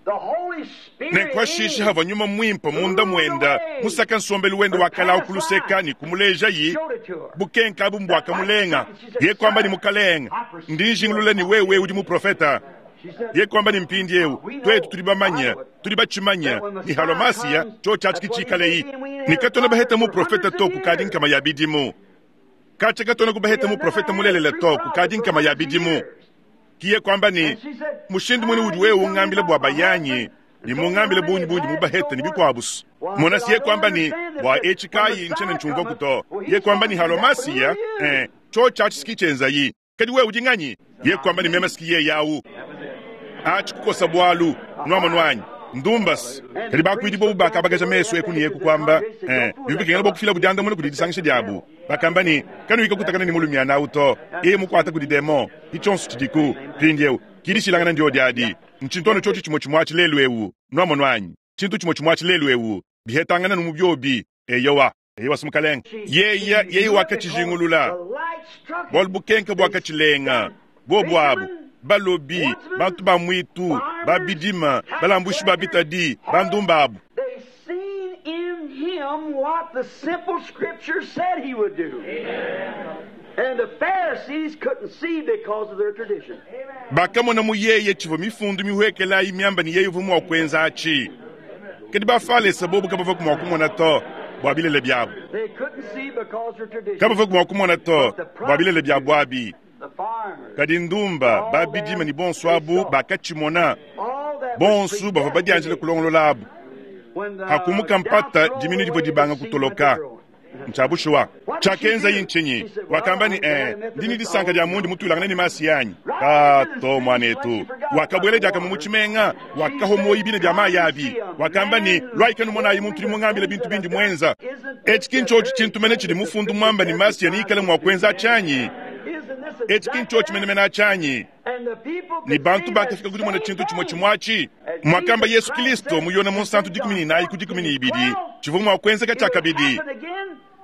the Holy Spirit Nenkuashisha havua nyuma mwimpe munda mwenda musaka nsombelu wende wakalawu kuluseka ni kumulejayi showed it to her. bukenka abu mbwakamulenga ye kwamba ni mukalenga ndi njingulula ni wewe udi muprofeta. She said, Ye kwamba ni mpindi eu twetu tuli bamanya tuli bachimanya ni halwa masiya cho chachi kichikaleyi nikatona baheta muprofeta to kukadi nkama ya bidimu kacha katona kubaheta muprofeta mulelela to kukadi nkama ya bidimu kiye kwamba ni mushindu mwene udi wewe ungambile bwa bayanyi ni mungambile bunyi bundi mubaheta ni bikwabusu mona siye kwamba ni bwa echi kayi nchene nchumva kuto ye kwamba ni halwa masiya eh, cho chachi sikichenzayi kadi wewe udi nganyi ye kwamba ni meme sikiye yawu achi kukosa bwalu nwamonu anyi ndumbasi kadi bakuidi bobu bakabakaja meso eku ni eku kwamba eh, bibikengela bokufila budiandamuna kudi disangisha diabu bakamba ni kanuika kutakana ni mulumyana awu to eye mukwata kudi demo itshonso tshidiku mpindieu kidishilangana ndio diadi ntshintwana tshotshi tshimwe tshimwe atshi lelu ewu nwamonu anyi tshintu tshimwe tshimwe atshi lelu ewu bihetangana numu byobi eyowa eyowa simukalenga yeya yeye wakatshijingulula The light struck bualu bukenka bwakatshilenga bobu abu balobi bantu ba mwitu babidima balambushi ba bitadi bandumba abu They seen in him what the simple scripture said he would do. And the Pharisees couldn't see because of their tradition. bakamona mu yeye tshivua mifundu mihwekelayi miamba ni yeye uvua mua kuenza atshi kadi bafalesa bobu kabavua mua kumona to bua bilele biabu They couldn't see because of their tradition. kabavua mua kumona to bua bilele biabu abi The farmers, kadi ndumba babidima ni bonso abu bakatshimona all that was bonso bavua badianjile kulongolola abu When the hakumuka mpata doubts diminu rolled divua away, dibanga the seed kutoloka went to growing. Ntshia bushuwa. Tshiakenzaye ntshinyi? Wakamba ne, eh, ndi ne disanka dia mundi mutuilangane ne Masiya anyi? Ka to, muanetu. Wakabuela diakamue mu tshimenga, wakahua muoyo bina bia mayi abi. Wakamba ne, luayi kanumonayi muntu udi mungambile bintu bindi muenza. Etshi ki ntshiotshi tshintu mene tshidi mufundu muamba ne Masiya neikale mua kuenza atshi anyi? Etshi ki ntshiotshi menemene atshi anyi? Ne bantu bakafika ku dimona tshintu tshimue tshimue atshi. Muakamba Yesu Kristo mu Yone Munsantu dikumi ne inayi ku dikumi ne ibidi, tshivua mua kuenzeka tshiakabidi.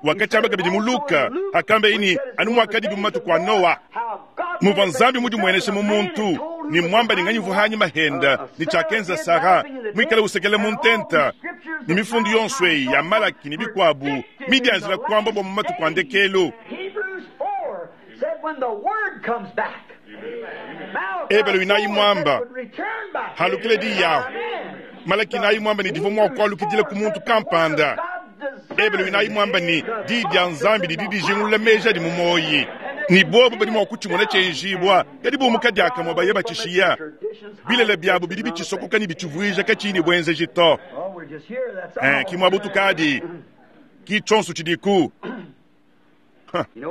Wakatshiamba kabidi mu Luka, hakambeye ne, anu muakadibi mu matuku a Noa, muvua Nzambi mudimueneshe mu muntu, ne muamba ne nganyi uvua hanyima henda, ne tshiakenza Sara, muikale usekela mu ntenta, ne mifundu yonso eyi ya Malaki ne bikuabu midianzila kuamba bua mu matuku a ndekelu. Hebrews four said when the word comes back. Ebelu inayi mwamba, halukile diyi yaho. Malaki inayi mwamba ne divua mua kualukidila ku muntu kampanda. Ebelu inayi mwamba ne diyi dia Nzambi didi dijingulula meji adi mu muoyi. Ne bobu badi mua kutshimona tshienjibua, kadi bumuka diakamue baye batshishiya. Bilele biabu bidi bitshisokoka ne bitshivuija katshiyi ne buenzeji to. Eh, ki muabu tukadi, ki tshionso tshidiku.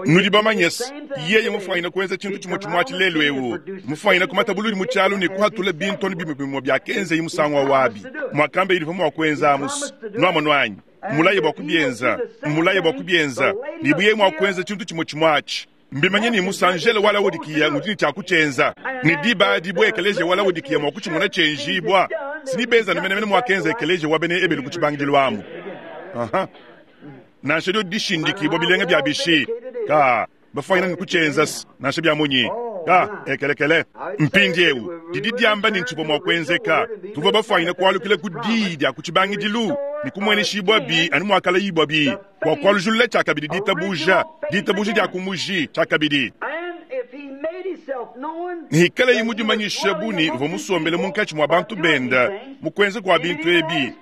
Nudi bamanye se, yeye mufuanyine kuenza tshintu tshimue tshimue atshi lelu eu, mufuanyine kumata buludi mu tshialu ne kuhatula bintu anu bimue bimue biakenzeye musangu wa wabi. Muakamba yidi mua kuenza amusu. Nuamono anyi? Mulaye bua kubienza, mulaye bua kubienza. Ne buye mua kuenza tshintu tshimue tshimue atshi. Mbimanye ne musanjele wa Laodikiya ngudi ne tshia kutshienza. Ne diba adi bu ekeleziya wa Laodikiya mua kutshimona tshienjibua. Sinibenza anu menemene muakenza ekeleziya wa bena Ebelu ku tshibangidilu amu. Aha. Nansha dio dishindikibua bilenga bia bishi ka bafuanyina ne kutshienza nansha bia munyi ka ekelekele. Mpindieu didi diamba ne ntshivua mua kuenzeka. Tuvua bafuanyina kualukila ku diyi dia ku tshibangidilu ne kumueneshibua bi anu muakalayibua bi bua kualujulula tshiakabidi ditabuja, ditabuja dia kumuji tshiakabidi. Hikalayi mudimanyishe bu ne uvua musombele munkatshi mua bantu benda mu kuenza kua bintu ebi.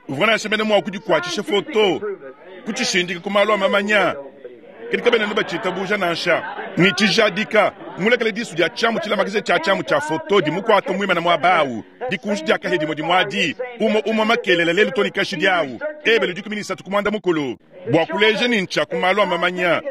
Uvua nansha mene mua kudikuatshisha foto, kutshishindika ku malu a mamanya, kadi kabena ne batshitabuja nansha. Ne tshijadika, mulekele disu dia tshiamu tshilamakaja tshia tshiamu tshia foto dimukuata muimana muaba awu, dikunji dia kahia dimue dimue adi, umue umue makelela lelu to ne kashidi awu, Ebelu dikumi ne isatu ku muanda mukulu, bua kuleja ne ntshia ku malu a mamanya,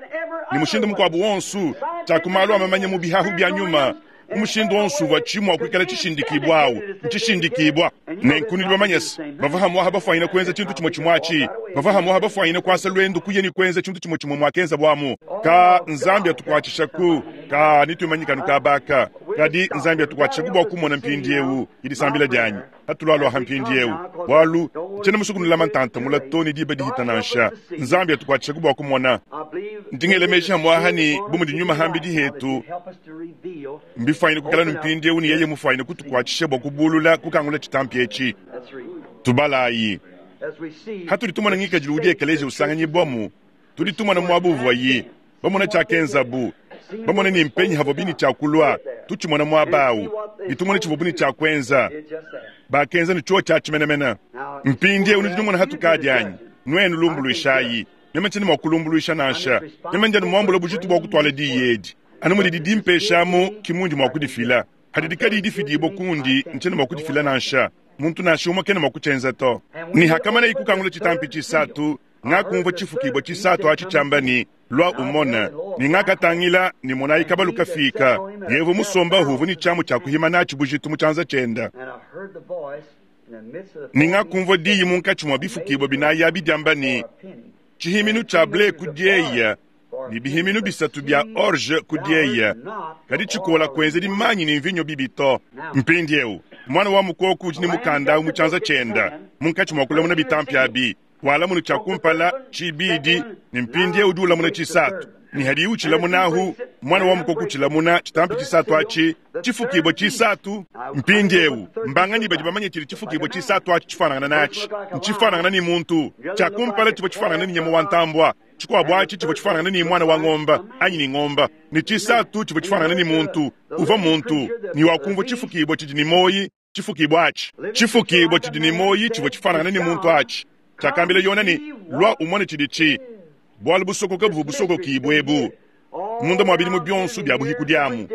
ne mushindu mukuabu wonso, tshia ku malu a mamanya mu bihahu bia nyuma, mu mushindu wonso uvua tshi mua kuikala tshishindikibua awu, ntshishindikibua. Nenku nudi bamanye se, bavua hamuaha bafuanyina kuenza tshintu tshimue tshimue atshi, bavua hamuaha bafuanyina kuasa luendu kuya ne kuenza tshintu tshimue tshimue muakenza buamu. Ka Nzambi atukuatshishaku, ka nituimanyikanu kabaka, kadi Nzambi atukuatshishaku bua kumona mpindieu idisambila dianyi. Hatulualua mpindieu, bualu tshiena musukunulama ntanta mula to ne diba dihita nansha. Nzambi atukuatshishaku bua kumona. Ndingele meji hamuaha ne bu mudi nyuma hambidi hetu, mbifuanyine kukala ne mpindieu ne yeye mufuanyine kutukuatshisha bua kubulula kukangula tshitampi etshi. Tubalayi. Hatudi tumona ngikadilu udi ekeleziya usanganyibwamu, tudi tumona muabu uvuayi, bamona tshiakenzabu, bamona ne mpenyi havua bini tshiakulua, tutshimona muaba awu, ne tumona tshivua buni tshiakuenza. Bakenza ne tshio tshia tshimenemene. Mpindieu nudi numona hatukadi anyi? Nuenu lumbuluishayi. Meme tshiena mua kulumbuluisha nansha. Meme ndi anu muambula bujitu bua kutuala diyi edi. Anu mudi dimpeshamu ki mundi mua kudifila. Hadidi kadiyi difidibua kundi, ntshiena mua kudifila nansha. Muntu nansha umue kena mua kutshienza to. Ne hakamanayi kukangula tshitampi tshisatu, ngakumvua tshifukibua tshisatu atshi tshiamba ne, lua umone. Ne ngakatangila ne monayi kabalu kafika. Yevu musomba uvua ne tshiamu tshia kuhima natshi bujitu mu tshianza tshienda. Ne ngakumvua diyi munkatshi mua bifukibua binayi abi diamba ne, tshihiminu tshia ble ku dieya, ne bihiminu bisatu bia orge ku dieya, kadi tshikola kuenzedi manyi ne mvinyo bibi to. Mpindieu mwana wa mukoko udi ne mukanda mu tshianza tshienda, munkatshi mua kulamuna bitampi abi, walamuna tshia kumpala, tshibidi, ne mpindieu udi ulamuna tshisatu. Ne hadiye utshilamunahu, mwana wa mukoko utshilamuna tshitampi tshisatu atshi, tshifukibua tshisatu. Mpindieu mbanganyi badi bamanye tshidi tshifukibua tshisatu atshi tshifanangana natshi? Ntshifanangana ne muntu. Tshia kumpala tshivua tshifanangana ne nyama wa ntambua, tshikuabu atshi tshivua tshifanangana ne mwana wa ngomba anyi ne ngomba, ne tshisatu tshivua tshifanangana ne muntu. Uvua muntu, ne wakumvua tshifukibua tshidi ne muoyi, tshifukibua atshi. Tshifukibua tshidi ne muoyi tshivua tshifanangana ne muntu atshi. Tshiakambila Yona ne, lua umone tshidi tshi. Bualu busokoka buvua busokokibua ebu munda mua bidimu bionso bia buhiku diamu,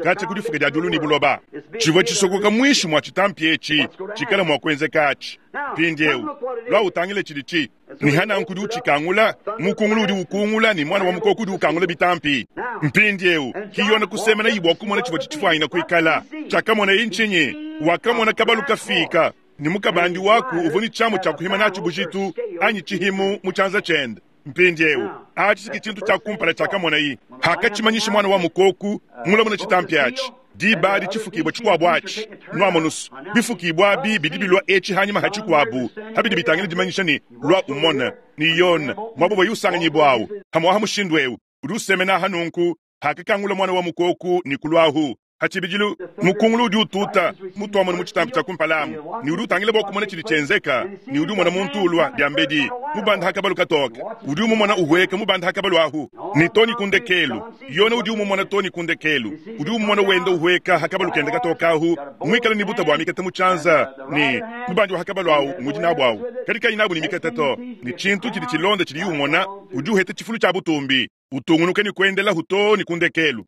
katshia ku difuka dia diulu ne buloba. Tshivua tshisokoka muinshi mua tshitampi etshi tshikala mua kuenzeka atshi. Mpindieu lua utangile tshidi tshi. Ne hananku udi utshikangula, mukungulu udi ukungula ne mwana wa mukoko udi ukangula bitampi. Mpindiewu ki Yone kusemena bua kumona tshivua tshitshifuanyina kuikala. Tshiakamona ntshinyi? Wakamona kabalu kafika ne mukabandi waku uvua ne tshiamu tshia kuhima natshi bujitu anyi tshihimu mu tshianza tshiende. Mpindiewu atshi ki tshintu tshia kumpala tshiakamonayi. Hakatshimanyisha mwana wa mukoku mulamuna tshitampi atshi. Diba adi tshifukibwa tshikuabu atshi nwamonusu bifukibwa abi bidi bilwa etshi hanyima ha tshikuabu habidi bitangila dimanyisha ne lwa umona ni Yone mwabo bwa yusanganyibwa awu hamwaha mushindu ewu udi usemena hanunku hakakangula mwana wa mukoku ni kulwahu hachibijilu mukungulu udi ututa mutwamona mu tshitampi tshia kumpalamu ni udi utangila bua kumona tshidi tshienzeka ni udi umona muntu ulwa diambedi mubanda hakabalu katoka udi umumona uhweka mubanda hakabalu ahu ni toni kundekelu Yone udi umumona toni kundekelu udi umumona wenda uhweka hakabalu kenda katoka ahu mwikala ni buta bua mikete mu tshianza ni mubandi wa hakabalu awu ngudi nabu awu kadi kayi nabu ni mikete to ni tshintu tshidi tshilonda tshidi umona udi uheta tshifulu tshia butumbi utungunuke ni kuendela huto ni kundekelu.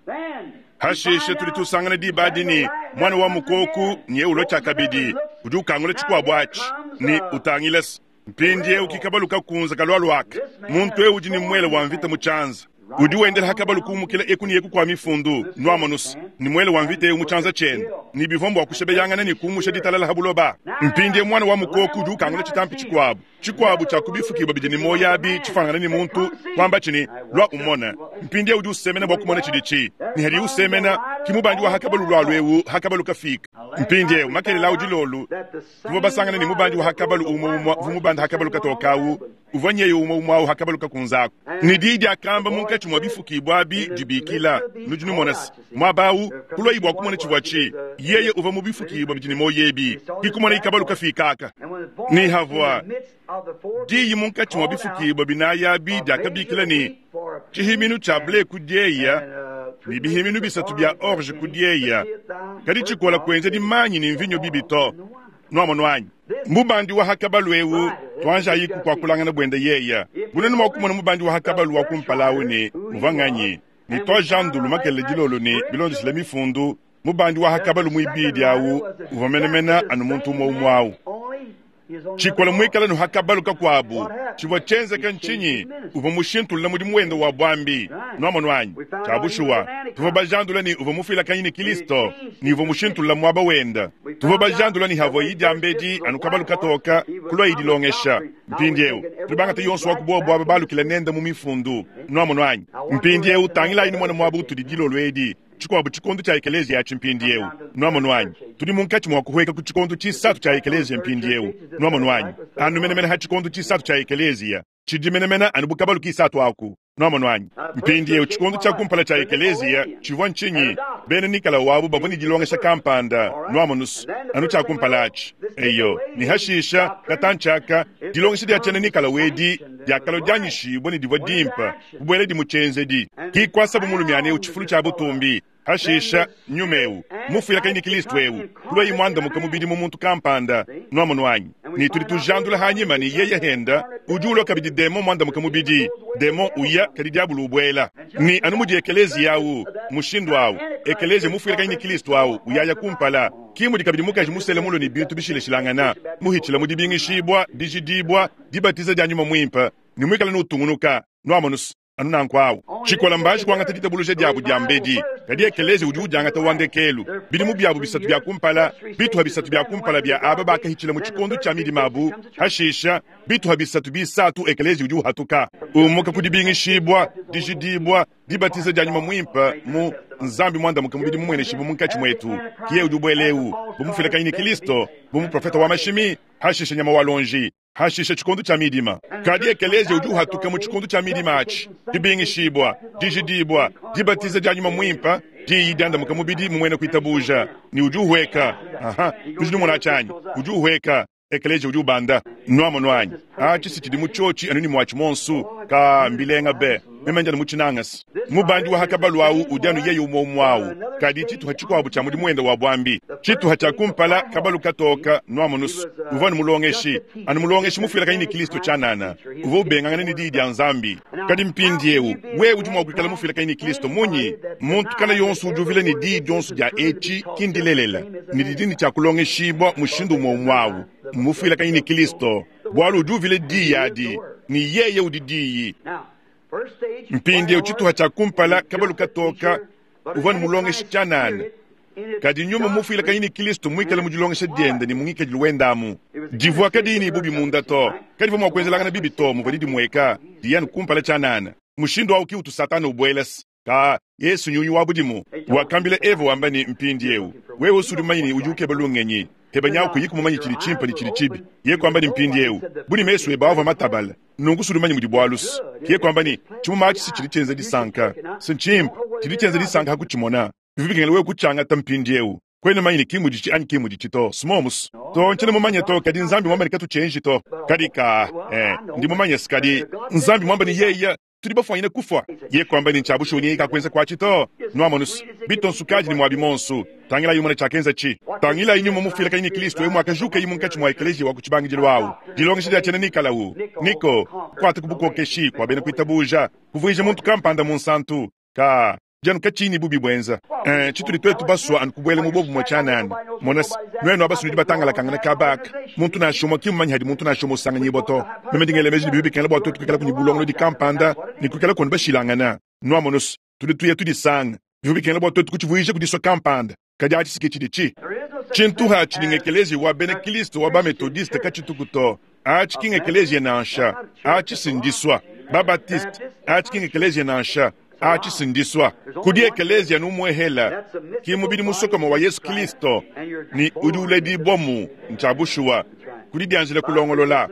Hashishe tuli tusangana diba adi mwana wa mukoku nye ulo tshiakabidi udi ukangula tshikuabu atshi ni utangilesa mpindiewu kikabalu kakunza kalwalwaka muntu ewu udi ni mwele wa mvita mu tshianza udi wendela hakabalu kumukila eku ni eku kwa mifundu nwamonusa ni mwele wa mvita ewu mu tshianza tshiende ni bivombo akushebeyangana ni kumusha ditalala habuloba. Mpindie mwana wa mukoku udi ukangula tshitampi tshikuabu tshikuabu tshia kubifukibwa bidi ni moyo abi tshifangana ni muntu kwamba tshini lwa umona. Mpindie udi usemena bua kumona tshidi ni hadi usemena kimubandi wa hakabalu lwalu ewu hakabalu kafika. Mpindie makelela udi lolu tuvua basangana ni mubandi wa hakabalu umwe umwe vumubanda hakabalu katokawu uvua nyeyo umwe umwe awu hakabalu kakunzaku ni didi akamba munkatshi mwa bifukibwa abi dibikila nudi numonasi mwabawu kulwa bua kumona tshivua tshi yeye uva mu bifukibwa bidi ni moyo ebi kikumona ikabalu kafikaka ni havua diyi munkatshi mwa bifukibwa binaya abi diakabikila ni tshihiminu tshia ble kudieya ni bihiminu bisatu bia orge kudieya kadi tshikola kuenza dimanyi ni mvinyo bibi to nwamonwanyi mubandi wa hakabalu ewu twanja yiku kwa kulangana bwende yeya bunene mwa kumona mubandi wa hakabalu wa kumpalawu ni uvanganyi ni twajandulu makele dilolo ni bilondesela mifundu mubandi wa hakabalu mwibidi awu uvamenemena anu muntu umwe umwe awu tshikola mwikala nu hakabalu kakuabu tshivua tshienzeka ntshinyi uvua mushintulula mudimu wende wa bwambi nwamonwanyi tshia tuvua bajandula ni uvua mufuilakanyi ni Kristo ni uvua mushintulula mwaba wenda tuvua bajandula ni havua idi ambedi anu kabalu katoka kulwa idilongesha mpindiewu tuli yonso wa kubuwa aba balukila nenda mu mifundu nwamonwanyi mpindiewu tangilayi ni mwana mwaba utudi dilolo edi tshikuabu tshikondo tshia ekelezia yatshi mpindiewu nwamonwanyi tudi munkatshi mwa kuhweka ku tshikondo tshisatu tshia ekelezia mpindiewu nwamonwanyi anu menemene ha tshikondo tshisatu tshia ekelezia tshidi menemene anu bukabalu kisatu aku nwamonwanyi mpindiewu tshikondo tshia kumpala tshia ekelezia tshivua ntshinyi bena nikala wabu bavua ni dilongesha kampanda nwamonusu anu tshia kumpala atshi eyo ni hashisha katantshaka dilongesha dia tshiena nikala wedi diakalo dianyishibwa ni divua dimpa kubwela di mutshenzedi kikwasa bumulumiane tshifulu tshia butumbi hashisha nyumewu mufuilakanyi ni Kristo ewu kulwa imwandamuka mubidi mu muntu kampanda nwamonwanyi ni tuli tujandula hanyima ni yeye henda udi ulwa kabidi demo mwandamuka mubidi demo uya kadi diabulu ubwela ni anu mudi ekelezia awu mushindu awu ekelezia mufuilakanyi ni Kristo awu uyaya kumpala kimudi kabidi mukaji musele mulo ni bintu bishileshilangana muhitshila mudibingishibwa dijidibwa dibatiza dia nyuma mwimpa ni mwikala nutungunuka nwamonusu anu nanku awu tshikola mbaji kuangata ditabuluja diabu dia mbedi kadi ekelezia udi udiangata wandekelu bidimu biabu bisatu bia kumpala bituha bisatu bia kumpala bia aba bakahitshila mu tshikondo tshia midima abu hashisha bituha bisatu bisatu ekelezia udi uhatuka umuka kudibingishibwa dijidibwa dibatiza dia nyuma mwimpa mu Nzambi mwandamuka mubidi mumweneshibu munkatshi mwetu kiye udi ubwelewu bumufuilakanyi ni Kristo bumuprofeta wa mashimi hashisha nyama wa lonji hashisha tshikondo tshia midima kadi ekelezia udi uhatuka mu tshikondo tshia midima atshi dibingishibwa dijidibwa dibatiza dia nyuma mwimpa diyi diandamuka mubidi mumwene kuitabuja ni udi uhweka aha tudi numona tshianyi udi uhweka ekelezia udi ubanda nwamonwanyi atshi si tshidi mu tshotshi anu ni mwatshi monsu ka mbilenga be meme njana mutshinangasi mubandi wa hakabalu awu udi anu yeye umwe umwe awu kadi tshituha tshikuabu tshia mudimu wende wa bwambi tshituha tshia kumpala kabalu katoka nwamonusu uvua nu mulongeshi anu mulongeshi mufuilakanyi ni Kristo tshianana uvua ubengangana ni diyi dia Nzambi kadi mpindiewu wewe udi mua kuikala mufuilakanyi ni Kristo munyi muntu kala yonso udi uvila ni diyi dionso dia etshi kindilelela ni didini tshia kulongeshibwa mushindu umwe umwe awu mufuilakanyi ni Kristo bwalu udi uvila diyi adi Ne yeye udi Diyi. Mpindieu tshituha tshia kumpala kabalu katoka uvua ne mulongeshi tshianana. Kadi nyuma mufuilakanyi ne Kristo muikale mu dilongesha diende ne mu ngikadilu wende amu. Divua kadiyi ne bubi munda to, kadivua mua kuenzelangana bibi to, muvua didimueka diya ne kumpala tshianana. Mushindu awu ki utu Satana ubuela ka Yesu nyunyu wa budimu. Wakambila Eva wamba ne mpindieu, wewe usudi mumanye ne udi ukeba lungenyi, heba nyawu kuyi kumumanye tshidi tshimpe ne tshidi tshibi. Ye kuamba ne mpindieu, buni mesu ebe avua matabala, nunku usudi mumanye mudi bualu. Ye kuamba ne tshimuma atshi si tshidi tshienza disanka, si ntshimpe, tshidi tshienza disanka ha kutshimona. Bivua bikengela wewe kutshiangata mpindieu. Kwena mumanye ne ki muditshi anyi ki muditshi to, simomus. To ntshiena mumanye to, kadi Nzambi muamba ne katutshienji to. Kadi ka, eh, ndi mumanye si kadi Nzambi muamba ne yeye tudi bafuanyine kufua. Ye kuamba ne ntshiabushuwa ne kakuenza kuatshi to. Nuamonus, bitonsu kadi ne muabi monsu. Tangilayi umona tshiakenza tshi. Tangilayi nyuma mufuilakanyi ne Kristo eu muakajuka yi munkatshi mua ekeleziya wa ku tshibangidilu awu. Dilongesha dia tshiena Nikalawu. Niko, kuata ku bukokeshi kua bena kuitabuja, kuvuija muntu kampanda munsantu. Ka dianu katshiyi ne bubi buenza. Eh, tshitudi twetu basua anu kubuela mu bobumue tshianana. Mona se, nuenu aba sunudi batangalakangana kabaka. Muntu nansha umue ki mumanye hadi muntu nansha umue usanganyibua to. Meme ndi ngela meji ne bibi bikengela bua twetu kuikala kuni bulongolodi kampanda ne kuikala kunu bashilangana. Nuamono se, tudi tuya tudisanga. Bivua bikengela bua twetu kutshivuija kudisua kampanda. Kadi atshi si ke tshidi tshi. Tshintu hatshi ni ngekeleziya wa bena Kristo wa ba Methodiste katshituku to. Atshi ki ngekeleziya nansha. Atshi si ndisua. Ba Baptiste, atshi ki ngekeleziya nansha. Atshi si ndisua. Kudi ekeleziya numuehela, ki mubidi musokoma wa Yesu Kristo, ne udi uledibua mu ntshia bushuwa. Kudi dianjila kulongolola.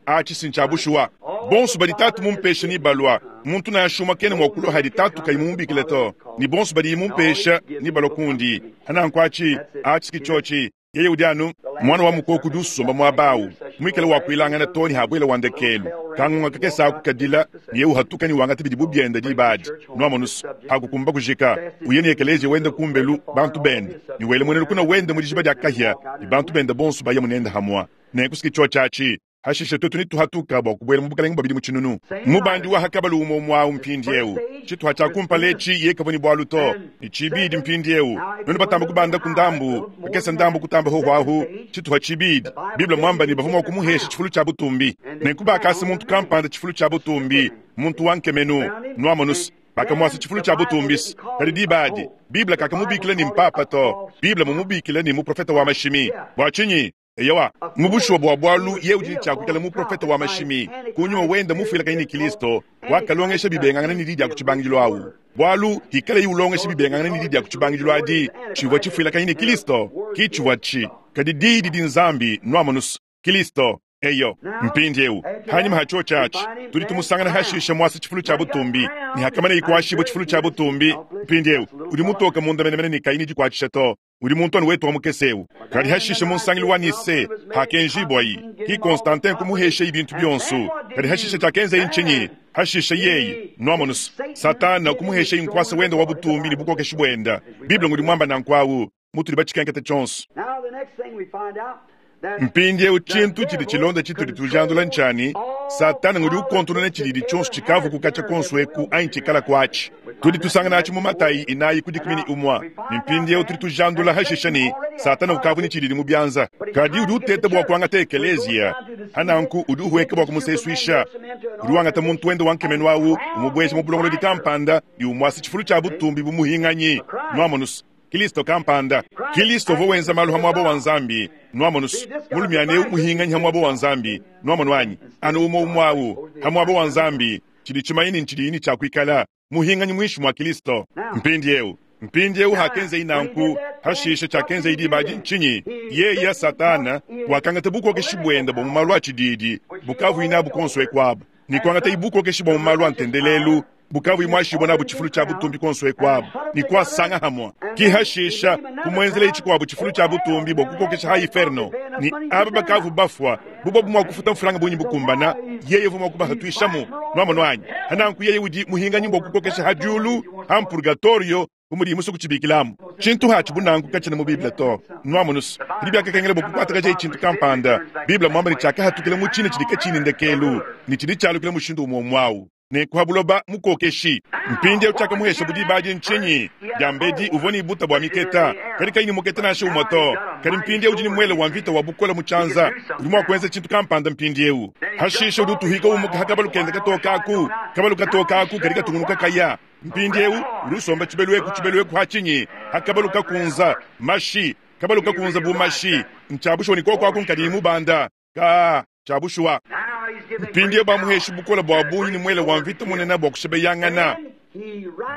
Atshi si ntshia bushuwa. Bonso badi tatu mumpesha ni balua. Muntu nansha umue kena mua kulua hadi tatu kayi mumubikile to. Ne bonso badi mumpesha ni balua kundi. Hananku atshi, atshi ki tshiotshi. Yeye udi anu mwana wa mukoko udi usomba muaba awu, muikale wa kuilangana to ne habuela wa ndekelu. Kangunga kakese aku kadila, ne yeye uhatuka ne wangata bidibu biende diba adi. Nuamonusu, hakukumba kujika, uye ne ekeleziya wende kumbelu bantu bende, ne wele muena lukuna wende mu dijiba dia kahia, ne bantu bende bonso baya munende hamua. Nenku tshiotshi atshi, hashishe twetu nituhatuka bua kubuela mu bukalenge bua bidimu tshinunu. Mubandi wa hakabalu umue umue awu mpindieu. Tshituha tshia kumpala etshi ye kavua ne bualu to, ne tshibidi mpindieu. Nuenu batamba kubanda ku ndambu, kakese ndambu kutamba hoho tshituha tshibidi. Bible muamba ne bavua mua kumuhesha tshifulu tshia butumbi. Nenku bakasa muntu kampanda tshifulu tshia butumbi, muntu wa nkemenu, nuamonus. Bakamuasa tshifulu tshia butumbi. Kadi diba adi, Bible kakamubikila ne mpapa to. Bible mumubikila ne muprofeta wa mashimi. Bua tshinyi? Eyowa, mu bushuwa bua bualu ye udi ne tshia kuikala muprofeta wa mashimi, kunyuma wende mufuilakanyi ne Kristo, wakalongesha bibengangana ne di dia ku tshibangidilu awu. Bualu hikala yi ulongesha bibengangana ne di dia ku tshibangidilu adi, tshivua tshifuilakanyi ne Kristo, ki tshivua tshi. Kadi di didi Nzambi nuamonus Kristo. Eyo, mpindieu hanyima ha tshiotshi atshi, tudi tumusangana hashisha muasa tshifulu tshia butumbi, ne hakamana ikuashibua tshifulu tshia butumbi. Mpindieu udi mutoka munda menemene ne kayi ne dikuatshisha to. Udi muntu anu wetu wa mukese eu. Kadi hashisha mu nsangilu wa Nise, hakenjibua yi, ki Constantin kumuhesha yi bintu bionso. Kadi hashisha tshiakenza yi ntshinyi? Hashisha yeye, nuamonus, Satana kumuhesha yi nkuasa wende wa butumbi ne bukokeshi buenda. Bible ngudi muamba nanku awu, mutudi batshikenkete tshionso. Now the next thing we find out that Mpindieu tshintu tshidi tshilonda tshitudi tujandula ntshani, Satana ngudi ukontonona tshididi tshionso tshikavu kukatshia konso eku anyi tshikala kuatshi. Tudi tusangana atshi mu Matayi inayi ku dikumi ne umue. Ne mpindieu tudi tujandula hashisha ne Satana ukavu ne tshididi mu bianza. Kadi udi uteta bua kuangata ekeleziya. Hananku udi uhueka bua kumusesuisha. Udi wangata muntu wende wa nkemenu awu, umubueja mu bulongolodi kampanda, ne umuasa tshifulu tshia butumbi bumuhinganyi. Nuamonus, Kristo kampanda. Kristo uvua wenza malu ha muaba wa Nzambi. Nuamonus, mulumiane eu muhinganyi ha muaba wa Nzambi. Nuamonu anyi? Anu umue umue awu ha muaba wa Nzambi. Tshidi tshimanyine ne tshidi ni tshia kuikala muhinganyi muinshi mua Kristo. Mpindieu, mpindieu hakenza nanku, hashisha tshiakenza diba adi ntshinyi? Yeye Satana wakangata bukokeshi buende bua mu malu a tshididi, bukavu inabu konso ekuabu. Ne kuangata ibukokeshi bua mu malu a ntendelelu, bukavu imuashibua nabu tshifulu tshia butumbi konso ekuabu. Ne kuasanga hamua. Ki hashisha kumuenzela tshikuabu tshifulu tshia butumbi bua kukokesha ha inferno. Ne aba bakavu bafua, bubobu mua kufuta mfranga bunyi bukumbana, yeye uvua mua kubahatuishamu. Nuamono anyi? Hananku yeye udi muhinganyi bua kukokesha ha diulu, ha mpurgatorio, bumudi musu kutshibikilamu. Tshintu hatshi bunanku katshina mu Bible to. Nuamonus, kadi biakakengela bua kukuatakaja tshintu kampanda. Bible muamba ne tshiakahatukila mu tshina tshidi katshini ndekelu, ne tshidi tshialukila mushindu umue umue awu. Nenku ha buloba mukokeshi. Mpindieu tshiakamuhesha bu diba adi ntshinyi? Diambedi uvua ne buta bua miketa, kadi kayi ne muketa nansha umue to. Kadi mpindieu udi ne muele wa mvita wa bukole mu tshianza, udi mua kuenza tshintu kampanda mpindieu. Hashishe udi utuhika umuka ha kabalu kende katoka aku, kabalu katoka aku kadi katungunuka kaya. Mpindieu udi usomba tshibelu eku tshibelu eku ha tshinyi? Ha kabalu kakunza mashi, kabalu kakunza bu mashi. Ntshiabushuwa ne koko aku nkadi mubanda ka tshiabushuwa. Mpindieu bamuheshi bukole bua bungi ne muele wa mvita munene bua kushebeyangana.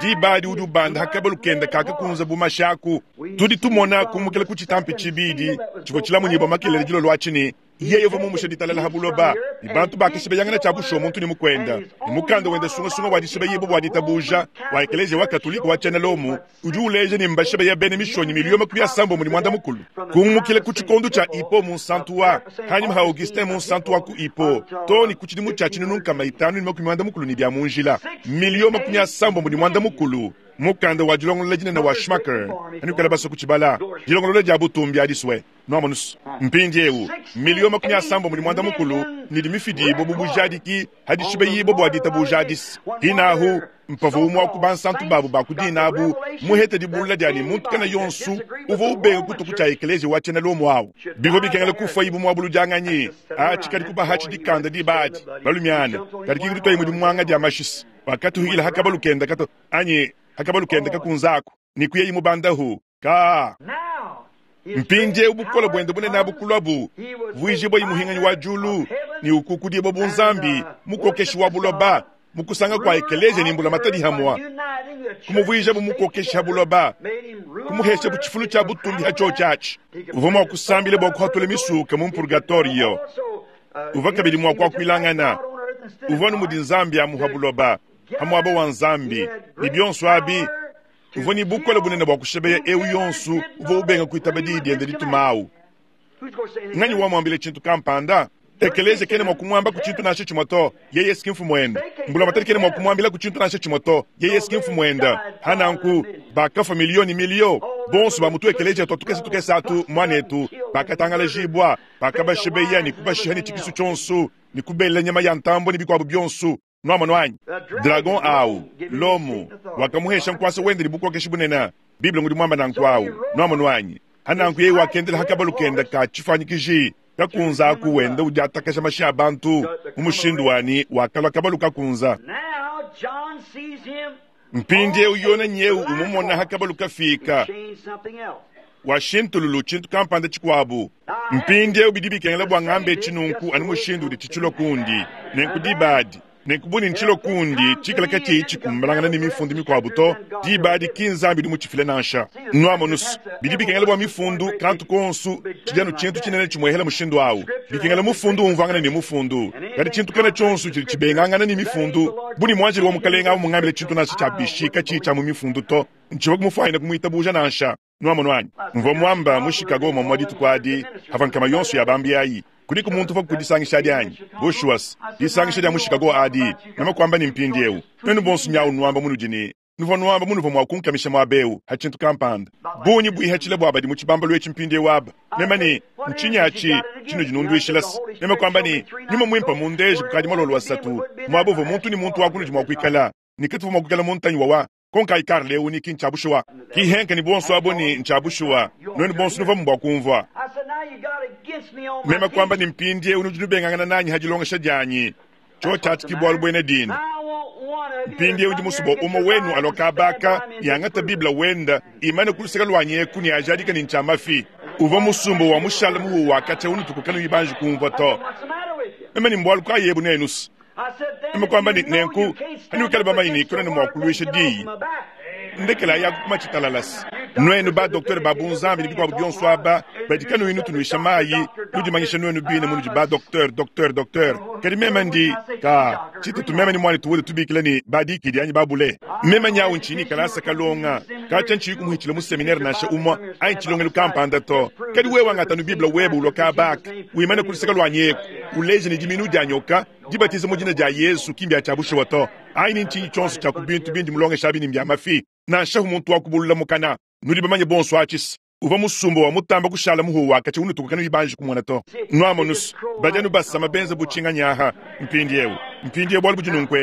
Diba adi udi ubanda ha kabalu kende kakakunza bu mashi aku. Tudi tumona kumukila ku tshitampi tshibidi tshivua tshilamunyibua makelele dilolo atshi ne yeye uvua mumushe ditalala ha buloba, ne bantu bakashebeyangana tshiabushuwa muntu ne mukuenda. Ne mukanda wenda sungasunga wa dishebeyibua bua ditabuja wa Ekeleziya wa Katolika wa tshiena Lomo udi uleja ne mbashebeya bena mishonyi miliyo makumi asambombo ne muanda mukulu. Kumukila ku tshikondo tshia Hippo munsantu wa hanyima ha Augustin munsantu wa ku Hippo too ne ku tshidimu tshia tshinunu nkama itanu ne makumi muanda mukulu ne bia mu njila miliyo makumi asambombo ne muanda mukulu. Mukanda wa dilongolola dinene wa Schmucker anukala basue kutshibala dilongolola dia butumbi adisue nuamonusu. Mpindieu miliyo makumi asambombo ne muanda mukulu ne dimifidibua bu bujadiki hadishibeyibua bua ditabuja adisi. Hinahu mpavua umue wa ku bansantu babu ba ku dina abu muhete dibulula dia ne muntu kana yonsu uvua ubenga kutuku tshia ekeleziya wa tshiena Lomo awu. Bivua bikengela kufua ibu muabuludianganyi atshi kadi kubahatshi dikanda diba adi balumiana kadi kikuditwayi mudi muanga dia mashisi wakatuhikila ha kabalu kenda kato anyi ha kabalu kenda kakunzaku ne kuyeyi mubandahu ka. Mpindieu bukole buende bunene abu kulwabu vuijibua imuhinganyi wa julu ne ukukudibua bu Nzambi mukokeshi wa buloba mukusanga kwa ekeleziya ne mbula matadi hamwa kumuvuija bu mukokeshi ha buloba kumuhesha bu tshifulu tshia butumbi ha tshio tshiatshi. Uvua mua kusambila bua kuhatula misuka mu purgatorio, uvua kabidi mua kuakuilangana, uvua nu mudi Nzambi amuha buloba ha muaba wa Nzambi ne bionso abi. Uvua ne bukole bunene bua kushebeya eu yonsu uvua ubenga kuitaba diyi diende ditumawu. Nganyi wamuambile tshintu kampanda? Ekeleziya kena mua kumuamba ku tshintu nansha tshimue to, yeye si mfumu wende. Mbula matadi kena mua kumuambila ku tshintu nansha tshimue to, yeye si mfumu wende. Hananku bakafa miliyo ne miliyo bonso ba mutu ekeleziya twa tukese tukese atu mwanetu bakatangalajibwa bakabashebeya ne kubashiha ne tshikisu tshionso ne kubela nyama ya ntambo ne bikuabu bionso. Nuamono anyi? Dragon au Lomo wakamuhesha nkwasa wende ne bukokeshi bunene. Biblia ngudi mwamba nanku au. Nuamono anyi? Hananku yeye wakendela hakabalu kenda ka tshifanyikiji kakunza aku wenda udi atakasha mashi a bantu mu mushindu wani wakalua kabalu kakunza. Mpindieu yona nyeu umumona hakabalu kafika washintululu tshintu kampanda tshikuabu. Mpindieu bidi bikengela bua ngambe tshinunku anu mushindu udi tshitshilo kundi nenku dibadi nenku buni ntshilo kundi tshikala katshiyi tshikumbalangana ne mifundu mikuabu to dibadi ki Nzambi udi mutshifile nansha. Nuamonusu bidi bikengela bua mifundu kantu konsu tshidi anu tshintu tshinene tshimuehela mushindu awu. Bikengela mufundu umvuangana ne mufundu, kadi tshintu kana tshionso tshidi tshibengangana ne mifundu. Buni muanjeli wa mukalenga awu mungambile tshintu nansha tshia bishi katshiyi tshia mu mifundu to ntshivua kumufuanyina kumuitabuja nansha. Nuamono anyi? Mvua mwamba mu Chicago mwamwa dituku adi hava nkama yonso ya bambi ayi kudiku muntu uvua kudisangisha adi anyi? Bushuwas disangisha dia mu Chicago adi mema kuamba ne mpindieu nuenu bonso nyawu nuamba munudi ne nuvua nuamba munuvua mua kunkamisha muaba ha tshintu kampanda bungi buihatshile bua badi mu tshibambalu etshi mpindieu aba mema ne ntshinyi atshi tshinudi nunduishilasi mema kuamba ne nyuma muimpe mundeje kukadi malolo asatu muaba uvua muntu ne muntu wa kunudi mua kuikala ne katuvua mua kuikala muntanyi wawa konka ikar leo ni ki ntshiabushuwa ki henka ni bonso abo ni ntshiabushuwa nuenu bonso nuvua mbua kumvua mema kuamba ni mpindieu nudi nubengangana nanyi ha dilongesha dianyi tshio tshiatshi ki bualu buena dina mpindieu ndi musubo umue wenu aloka baka yangata Biblia wenda imane kuluseka lwanyi eku ne ajadika ni ntshiamafi uvua musumbo wa mushala muhu wakatshia unutuku ibanji kumvua to mema ni mbualu kayebu nenusi mema kuamba ni nenku anuikale bamanyi ni kuna ne mua kuluisha diyi ndekela ya kuma tshitalalasi nuenu ba docteur ba bunzambi ne bikuabu bionso aba badi kanuyi tunuisha mayi nudimanyisha nuenu bine munudi ba docteur docteur docteur kadi mema ndi ka tshitutu mema ni mwani tuwule tubikila ni badikidi anyi babule mema nyawu nchini kalasa kalonga katsha nchiyi kumuhitshila mu seminaire nansha umwa anyi tshilongelu kampanda to kadi wewe wangata nu Biblia webe uloka baka wimane kuluseka lwanyi eku uleje ne diminu dia nyoka dibatiza mu dina dia Yesu kimbya tshia bushuwa to ayi nchinyi tshionso tshia ku bintu bindi mulongesha bini mbya mafi nansha muntu wa kubulula mukana nudi bamanye bonso atshisi Uvua musumba wa mutamba kushala muhu wakatshia unutuka kanuyi kumona to. Nwamonusu, badi anu basama benza butshinganyaha mpindiewu. Mpindiewu bualu budi nunku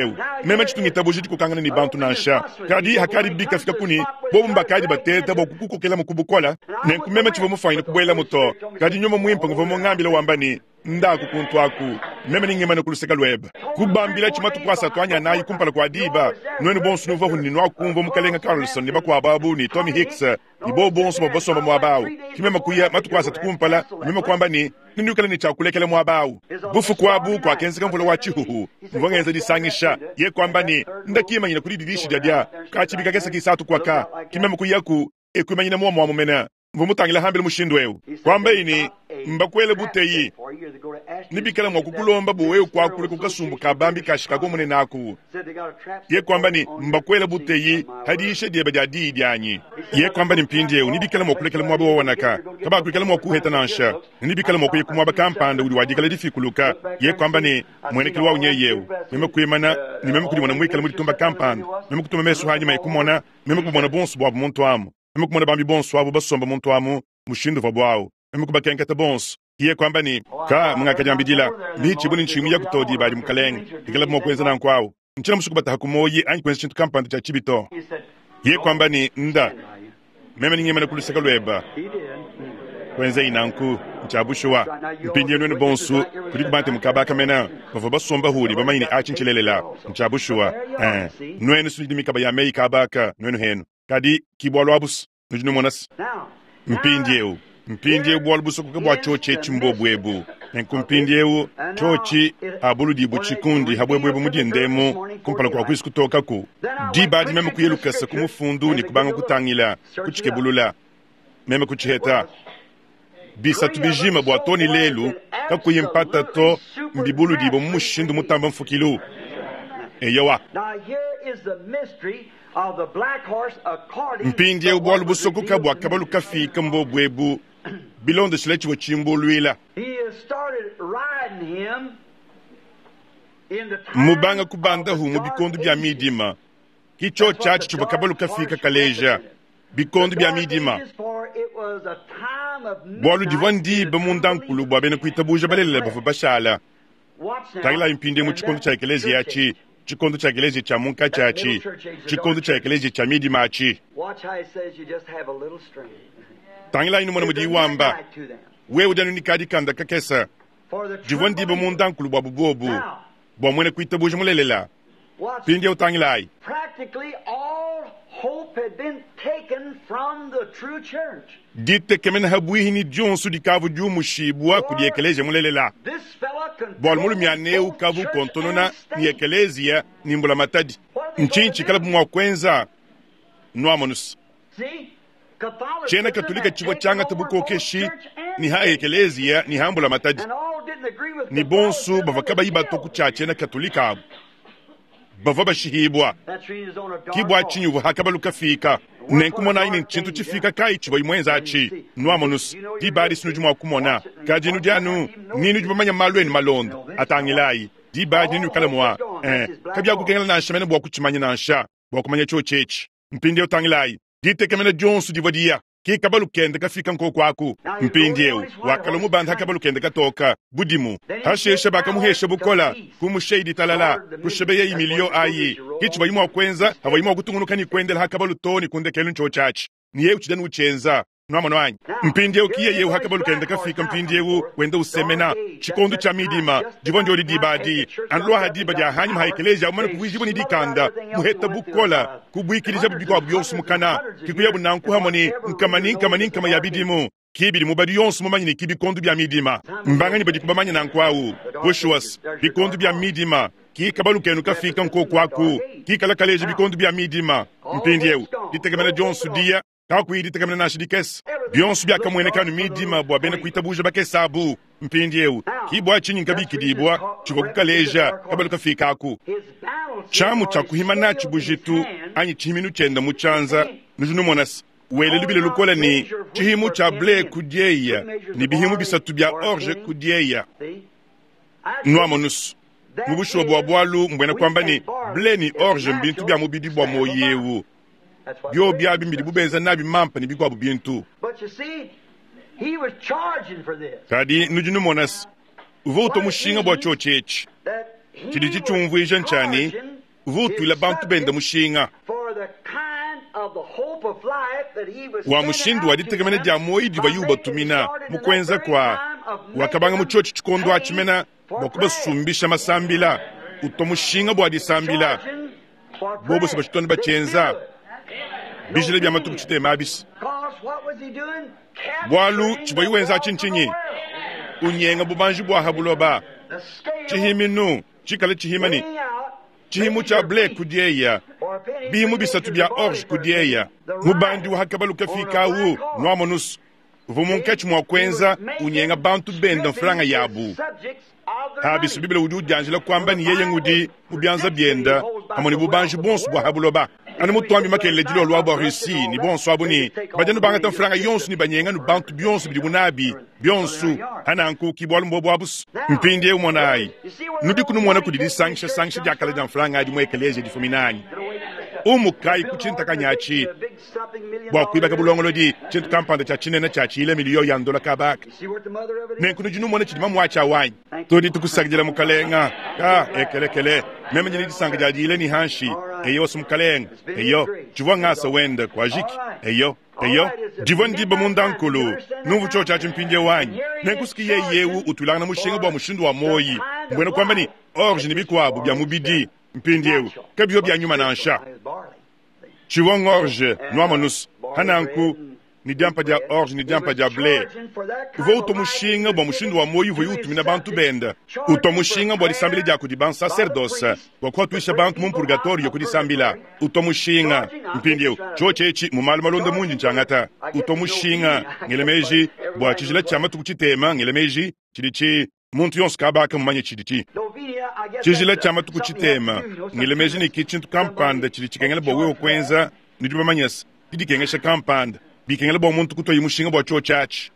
meme tshitungitabuja dikokangana ne bantu nansha. Kadi hakadi bikafika kuni, bobu mbakadi bateta bua kukukokela mu kubukola. Nenku meme tshivua mufanyine kubuelamu to. Kadi nyuma mwimpe nguvua mungambile wamba ne, ndaku kuntu aku, meme ningemana ku luseke lwebe. Kubambila tshimatuku asatu anyi anayi kumpala kua diba, nuenu bonso nuvahu ne nuakumvua mukalenga Carlson ne bakuabu abu ne Tommy Hicks ne bobu bonso bavua basomba muaba awu. Ki meme kuya matuku asatu kumpala, meme kuamba ne, nindikala ne tshiakulekela muaba awu. Bufuku abu kuakenzeka mvula wa tshihuhu, mvua ngenza disangisha, ye kuamba ne, ndakimanyina kudi didishi dia dia, katshibika kesa kisatu kwaka, ki meme kuyaku, ekwimanyina muomo wa mumena. Mvua mutangila hambile mushindu ewu. Kwamba ini, mbakwele buteyi. Nibikala mwa kukulomba buwewu kwakule kukasumbu ka bambi ka Chicago munene aku. Ye kwamba ni mbakwele buteyi hadiisha dieba dia diyi dianyi. Ye kwamba ni mpindiewu nibikala mwa kulekela mwaba wa wanaka. Kabakuikala mwa kuheta nansha. Nibikala mwa kuya kumwaba kampanda udi wadikala difikuluka. Ye kwamba ni mwenekelo wa unyeyewu. Meme kuimana ni meme kudimona mwikala muditumba kampanda. Meme kutuma mesu hanyuma ikumona, meme kubona bonso bwabu muntu amu. Meme kumona bambi bonso abo basomba muntu amu mushindu wa bwawu. Meme kubakenketa bonso. Iye kwamba ni ka mungakajambidila michi buni nchimu ya kutodi bali mukalenge ikala mwa kwenza nanku awu nchina musuku bataha kumoyi anyi kwenza chintu kampanda cha chibito. Iye kwamba ni nda meme ningemana kuluseka lweba kwenza inanku nchabushuwa mpindie nwenu bonso kuli kubante mukabaka mena bavua basomba huli bamanyine achi nchilelela nchabushuwa eh nwenu sunidi mikaba ya meyi kabaka nwenu henu kadi kibwa lwabusu nujinu monasi mpindiewu mpindiewu bwalu busokoka bwa chochi echimbobwebu nenku mpindiewu chochi abuludibu chikundi habwebwebu mudindemu kumpala kwa kwisi kutokaku diba meme kuyelukasa kumufundu ni kubanga kutangila kuchikebulula meme kuchiheta bisatu bijima bwa toni lelu kakuyi mpata to mbibuludibu mumushindu mutamba mfukilu eyowa. Mpindiewu bwalu busokoka bwa kabalu kafika mbobwebu bilondeshile tshivua tshimbuluila. Mubanga kubandahu mu bikondo bya midima kicho chachi tshivua kabalu kafika kaleja bikondo bya midima bwalu divua ndiba mundankulu bwa bena kuitabuja balelela bavua bashala. Tangila mpindie mu tshikondo tshia ekelezia atshi tshikondo tshia ekelezia tshia munkatshi atshi tshikondo tshia ekelezia tshia midima atshi. Tangila inu mwana mudi wamba wewe udi anu nikadi kanda kakesa divua ndiba mundankulu bwa bubobu bwa mwene kuitabuja mulelela pindie utangilayi. Ditekemena habwihi dionso dikavu diumushibwa kudi ekelezia mulelela bwalu mulumianeu kavu kontonona ni ekelezia ni mbula matadi nchinchi kalabu mwa kwenza nwamonus chena katolika chivua changa bukokeshi ni ha ekelezia ni hambula matadi ni bonso bava kabayi bato kucha chena katolika abu bava bashihibwa kibwa chinyuvu hakabalu kafika nenkumona ine nchintu chifika kai chivua imwenza achi nwamonus dibali sinu jumwa kumona kadinu dianu ninu jumamanya malu enu malondo atangilayi dibali ninu kalamwa eh kabya kukengela nansha mene bwa kuchimanya nansha bwa kumanya cho chechi mpindie utangilayi ditekemena dionso divua diya kikabalu kende kafika nkoko aku mpindiewu wakala mubanda hakabalu kende katoka budimu hashesha bakamuhesha bukola kumusheidi talala kushebeya imilio ayi kichi bayimwa kwenza habayimwa kutungunuka ni kwendela hakabalu toni kundekelu ncho chachi niye uchidani uchenza nwamono anyi mpindiewu kiye yewu hakabalu kende kafika mpindiewu wenda usemena chikondo cha midima divua ndio dibadi anlwa hadiba dia hanyuma haekelezia umana kuvujibu ni dikanda muheta bukola kubwikiriza bubikwa byonso mukana kikuya bunanku hamoni nkamani nkamani nkama ya bidimu kibili mubadi yonso mumanyi ni kibikondo bya midima mbangani badi kubamanya nanku awu bushuwas bikondo bya midima kikabalu kenu kafika nkoku aku kikala kaleja bikondo bya midima mpindiewu ditekemena dionso dia kakuyi ditekemena nansha dikese bionso byakamuenekanu midima bwa bena kuitabuja bakesabu mpindiewu kibwa chinyi nkabikidibwa chivua kukaleja kabalu kafika aku chamu cha kuhima nachi bujitu anyi chihiminu chenda muchanza nujunumonasi wele lubile lukola ni chihimu cha ble kudieya ni bihimu bisatu bya orge kudieya nwamonusu mubushuwa bwa bwalu mbwena kwamba ni ble ni orge mbintu bya mubidi bwa moyewu Byobi abi mbidi bubenza nabi mampa ne bikuabu bintu. Kadi nudi numona se uvua utua mushinga bua tshiotshi etshi. Tshidi tshitshiumvuija ntshia uvua utuila bantu bende mushinga wa mushindu wa ditekemena dia muoyo diva yubatumina mu kuenza kwa wakabanga mu tshiotshi tshikondo atshimena bua kubasumbisha masambila utua mushinga bua disambila bobo se bashitone batshienza bijila bya matuku tshitema abisi bwalu tshivua wenza atshintsinyi unyenga bubanji bwa habuloba tshihiminu tshikale tshihimani tshihimu tshia ble kudieya bihimu bisatu bya orge kudieya mubandi wa hakabalu kafikawu nwamonusu uvua munkatshi mua kuenza unyenga bantu benda mfranga yabu habisu bibile udi udianjila kuamba ni yeye ngudi mu byanza byenda pamue ne bubanji bonso bwa habuloba anu mutuambi makelele dilolo abo Russie ni bonso abo ni badianu bangata mfranga yonso ni banyenga nu bantu bionso bidi munabi bionso ananku kibwalu mbobo abusu mpindi eu monayi nudi kunumona kudi disangisha sangisha diakala dia mfranga adi mu ekelesia difuminanyi umukayi kutshintakanyachi bua kuibaka bulongolodi tshintu kampanda tshia tshinene tshia tshile miliyo ya ndola kabaka nenku nudi numona tshidi mamuatshi awanyi tudi tukusakidila mukalenga ka ekelekele meme nyini disanka dia dile ni hanshi eyo osu mukalenga eyo tshivua ngasa wenda kuajiki eyo eyo divua ndiba mundankulu numvu tsho tshiatshi mpindie wanyi nenkusuki yeyewu utulangana mushinga bua mushindu wa moyi mbwena kuamba ni orge ni bikuabu bya mubidi mpindiewu kabio bya nyuma nansha tshivua ngorge nuamonusu hananku ni diampa dia orge ni diampa dia ble uvua utua mushinga bua mushindu wa moyi uvua utumina bantu benda utua mushinga bua disambila dia kudi bansacerdoce bua kuatuisha bantu mu purgatorio kudisambila utua mushinga mpindiewu tshiotshi etshi mu malu malonda mundi ntshiangata utua mushinga ngele meji bua tshijila tshia matuku tshitema ngele meji tshidi tshi muntu yonso kabaka mumanye tshidi tshi tshijila tshia matuku tshitema ngele meji ni ki tshintu kampanda tshidi tshikengela bua wewe kuenza nudi bamanyese didikengesha kampanda bikengela bua muntu kutoyi mushinga bua tshiotshi atshi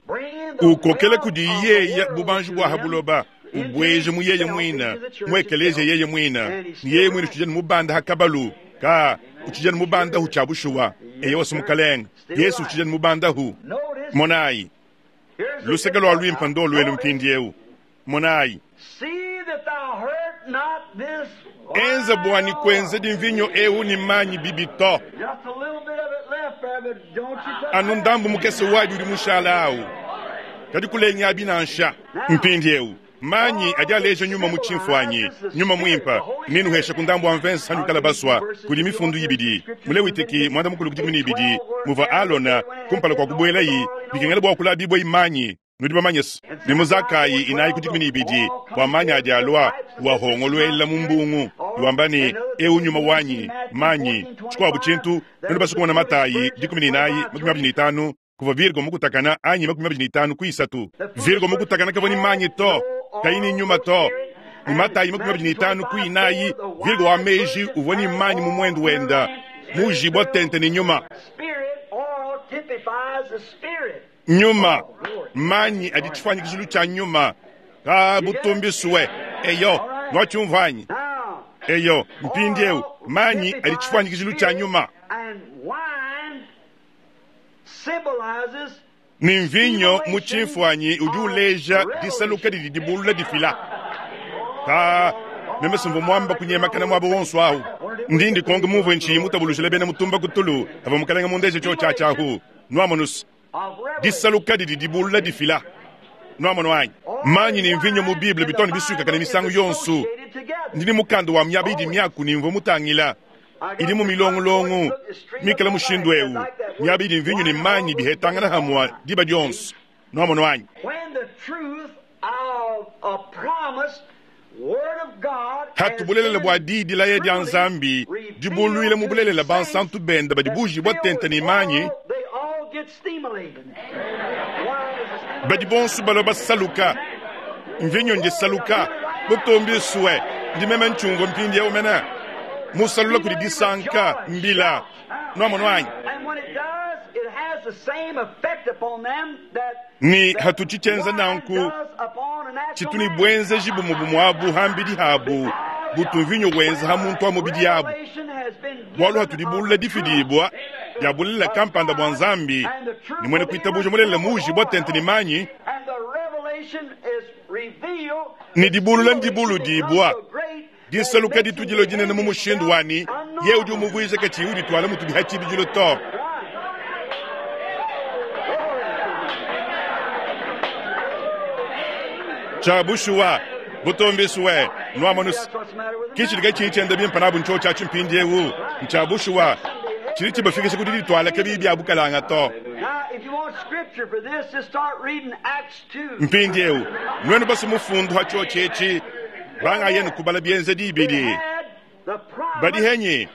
ukokela kudi yeye bubanji bua habuloba ubweje mu yeye mwina muekelesia yeye mwina ni yeye mwina utshijani mubanda hakabalu ka utshijani mubandahu tshia bushuwa eye wasi mukalenga yesu utshijani mubandahu monayi luseke lua lwimpa ndo lwelu mpindiewu monayi enza bwani kwenza dimvinyo ewu ni manyi bibito anu ndambu mukese wadi udi mushala awu kadi kulenya abi nansha mpindi ewu manyi adi aleja nyuma mu tshimfuanyi nyuma mwimpa ninuhesha ku ndambu wa mvensa hanukala baswa kudi mifundu ibidi mulewitiki mwanda mukulu kudi ibidi muva alona kumpala kwa kubuelayi bikengela bua kula bibwa imanyi nudi bamanyese ni muzakayi inayi kudi kumi ibidi bua manyi adi alua wahongoluela mu mbungu iwamba ni ewu nyuma wanyi manyi tshikuabu tshintu nudi basukumana matayi dikumi n'inayi makumi abidi n'itanu kuva virgo mukutakana anyi makumi abidi n'itanu ku isatu virgo mukutakana kavua ni manyi to kayi ni nyuma to ni matayi makumi abidi n'itanu ku inayi virgo wa meji uvua ni manyi mu mwendu wenda mujibwa tente ni nyuma nyuma manyi adi tshifuanyikishilu tshia nyuma ka butumbisuwe eyo nwatshiumvanyi eyo mpindiewu manyi adi tshifuanyikishilu tshia nyuma ni mvinyo mu tshimfuanyi udi uleja disaluka didi dibulula difila ka meme simvu mwamba kunyemakana mwabo wonso awu ndindi konge muvue ntshiyi mutabulujile bena mutumba kutulu ava mukalenga mundeje tsho tshiatshiahu nwamonusu disaluka didi dibulula difila nwamono anyi manyi ni mvinyo mu bible bitone bisukakana misangu yonso ndini mukanda wa miaba idi miaku ni mvua mutangila idi mu milongolongo mikala mushindu ewu miaba idi mvinyo ni manyi bihetangana hamwa diba dionso nwamono anyi hatu bulelela bua di dilaya dia nzambi dibuluile mu bulelela bansantu benda badi bujibwa tente ni manyi badi bonso balwa basaluka mvinyo ndisaluka butumbi suwe ndimeme ntshumvua mpindiewu mene musalula kudi disanka mbila nwamono anyi ni hatutshitshenza nanku tshitu ni bwenzeji bumwe bumwabu hambidi habu butu mvinyo wenza ha muntu wa mubidi yabu bwalu hatudibulula difidibwa dia bulelela kampanda bua Nzambi, ne muena kuitabuja mulelela muujibua tente ne manyi, ne dibulula ndibuludibua, disaluka ditudilo dinene mu mushindu wani, ye udi umuvuija katshiyi udituala mutudi ha tshibidilu to. Tshia bushuwa, butumbiswe, nuamonus, ke tshidi katshiyi tshienda bimpe nabu ntshiotshi atshi mpindiewu. Ntshia bushuwa, tshidi tshibafikisha ku didituala kabiyi bia bukalanga to. Now, if you want scripture for this, just start reading Acts two. Mpindiewu, nuenu basu mufundu ha tshiotshi etshi, banga yenu kubala bienzedi They ibidi. had the promise Badi henyi,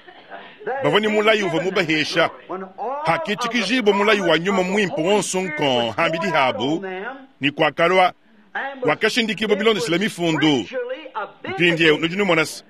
that bavua ne had been mulayi uvua given mubahesha. when all Hakitshikijibwa of the mulayi wa promise nyuma of the mwimpe Holy wonso Spirit nkon was hambidi poured out habu, on them ni kwakalwa and was- wakashindikibwa it bilondeshela was mifundu. scripturally a Mpindiewu vindicated. nudi numona se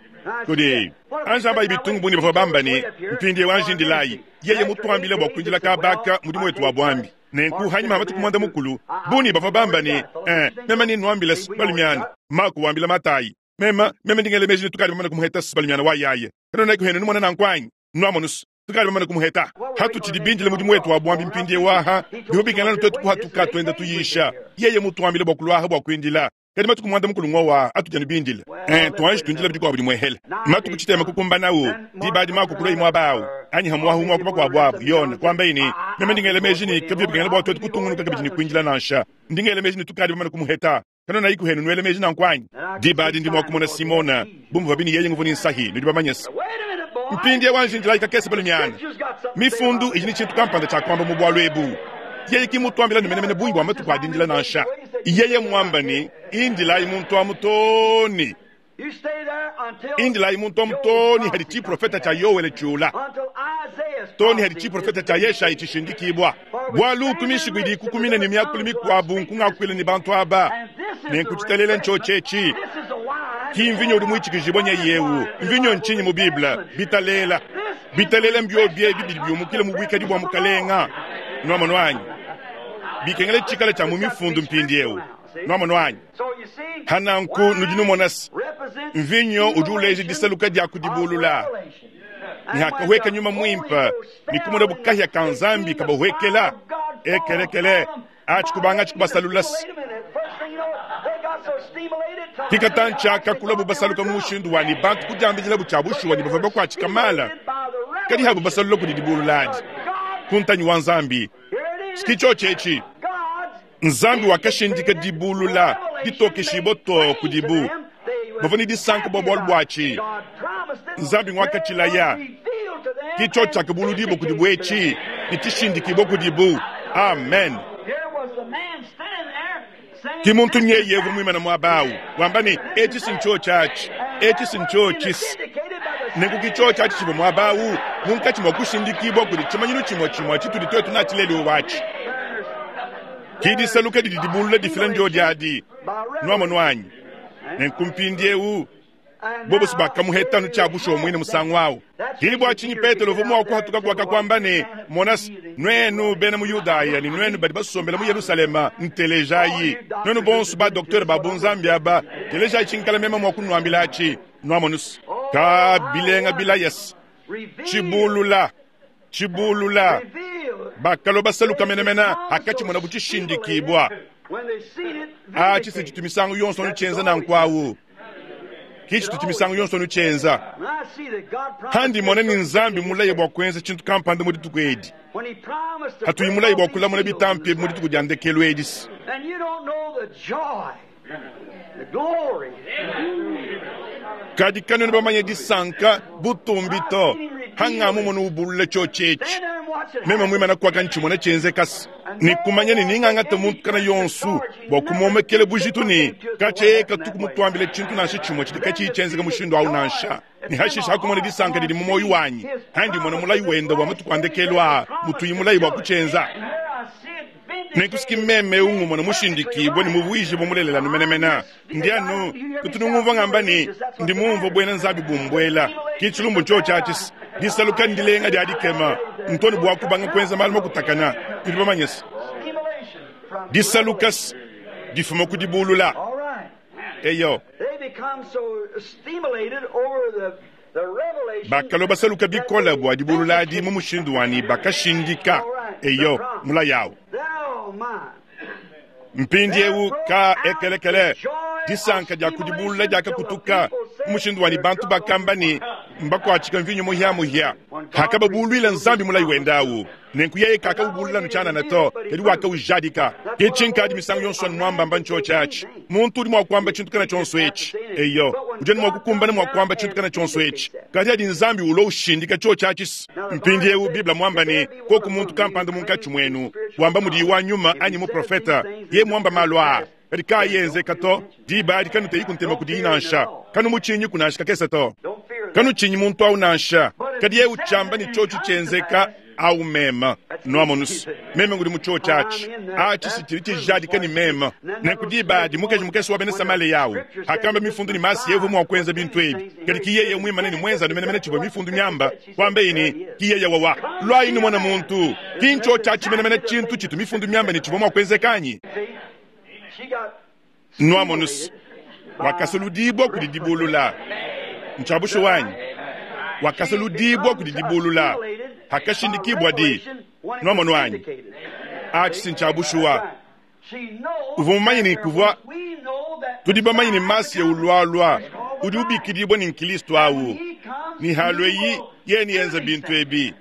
kudi anjamba ibitungu buni bavua bamba ne mpindiewu anjindilayi yeye mutuambile bua kuindila kabaka mudimu wetu wa bwambi nenku hanyima matuku mwanda mukulu buni bavua bamba ne eh, meme ninuambile balumiana Mako wambila Matayi mema meme ndingele meji ne tukadi bamane kumuheta balumiana wa yaye kano naiko hene numona nankwanyi nuamonusu tukadi bamane kumuheta hatutshidi bindile mudimu wetu wa bwambi mpindiewu aha bihubikana twetu kuhatuka twenda tuyisha yeye mutuambile bua kulwaha bua kuindila kadi matuku mwanda mukulu ng'owa atujani bindile eh, tuanji tuindila bidi budi muehele matuku tshitema kukumbanawu dibadi mako kulwa imwe abawu anyi hamuahu mwa kuba kwa bwabu yona kwamba ini meme ndingele meji ni kabyo bikengela bwa twetu kutungunuka kabidi ni kuindila nansha ndingele meji ni tukadi bamane kumuheta kano nayi kuhenu nwele meji nankwanyi dibadi ndi mwakumona Simona bumva bini yeye nguvu ni nsahi nudi bamanyesa Wait a minute, boy. mpindie wanjindilayi kakese balumiana Scripture's got something to say mifundu about idi ni tshintu kampanda tshia kuamba mu bwalu ebu yeye kimutwambila numenemene bungi bwa matuku adindila nansha yeye mwamba ni indilayi muntu amu toni You stay there until indilayi muntu amu toni hadi tshiprofeta tshia Yowele tshiula until Isaiah's toni hadi prophecy tshiprofeta is tshia Yeshayi tshishindikibwa bwalu utumishiku idi ikukumina ne miakulu mikuabu nkungakuile ni bantu aba And this is the nenkutshitalele ntshiotshi This is the wine. ki mvinyo udi muitshikijibwa nye yewu mvinyo nchinyi mu Biblia bitalela bitalela mbio biebi bidi biumukile mu bwikadi bwa mukalenga nuamono anyi bikengele tshikala tshia mu mifundu mpindiewu nuamono anyi So you see, hananku wine nudi numona se represents mvinyo udi uleja disaluka dia kudibulula of revelation. ni hakahweka nyuma mwimpa ni kumona bukahya ka Nzambi kabahwekela ekelekele achi kubanga chikubasalula se kikatanchaka kula bubasaluka mu mushindu wani bantu kudiambidila butshia bushuwa ni bavua bakuatshika mala kadi habu basalula kudi dibululadi kuntanyi wa Nzambi sikitsho etshi Nzambi wakashindika dibulula ditokeshibwa to kudibu bavua ni disanka bua bualu buatshi Nzambi ngwakatshilaya kitsho tshiakabuludibo kudibu etshi ni tshishindikibwa kudibu amen ki muntu nyeyevu muimana muabawu wamba ni etshi sintsho tshatshi etshi sintsho tshisi nenku kitsho tshatshi tshivua muabawu munkatshi mua kushindikibwa kudi tshimanyinu tshimue tshimue tshitudi twetu natshileliwe watshi kidisaluka didi dibulula difila ndio diadi nuamono anyi nenku mpindiewu bobosi bakamuhetanu tshia bushuwa muine musangu awu hili tshinyi Petelo uvua mua kuhatuka kuaka ne monasi nuenu bena mu Yudaya ni nuenu badi basombela mu Yerusalema ntelejayi nuenu bonso ba docteur ba bunzambi aba telejayi tshinkala mema mua kunuambila atshi nuamonusi ka bilenga bilayasi tshibulula tshibulula bakalo basaluka menemena akatshimona butshishindikibwa atshi sitshitu misangu yonso nutshienza nankwawu kichitutu misangu yonso nutshienza handi mona ni Nzambi mulaye bua kuenza tshintu kampanda mu dituku edi hatuyi mulaye bua kulamuna bitampi mu dituku dia ndekelu edisi And you don't know the joy, the glory. kadi kanwena bamanya disanka butumbi to hangamu mona ubulula tshiotshi etshi Stand there and watch it meme happen. muimana kuaka ntshimona tshienze kasi ni kumanya ni ningangata muntu kana yonsu bua kumomekele bujitu ni katshieka tuku mutuambile tshintu nansha tshimue tshidi katshiyi tshienzeka mushindu awu nansha ni hashisha hakumona disanka didi mu moyo wanyi handi mona mulayi wenda bua matuku andekelu aa mutuyi mulayi bua kutshienza And here I see it vindicated. nenkusiki meme ungumona mushindikibwa ni muvuiji bumulelela numenemena ndianu kutunungumva ngamba ni ndi mumva bwena nzabi bumbwela kitshilumbu ntsho tshatshisi disaluka ndilenga dia dikema ntoni bua kubanga kuenza malu makutakana tudi bamanyisa Stimulation from disaluka difuma kudibulula All right. eyo They become so stimulated over the Bakalua basaluka bikole bua dibulula adi mu mushindu wanyi bakashindika eyo mulayi awu. Mpindieu ka ekelekele disanka dia kudibulula diakakutuka mu mushindu wanyi bantu bakamba ne mbakuatshika mvinyo muhiamuhia. Hakababuluila Nzambi mulayi wende awu, nenku yeye kakawubulula nutshianana to, kadi wakawujadika. Ke tshinkadi misangu yonso anu muambamba ntshiotshi atshi. Muntu udi mua kuamba tshintu kana tshionso etshi, eyo udi anu mua kukumbana mua kuamba tshintu kana tshionso etshi, kadi adi Nzambi ulo ushindika tshiotshi atshi. Mpindieu Biblia muamba ne koku muntu kampanda munkatshi muenu wamba mudiyi wa nyuma anyi muprofeta, ye muamba malu aa kadi kaayenzeka to, diba adi kanuteyi kuntema kudiyi nansha, kanumutshinyi kunansha kakese to, kanutshinyi muntu awu nansha, kadi ye utshiamba ne tshiotshi tshienzeka awu mema nuamonusu meme ngudi mu tshiotshi atshi atshi sitshidi tshijadika ne mema. Nenku diba adi mukaji mukese wa bena Samaleya awu akamba mifundu ne masi yevu mua kuenza bintu ebi, kadi ki yeye muimane ne muenza anu menemene tshivua mifundu miamba kwamba ini ki yeye wawa lwayi numona muntu ki ntshiotshi atshi menemene tshintu tshitu mifundu miamba ne tshivua mua kuenzeka anyi. Nuamonusu wakasaludibwa kudi dibulula ntshiabusho wanyi wakasaludibwa kudi dibulula hakashindikibwa di nuamono anyi atshi si ntshiabushuwa uvua mumanye ne kuvua tudi bamanye ne masi ya ulwalwa udi ubikidibwa ne nkristo awu ni halo eyi ye niyenza bintu ebi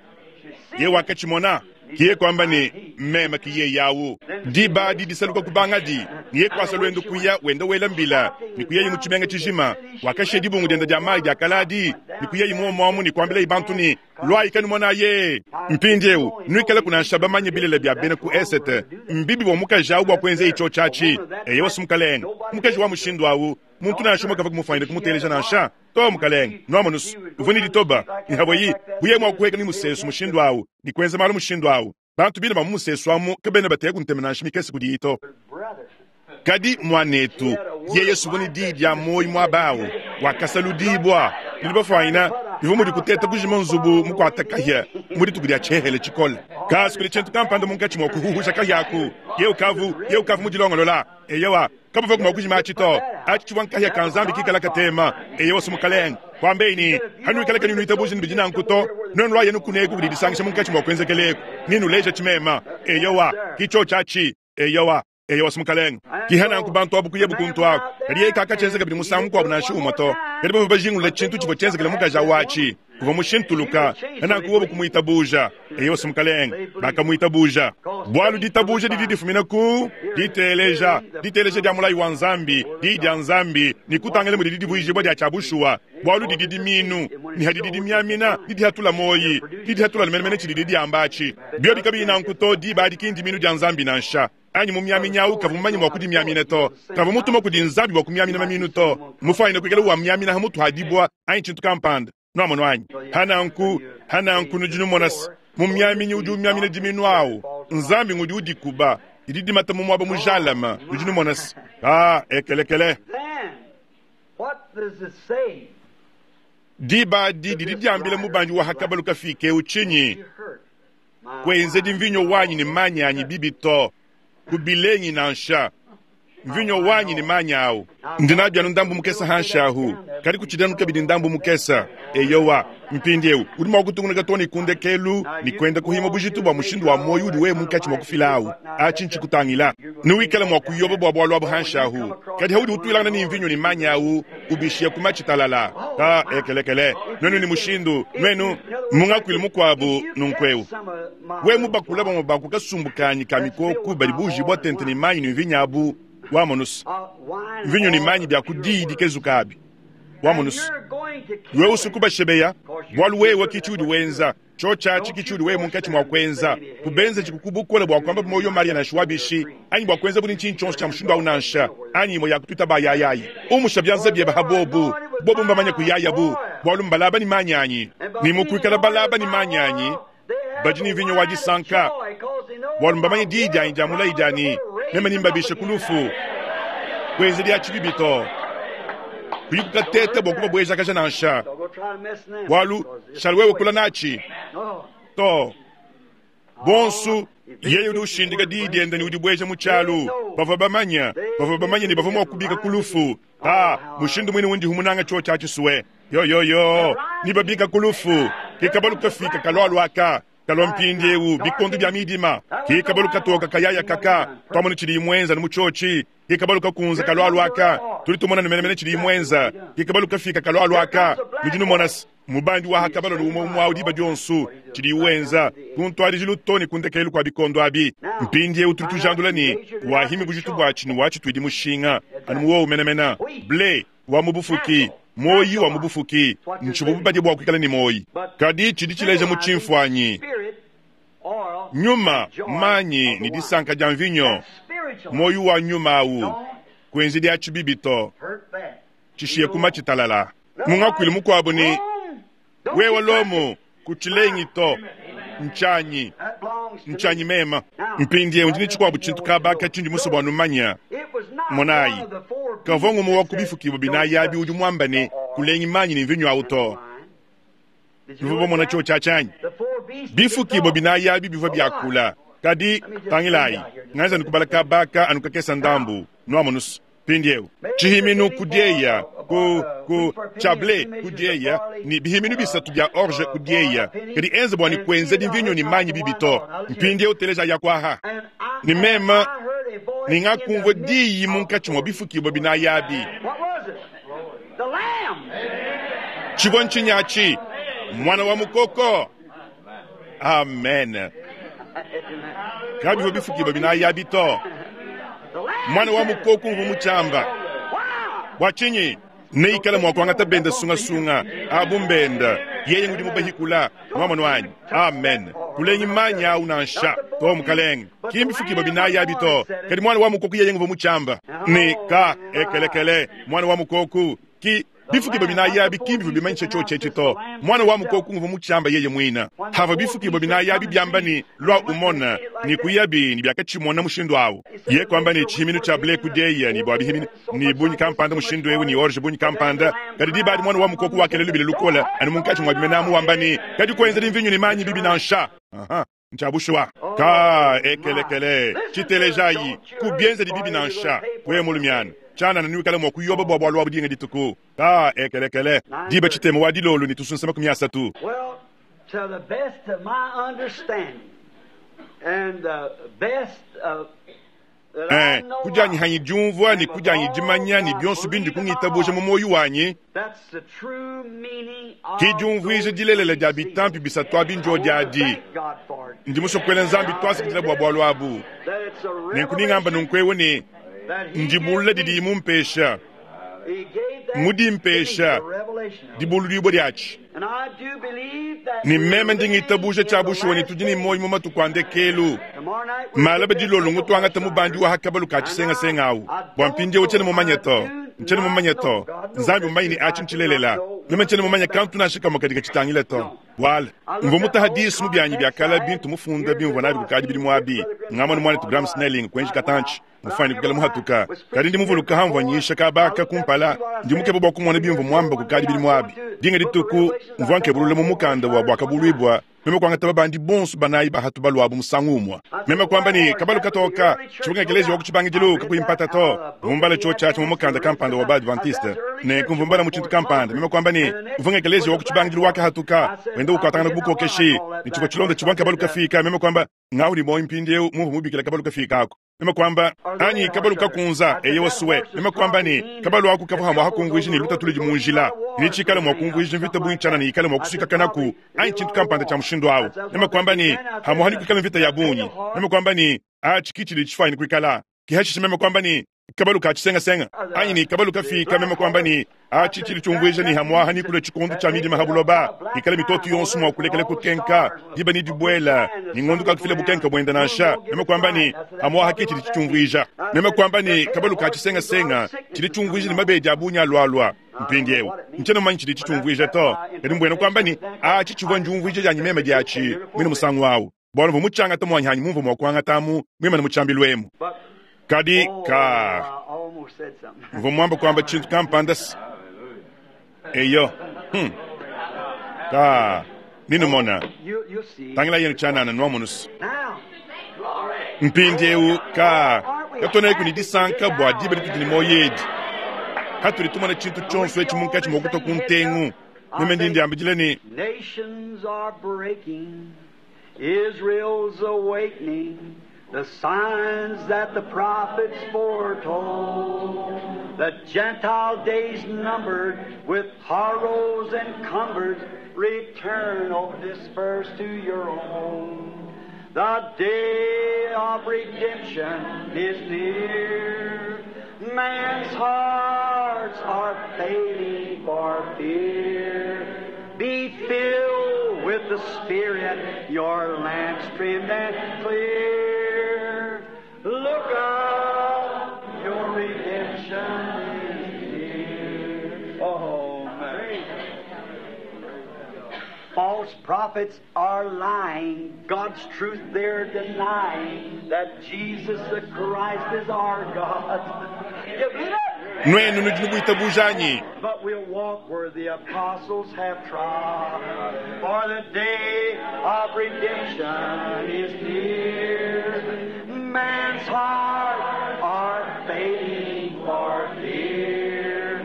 ye wakatshimona kiye kwamba ne meme kiye yawu diba adi disaluka kubangadi niye kwasa lwendo kuya wenda wela mbila ni kuyeyi mu tshimenga tshijima wakashiya dibungu dienda dia mayi dia kaladi ni kuyeyi muomuamu ni kuambilayi bantu ni lwayi kanumona ye mpindieu nuikale kunansha bamanye bilele bia bena ku esete mbibi bua mukaji awu bua kuenza itsho tshiatshi eye wasi mukalenga mukaji wa mushindu awu muntu nansha umwe kava kumufanyira kumuteleja nansha to mukalenga nuamonusu uvua ni ditoba ni havoyi buye mua kuheka ni musesu mushindu awu ni kuenza malu mushindu awu bantu bina ba mu musesu amu kabena bateye kuntema nansha mikese kudiyi to. Kadi mwanetu yeye suvua ni diyi dia moyi muaba awu wakasaludibwa nudi bafanyina bivua mudi kuteta kujima nzubu mukuata kahia mu dituku dia tshihele tshikole kasi kuli tshintu kampanda munkatshi mua kuhuhusha kahiaku ye ukavu ye ukavu mudilongolola eyewa kabava kuma kujima atshi to atshi tshivua nkahia ka Nzambi kikala katema eye wasu mukalenga kwambeini hanuikala kani nuitabuja ni nanku to nuenu lwa yenu kuneku kudi disangisha munkatshi mua kuenzekeleku ninuleja tshimema eyewa kicho tshiatshi eyewa eyo wasu mukalenga kihananku bantu abu kuyebu kuntu aku kadi yeye kakatshenzeka bidi musangu mukuabu nansha umwe to kadi bavua bajingulula tshintu tshivua tshienzekele mukaji awatshi kuvua mushintuluka hananku wobu kumuitabuja eyo wasu mukalenga bakamuitabuja bualu ditabuja didi difumina ku diteleja diteleja dia mulayi wa Nzambi diyi dia Nzambi ni kutangila mudi didivuijibwa dia tshiabushuwa bualu didi diminu ni hadidi dimiamina didi hatula moyi didi hatula menemene tshidi diamba atshi bio bikabi nanku to diba adi kindi minu dia Nzambi nansha anyi mumiamina awu kavua mumanye mua kudimiamina to kavua mutuma kudi Nzambi bua kumiamina maminu to mufanyine kuikala wamiamina ha mutu hadibwa anyi tshintu kampanda nuamono anyi hananku hananku nudi numona mumiaminyi udi umiamina diminu awu Nzambi ngudi udikuba didi dimata mu muaba mujalama nudi numona ah ekelekele diba adi didi diambila mubandi wa hakabalu kafike utshinyi kuenzedi mvinyo wanyi ne manyi anyi bibi to kubilenyi nansha mvinyo wanyi ni manyi awu ndinabyanu ndambu mukesa hanshahu kadi kuchidanu kabidi ndambu mukesa eyowa mpindieu udi mua kutungunuka to ni kundekelu ni kwenda kuhima bujitu bua mushindu wa moyo udi wewe munkatshi mua kufila awu atshi ntshikutangila nuwikala mua kuyoba bua bualu abu hanshahu kadi haudi utuilangana ni mvinyo ni manyi awu ubishiya kumatshitalala ta ekelekele nuenu ni mushindu nuenu mungakuile mukuabu nunkueu we mubakula bamue baku kasumbukanyi ka mikoku badi bujibwa tente ni manyi ni mvinyo abu wamonusu mvinyo ni manyi bya kudiyi dikezuka abi wamonusu wewe usuku bashebeya bualu wewe kichi udi wenza cho tshiatshi kichi udi wewe munkatshi mua kuenza kubenza tshikukubukola bua kuamba moyo maria nansha wabishi anyi bua kuenza buli ntshinyi tshionso tshia mushindu awu nansha anyi imue ya kututa bayayayi umusha byanza byeba ha bobu bobu mbamanye kuyayabu bualu mbalaba ni manyi anyi ni mukuikala balaba ni manyi anyi badi ni mvinyo wa disanka bualu mbamanye diyi dianyi dia mulayi dianyi meme nimbabishe kulufu kuenza dia tshibibi to kuyikukateta bua kubabwejakaja nansha bualu shali wewe kula natshi to bonsu yeye udi ushindika diyi diende ni udi bweja mu tshialu bavua bamanya bavua bamanya ni bavua mua kubika kulufu ah mushindu mwine wundi humunanga tshiotshi atshisuwe Yo yo yo, ni babika ku lufu, ke kabalu kafika kalua aka kalua mpindieu bikondo bia midima, ke kabalu katoka kayaya kaka twamona tshidi mwenza ni mutshochi, ke kabalu kakunza kalua aka tuli tumona ni menemene tshidi mwenza, ke kabalu kafika kalua aka nudi numona mubandi wa hakabalo umwe umwe awu diba dionso tshidi wenza kuntwadijilu too ne kundekelu kua bikondo abi. Mpindieu tuli tujandula ni wahimi bujitu bwatshi ni watshi tuidi mushinga anu muwowu menemene ble wa mubufuki moyi wa mubufuki ntshibu bubadi bua kuikala ni moyi kadi tshidi tshileja mu tshimfuanyi nyuma manyi ni disanka dia mvinyo moyi wa nyuma awu kuenzi dia tshibibi to tshishiye kuma tshitalala mungakuilu mukuabu ni wewe lomo kutshilengi to nchanyi nchanyi mema mpindie undi ni tshikuabu tshintu kabaka tshindi muso bua numanya monayi kavua ngumu wa kubifukibu binayi abi udi muamba ne kulengi manyi ni mvinyo awu to bivua bamona tshio tshia tshanyi bifukibu binayi abi bivua biakula kadi tangilayi nganza nikubala kabaka anu kakesa ndambu nuamonusu mpindieu tshihiminu kudieya ku ku chable kudieya ni bihiminu bisatu bia orge kudieya kadi enza bua ni kuenza dimvinyo ni manyi bibi to mpindieu teleja ya kwaha ni mema ningakumvua diyi munkatshi mua bifukibua binayi abi tshivua ntshinyatshi mwana wa mukoko amen kabivua bifukibua binayi abi to mwana wa mukoko mvu mutshiamba bua tshinyi neikala mua kuangata benda sungasunga abu mbenda yeye ngudi mubahikula mwamono wanyi amen kulengi manyi awu nansha to mukalenge kimbifukibua binayi abi to kadi mwana wa mukoko yeye nguva mutshiamba ni ka ekelekele mwana wa mukoko ki bifukibua binayi abi kimbivu bimanyisha tshio tshetshi to mwana wa mukoko nguva mutshiamba yeye mwina hava bifukibua binayi abi byamba ni lwa umona ni kuyabi ni byakatshimona mushindu awu ye kwamba ni tshihiminu tshia ble kudieya ni bua bihiminu ni bunyi kampanda mushindu ewu ni orge bunyi kampanda kadi dibadi mwana wa mukoko wakelelu bile lukola anu munkatshi mua bimenamu wamba ni kadi kuenza dimvinyo ni manyi bibi nansha aha ntshabushuwa ka ekelekele tshitelejayi kubienza dibibi nansha we mulumiana tshana na mua kuyoba bua bualu abu dinga dituku ka ekelekele diba tshitema wa dilolo ni tusunsa makumi asatu. Well, to the best of my understanding and the best of Eh, kujanyi hanyi diumvua ni kujanyi dimanya ni bionso bindi kungitabuja mu moyo wanyi ki diumvuija dilelela dia bitampi bisatu abi ndio diadi ndi musokuela nzambi twasikidila bua bualu abu nenkuningamba nunkuewu ni ndibulula didi mumpesha mudimpesha dibululibua diatshi ni meme ndingitabuja tshia bushuwa ni tudi ni moyo mu matuku a ndekelu malaba dilolo ngutwangata mubandi wa hakabalu ka tshisengasenga awu bua mpindieu tshiena mumanye to ntshiena mumanye to nzambi mumanyi ni atshi ntshilelela meme ntshiena mumanye kantu nansha kamwe kadi katshitangile to wala mvua mutahadisi mu byanyi byakala bintu mufunda bimvua nabi kukadi bidimu abi ngamona mwanetu Graham Snelling kuenji katantshi mufani kukala muhatuka kadi ndi muvuluka hamvua nyisha kabaka kumpala ndi mukeba bua kumona bimvua muamba kukadi bidimu abi dinga dituku mvua nkebulula mu mukanda wa bwakabuluibua meme kuangata babandi bonso banayi bahatu baluabu musangu umwa meme kuamba ni kabalu katoka tshibunga ekelezi wa kutshibangidilu kakuyimpata to vumbala tshio tshiatshi mu mukanda kampanda wa baadventiste ne kumvumbala mu tshintu kampanda meme kuamba ni mvunga ekelezi wa kutshibangidilu wakahatuka wenda ukwatangana kubukokeshi ni tshivua tshilonda tshibua kabalu kafika meme kuamba ngawu ni moyi mpindieu mumvu mubikila kabalu kafika ako meme kwamba anyi kabalu kakunza eye wasuwe meme kwamba ni kabalu aku kavua hamwa hakunguiji ni lutatu ludi munjila ni tshikala mua kunguiji mvita bunyi ni ikala mua kuswika kanaku anyi tshintu kampanda tshia mushindu awu meme kwamba ni hamwa hani kuikala mvita ya bunyi meme kwamba ni atshi kitshili tshifanyi kuikala kihashisha meme kwamba ni kabalu ka tshisengasenga anyi ni kabalu kafika meme kwamba ni atshi tshili tshiumvuija ni hamwa hani kule tshikondu tshia midima habuloba ikala mitoto yonso mua kulekela kukenka diba ni dibuela ni ngondu kakufila bukenka buenda nansha meme kwamba ni hamwa haki tshili tshiumvuija meme kwamba ni kabalu ka tshisengasenga tshili tshiumvuija ni mabedi abunya alwalwa mpindieu ntshiena mumanyi tshili tshiumvuija to kadi mbuena kwamba ni atshi tshivua ndiumvuija dianyi meme diatshi mwine musangu awu bualu mvua mutshangata muanyi hanyi mumvua mua kuangatamu mwimane mutshiambilu emu kadi ka mvua muamba kuamba tshintu kampanda eyo hmm. ka ninumona tangila yenu tshianana nuamunusu mpindieu ka katoneku ni disanka bua diba ditudi ni moyo edi Hatudi tumona tshintu tshionso etshi munkatshi mua kutua ku ntengu. Meme ndi ndiambidila ne, Nations are breaking, Israel's awakening, the signs that the prophets foretold. The Gentile days numbered, with horrors encumbered, return, O disperse to your own. The day of redemption is near. Man's hearts are failing for fear. Be filled with the Spirit, your lamps trimmed and clear. Look up, your redemption is near. Oh, man. False prophets are lying, God's truth they're denying, that Jesus the Christ is our God. You believe that? Nuenu nudi nubuitabuja anyi? But we'll walk where the apostles have trod, for the day of redemption is near. Man's heart are fading for fear.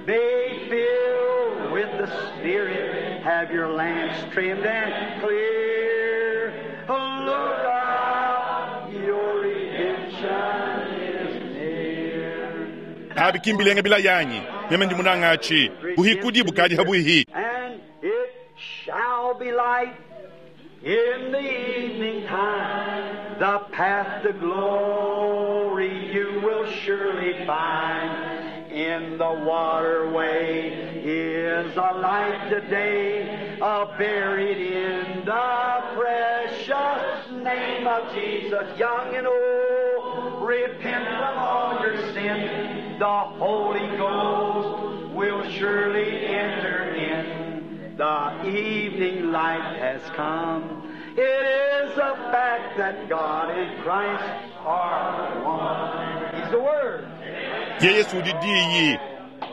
Be filled with the Spirit, have your lamps trimmed and clear. Look up, your redemption is near. Abi kimbilenga bila yanyi. Meme ndi munanga atshi. Buhikudi bukadi habuihi. And it shall be light in the evening time. The path to glory you will surely find. In the waterway is a light today, uh, buried in the precious name of Jesus. Young and old, repent from all your sin. The Holy Ghost will surely enter in. The evening light has come. It is a fact that God and Christ are one. He's the Word. Ye Yesu udi diyi.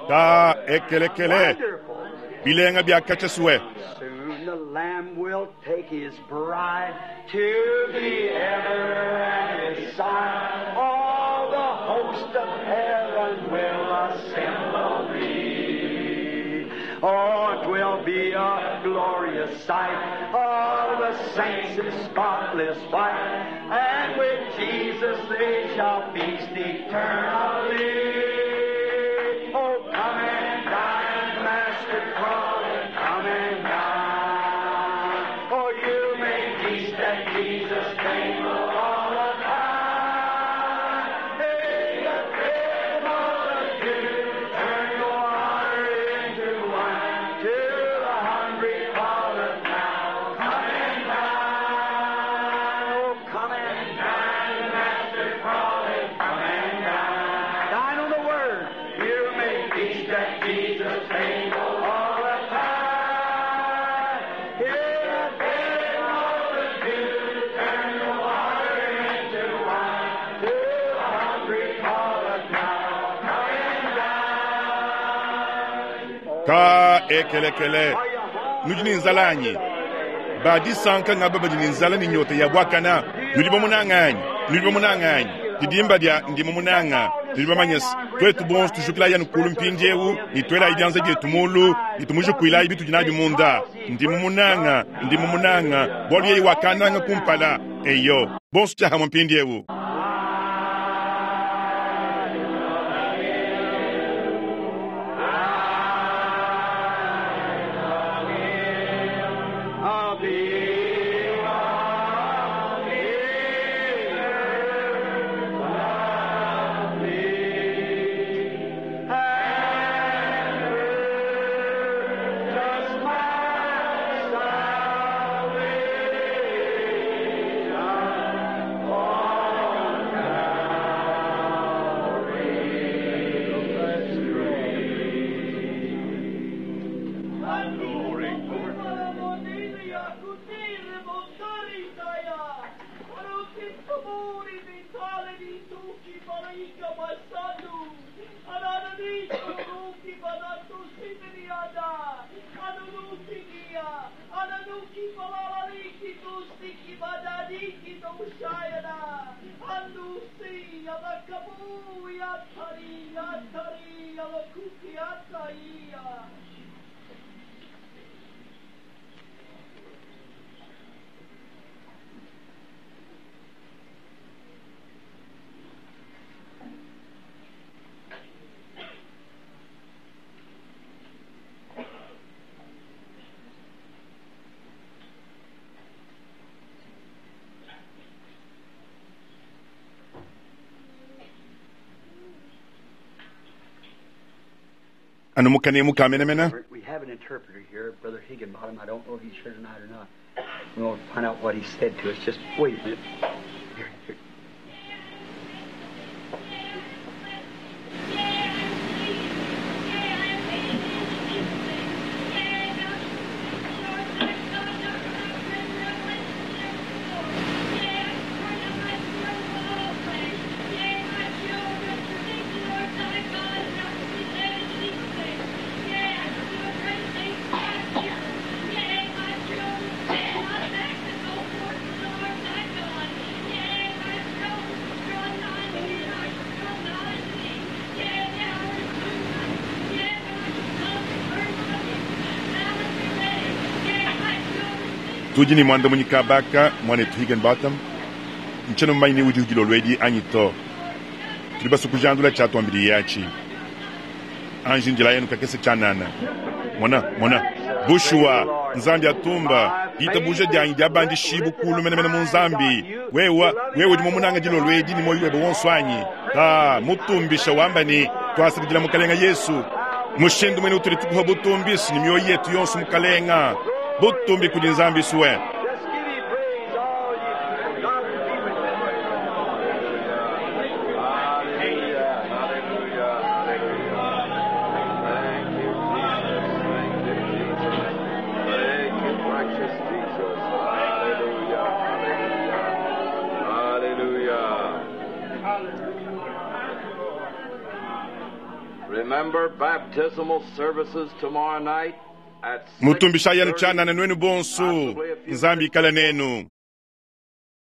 Ta ekelekele. Wonderful. Bilenga bia kachaswe. Soon the Lamb will take his bride to be ever at his side. All the host of heaven will assemble be. Oh, it will be a glorious sight. All the saints in spotless white. And with Jesus they shall feast eternally. Oh, come and dine, Master Crawley, come and dine. Oh, you may feast at Jesus' table all the time. Hey, the great multitude turn the water into wine. To the hungry calleth now. Come and dine. Oh, come and dine, Master Crawley, come and dine. Dine on the Word. You may feast at Jesus' table all the time. Here the great multitude turn the water into wine. To the hungry calleth now. Come and dine. Ta ekelekele. Are you hungry? Nudi ni nzala anyi? Badi sanka ngaba badi ni nzala ni nyota ya bwakana. Nudi bamunanga anyi? Nudi bamunanga anyi? Didimba dia ndi mumunanga. Tudi bamanyasi. Twetu bonso tujukila yanu kulu mpindiewu, ni twela idianza dietu mulu, ni tumujukuila ibitu dinabi munda. Ndi mumunanga, ndi mumunanga, bwalu yeyi wakananga kumpala. Eyo, bonso tyahamwe mpindiewu. I'll be Anu mu kanemu ka menemene. We have an interpreter here, Brother Higginbottom. I don't know if he's here tonight or not. We want to find out what he said to us. Just wait a minute. Here, here. Tudi ne muandamunyi kabaka muanetu Higginbotham ntshiena mumanye ne udi udilolo edi anyi to. Tudi basue kujandula tshiatuambidi yatshi. Anji njila yenu kakese tshianana. Mona, mona. Bushuwa, Nzambi atumba, ditabuja dianyi diabandishibu kulu menemene mu Nzambi. Wewe, wewe udi mumunanga dilolo edi ne muoyo webe wonso anyi? Ta, mutumbisha wamba ne twasakidila mukalenga Yesu. Mushindu mwene utudi tukuha butumbisi ne mioyo yetu yonso mukalenga. Butumbi kudi Nzambi suwe. Just give him praise, all you. God be with you. Hallelujah, hallelujah, hallelujah. Thank you, Jesus. Thank you, Jesus. Thank you, precious Jesus. Hallelujah, hallelujah, hallelujah. Remember baptismal services tomorrow night at Mutumbisha yenu tshianana nuenu bonso. Nzambi ikala nenu.